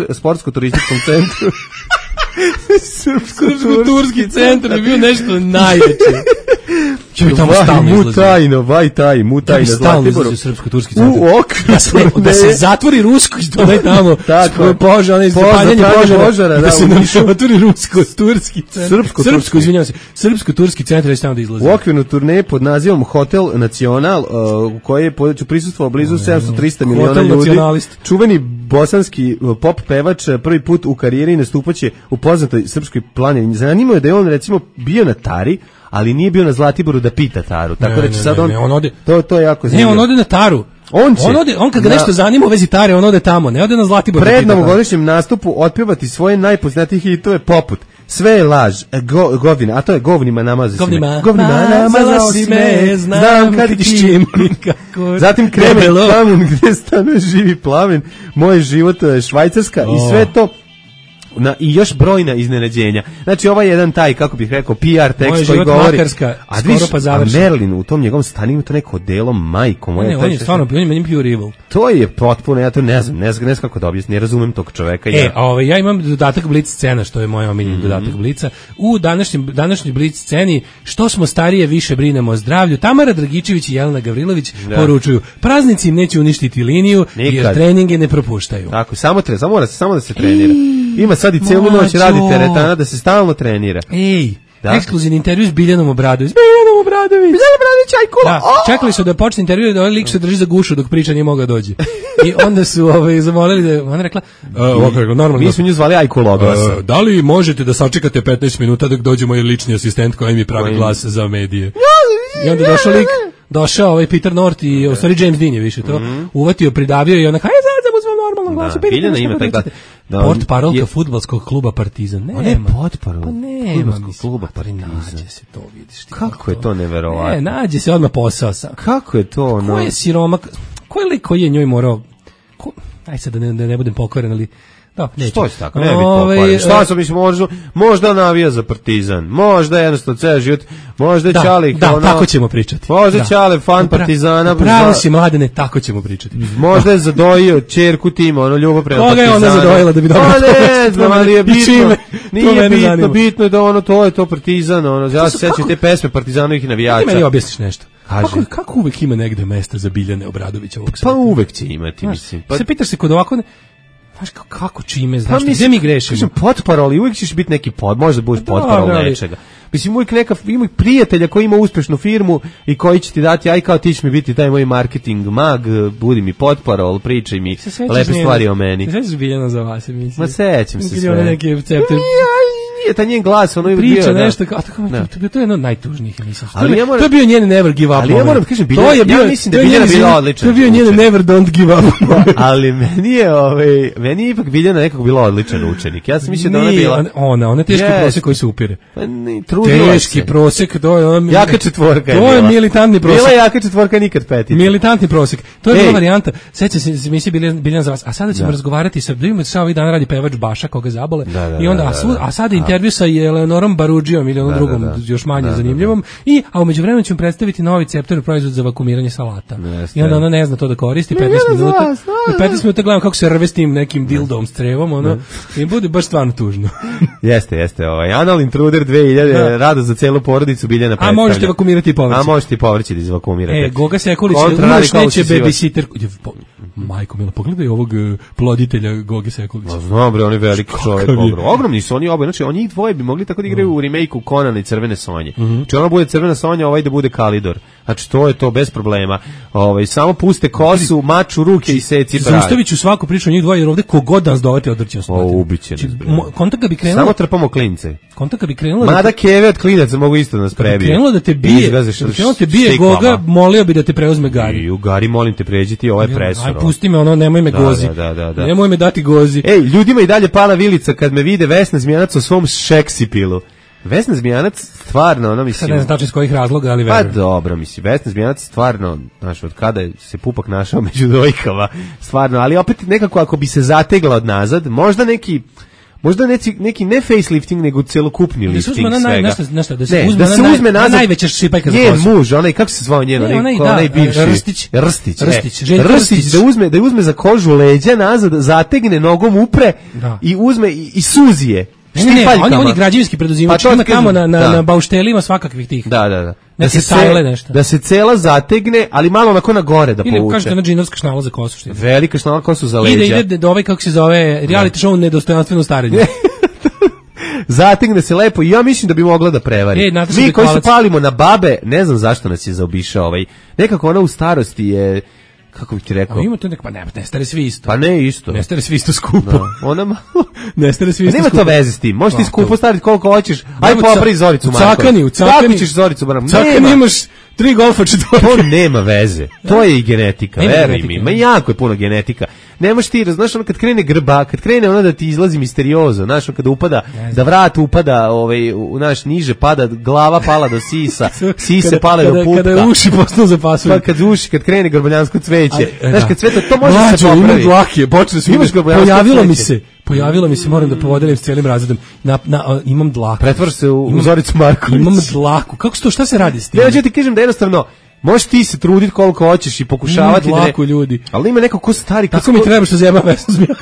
Sportsko-turističkom centru. Srpsko-turski centar je bio nešto najveće. Mutajno, Zlatiboru. Srpsko-turski centar. U okviru. Da se zatvori rusko, što onaj tamo, zapaljanje požara, da se nam zatvori rusko-turski centar. Srpsko-turski centar je tamo da izlazi. U okviru turneje pod nazivom Hotel Nacional, u kojoj je prisustvovao blizu 700-300 miliona ljudi. Čuveni bosanski pop pevač prvi put u karijeri nastupaće u poznatoj srpskoj planini. Zanimljivo je da je on recimo bio na Tari, ali nije bio na Zlatiboru da pita Taru. Tako da će sad on ode. To je jako zanimljivo. Ne, on ode na Taru. On kad ga nešto zanima u vezi Tare, on ode tamo, ne ode na Zlatibor. Pred novogodišnjem nastupu otpevati svoje najpoznatijih hitove poput Sve je laž, govina, a to je govnima namazi si me. Govnima namazi si me, znam kad ti nikako. Zatim Kremen Plamun, gdje stanuje živi plamen, Moj život Švajcarska i sve to. I još brojna iznenađenja. Znači ovaj jedan taj, kako bih rekao, PR tekst koji govori. Makarska, a Merlin u tom njegovom stanu ima to neko delo, majko moja. Ne, on je stvarno, on je pure evil. To je potpuno, ja to ne znam kako da objasnim, ne razumem tog čoveka. Ja imam dodatak Blic scena, što je moj omiljeni dodatak Blica. U današnjoj Blic sceni, što smo starije, više brinemo o zdravlju. Tamara Dragičević i Jelena Gavrilović poručuju, praznici im neće uništiti liniju, jer treninge ne propuštaju. Tako, samo da se trenira. Ima sad i celu noć radi teretana da se stalno trenira. Ekskluzivni intervju s Biljanom Obradović. Biljan Obradović, ajkula. Čekali su da počne intervju da ovaj lik se drži za gušu dok priča nije mogao dođi. I onda su zamolili da ona rekla, normalno. Mi smo nju zvali ajkulogasa. Da li možete da sačekate 15 minuta dok dođe moj lični asistent koji mi pravi glas za medije? I onda došao lik, došao Peter North i u stvari James Dean je više to uvatio, pridavio i ona sad u svom normalnom glasu. Biljana ima taj glas. Portparolka fudbalskog kluba Partizan. On je portparol fudbalskog kluba Partizan. Nađe se to, vidiš ti. Kako je to neverovatno? Nađe se odmah posao sam. Kako je to ono? Ko je siromak? Ko je lik koji je njoj morao? Aj sad da ne budem pokvaren, ali što je tako? Ne bi pokvaren. Šta sam mislim, možda navija za Partizan, možda jednostavno ceo život, možda je Čalik. Da, tako ćemo pričati. Možda Čale fan Partizana. Pravo si Mladene, tako ćemo pričati. Možda je zadojio ćerku tima, ljubav prema Partizana. Koga je ona zadojila da bi dobro? Ne znam, ali je bitno. Nije bitno je da to je to Partizan. Ja se sećam te pesme Partizanovih navijača. Ti meni objasniš nešto. Kako uvek ima negde mesta za Biljane Obradovića ovog sveta? Pa uvek će imati, mislim. Se pitaš se kod ovako... Znaš kako čime, znaš, gdje mi grešimo? Kažem, potparol i uvijek ćeš biti neki možda budeš potparol nečega. Mislim, uvijek ima prijatelja koji ima uspešnu firmu i koji će ti dati, aj kao ti će mi biti taj moj marketing mag, budi mi potparol, pričaj mi lepe stvari o meni. Se sećaš Biljana za vas, mislim? Ma sećam se sve. Nije, ta njen glas, ono je bio... Priča nešto, to je jedno od najtužnijih emisija. To je bio njen Never Give Up. Ali ja moram kažem, ja mislim da je Biljana bila odlična. To je bio njen Never Don't Give Up. Ali meni je ipak Biljana nekako bila odličan učenik. Ja sam mislio da ona bila... Ona je teški prosek koji se upire. Teški prosek, to je... Jaka četvorka je bila. To je militantni prosek. Bila jaka četvorka, nikad petica. Militantni prosek. To je bila varijanta. Seća se emisije Biljana za vas. A sada ćemo razgovarati sa... Sada ovih dana radi pevač Baša, koga zabole. I onda, a sada intervju sa Eleonorom Barudžijom ili onom drugom, još manje zanimljivom. A umeđu vremenu ćemo predstaviti novi Ceptor proizvod za vakumiranje salata. I onda ona ne zna to da koristi 15 minuta. 15 minuta gledam kako se rve s tim nekim dildom s trevom, i bude baš stvarno tužno. Jeste. Anal Intruder 2000, rado za celu porodicu Biljana predstavlja. A možete vakumirati i povrće. A možete i povrće da izvakumirate. Goga Sekulić, neće babysitter. Majko mila, pogledaj ovog ploditelja Goge Sekulića. Znam bre, on je veliki čovjek, ogromni su oni oboje, znači oni dvoje bi mogli tako da igraju u remake-u Konana i Crvene Sonje. Znači ona bude Crvena Sonja, ovaj da bude Kalidor. Znači to je to bez problema. Samo puste kosu, maču ruke i seci brave. Zaustaviću svaku priču o njih dvoje, jer ovde kogod nas dovete odrćemo se. Ubiće nas bre. Kontak bi krenulo. Samo trpamo klince. Kontak bi krenulo. Mada keve od klinaca mogu isto nas prebije. Krenulo da te bije. Krenulo te bije Goga, molio bi da te preuzme Gari. I u Gari molim te pređi ti, ovo je presor. Aj pusti me, ono, nemoj me gozi. Da. Nemoj me dati gozi. Ej, ljudima i dalje pala vilica kad me vide Vesna Zmijanac u svom šeksipilu. Vesna Zmijanac stvarno, ono mislim... Sad ne znam tačno iz kojih razloga, ali verujem. Pa dobro, mislim, Vesna Zmijanac stvarno, znaš, od kada se Pupak našao među dojkama, stvarno, ali opet nekako ako bi se zategla od nazad, možda neki ne facelifting, nego celokupni lifting svega. Da se uzme na najveća šipajka za kosu. Njen muž, onaj, kako se zvao njen, onaj bivši. Rstić, da uzme za kožu leđa nazad, zategne, nogom upre i uzme i suzije. Ne, on je građevinski preduzimač, ima tamo na bauštelima svakakvih tih. Da. Da se cela zategne, ali malo onako na gore da povuče. Ili kažete na džinovska šnala za kosu. Velika šnala kosu za leđa. Ide do ovaj, kako se zove, reality show nedostojanstveno starenje. Zategne se lepo i ja mislim da bi mogla da prevari. Mi koji se palimo na babe, ne znam zašto nas je zaobišao ovaj. Nekako ona u starosti je, kako bih ti rekao? A ima to neko, pa ne stare svi isto. Pa ne isto. Ne stare svi isto skupo. Da. Ona ne stare svi isto skupo. Nema to veze s tim. Možeš ti skupo staviti koliko hoćeš. Aj popravi Zoricu Marković. U Cakani. Kako ćeš Zoricu Marković? U Cakani imaš 3 golfa četvorke. To nema veze. To je i genetika, veruj mi. Ma jako je puno genetika. Nemaš ti, znaš, ono kad krene grba, kad krene ono da ti izlazi misteriozo, znaš, kada upada, da vrat upada, naš niže pada, glava pala do sisa, sise pale do pupka. Kada uši postanu zapasuju. Pa kad krene grboljansko cveće. Znaš, kad cveta, to može se popravi. Imam dlake, počeli su pojavilo mi se, moram da podelim s cijelim razredom, imam dlaku. Pretvor se u Zoricu Marković. Imam dlaku. Kako se to, šta se radi s tim? Ja ti kažem da jednostavno, možeš ti se truditi koliko hoćeš i pokušavati da ne... ljudi. Ali ima neko ko stari... Tako mi treba što zjeba Vesnu Zmijanac.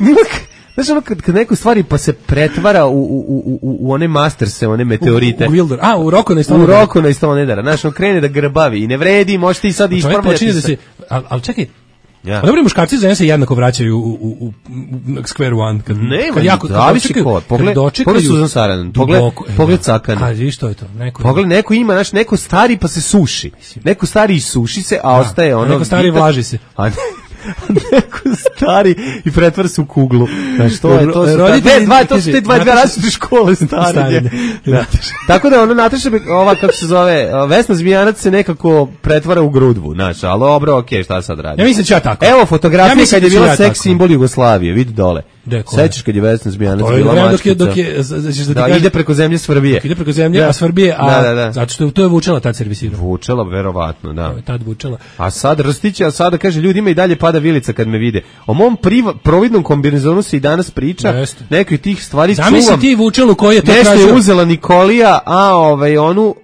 Znaš ono kad neko stvari pa se pretvara u one masterse, one meteorite. U Wilder. U Roko na Stonedara. Znaš, on krene da grbavi i ne vredi, možeš ti sad ispravljati se. Ali čekaj, dobro, muškarci za se jednako vraćaju u Square One. Zavisi ko. Pogled Suzan Saranen, pogled Cakana. Kaži, što je to? Pogled, neko ima, znaš, neko stari pa se suši. Neko stari i suši se, a ostaje ono... Neko stari vlaži se. Neko stari i pretvara se u kuglu. Znaš, to su te dva različite škole starenja. Tako da ono Nataša, ova kako se zove, Vesna Zmijanac se nekako pretvara u grudvu, znaš, ali dobro, okej, šta sad radi? Ja mislim da će tako. Evo fotografija kad je bila seks simbol Jugoslavije, vidi dole. Sećaš kad je Vesna Zmijanac bila mačkica? Da, ide preko zemlje Svrbije. Ide preko zemlje, a Svrbije, zato što to je Vučela tad servisirao. Vučela, verovatno, da. Tad Vučela. A sad Rstića, sada kaže, ljudima i dalje pada vilica kad me vide. O mom providnom kombinezonu se i danas priča, nekoj tih stvari čuvam. Zamisli ti Vučelu koji je to tražio. Nešto je uzela Nikolija, onu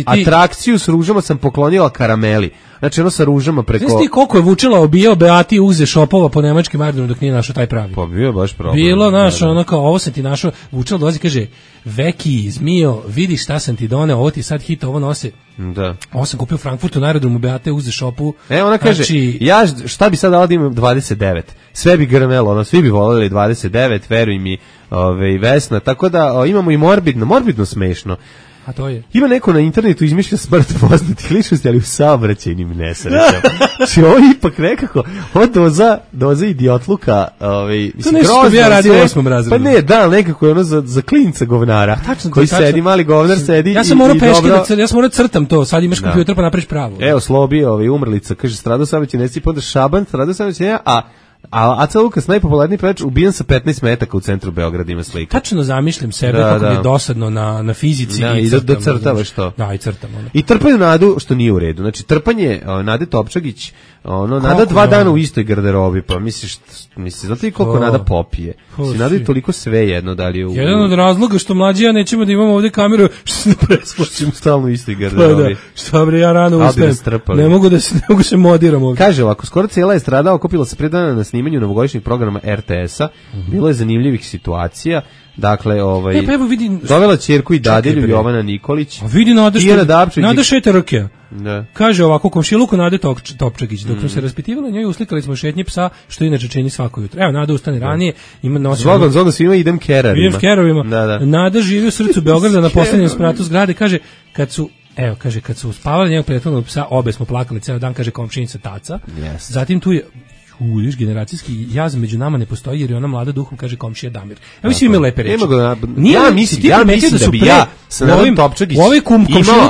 atrakciju s ružama sam poklonila karameli. Znači ono sa ružama preko... Znaš ti koliko je Vučela obijao Beati uze šopova po nemačkim aerodromu dok nije našao taj pravi? Pa bio baš problem. Bilo našo, ono kao, ovo sam ti našao, Vučela dolazi kaže, Veki, zmijo, vidi šta sam ti doneo, ovo ti sad hit, ovo nose. Da. Ovo sam kupio u Frankfurtu na aerodromu Beate uze šopu. Ona kaže, ja šta bi sad dala da imam 29? Sve bi grmelo, ono, svi bi voljeli 29, veruj mi, Vesna, tako da imamo i morbidno smešno. A to je. Ima neko na internetu izmišlja smrt poznatih ličnosti, ali u saobraćajnim nesrećama. Znači ovo ipak nekako, doza idiotluka, to nešto što bi ja radio u 8. razredu. Pa ne, da, nekako je ono za klinca govnara, koji sedi, mali govnar sedi ja sam morao peške, ja sam morao crtam to, sad imaš kompjuter pa napraviš pravo. Evo, Slobi, umrlica, kaže, stradao saobraćaj nesreće, pa onda Šaban, stradao saobraćaj, a Aca Lukas, najpopularniji pevač, ubijen sa 15 metaka u centru Beograda, ima slika. Tačno zamišljam sebe kako mi je dosadno na fizici i crtam. Da crtavaš to. Da, i crtam. I trpaju Nadu, što nije u redu. Znači, trpanje Nade Topčagić, Nada 2 dana u istoj garderobi, pa misliš, znate li koliko Nada popije? Nada je toliko sve jedno, da li je u... Jedan od razloga što mlađi ja nećemo da imamo ovdje kameru, što se ne presplaćimo. Stalno u istoj garderobi. Šta bre, ja rano ustajem. Ne mogu se modiram ovdje. Kaže ovako, skoro cijela je stradao, okupila se 5 dana na snimanju snimanju novogodišnjeg programa RTS-a. Bilo je zanimljivih situacija. Dakle, pa evo vidi, dovela ćerku i dadilju Jovana Nikolić. A vidi Nada Šeterke. Da. Kaže ovako, komšiluku Nade Topčagić, dok smo se raspitivali njoj, uslikali smo šetnje psa, što inače čini svako jutro. Evo, Nada ustane ranije, ima nosi... Zvoga svima idem keravima. Da. Nada živi u srcu Beograda na poslednjem spratu zgrade, kaže, kad su uspavali njegov prethodnog psa, obe smo plakali ceo dan, kaže komšinica Taca. Yes. Zatim tu je viš, generacijski jaz među nama ne postoji jer je ona mlada duhom, kaže komšija Damir. Ja mislim ima lepe reči. Ja mislim da bi ja sa Nadom Topčagić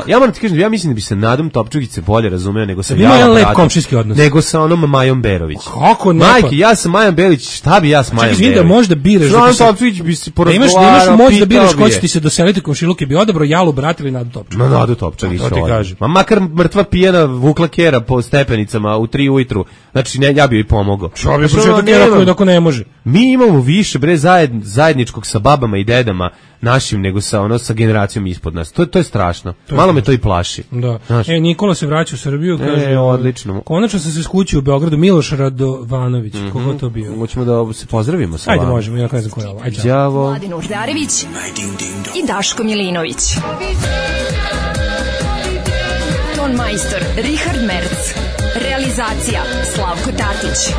ja moram ti kažem, ja mislim da bi se Nadom Topčagić se bolje razumeo nego sa Javom Bratom, nego sa onom Majom Berović. Kako ne? Majke, ja sa Majom Berović, šta bi ja s Majom Berović? Da možda biraš Nadom Topčagić bi se porazgovarao. Da imaš moć da biraš ko će ti se doseliti komšiluke, bi odabrao Jalu Brat ili Nadu Topčagić. Ma Nadu Topčagić. Ma makar mrtva pijena vukla kera po stepenicama u 3 ujutru. Znači ja bi joj pomogao. Ako ne može. Mi imamo više zajedničkog sa babama i dedama našim nego sa generacijom ispod nas. To je strašno. Malo me to i plaši. Da. Nikola se vraća u Srbiju, kaže. Odlično. Konačno sam se skućio u Beogradu, Miloš Radovanović. Kogo to bio? Hoćemo da se pozdravimo sa vama. Ajde, možemo, ja ne znam ko je ovo. Đavo. Mladin Urdarević i Daško Milinović. Ton majstor Richard Merc. Realizacija Slavko Tatić.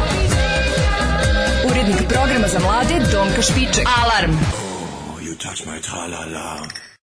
Urednik programa za mlade Donka Špiček. Alarm! You touch my tra-la-la.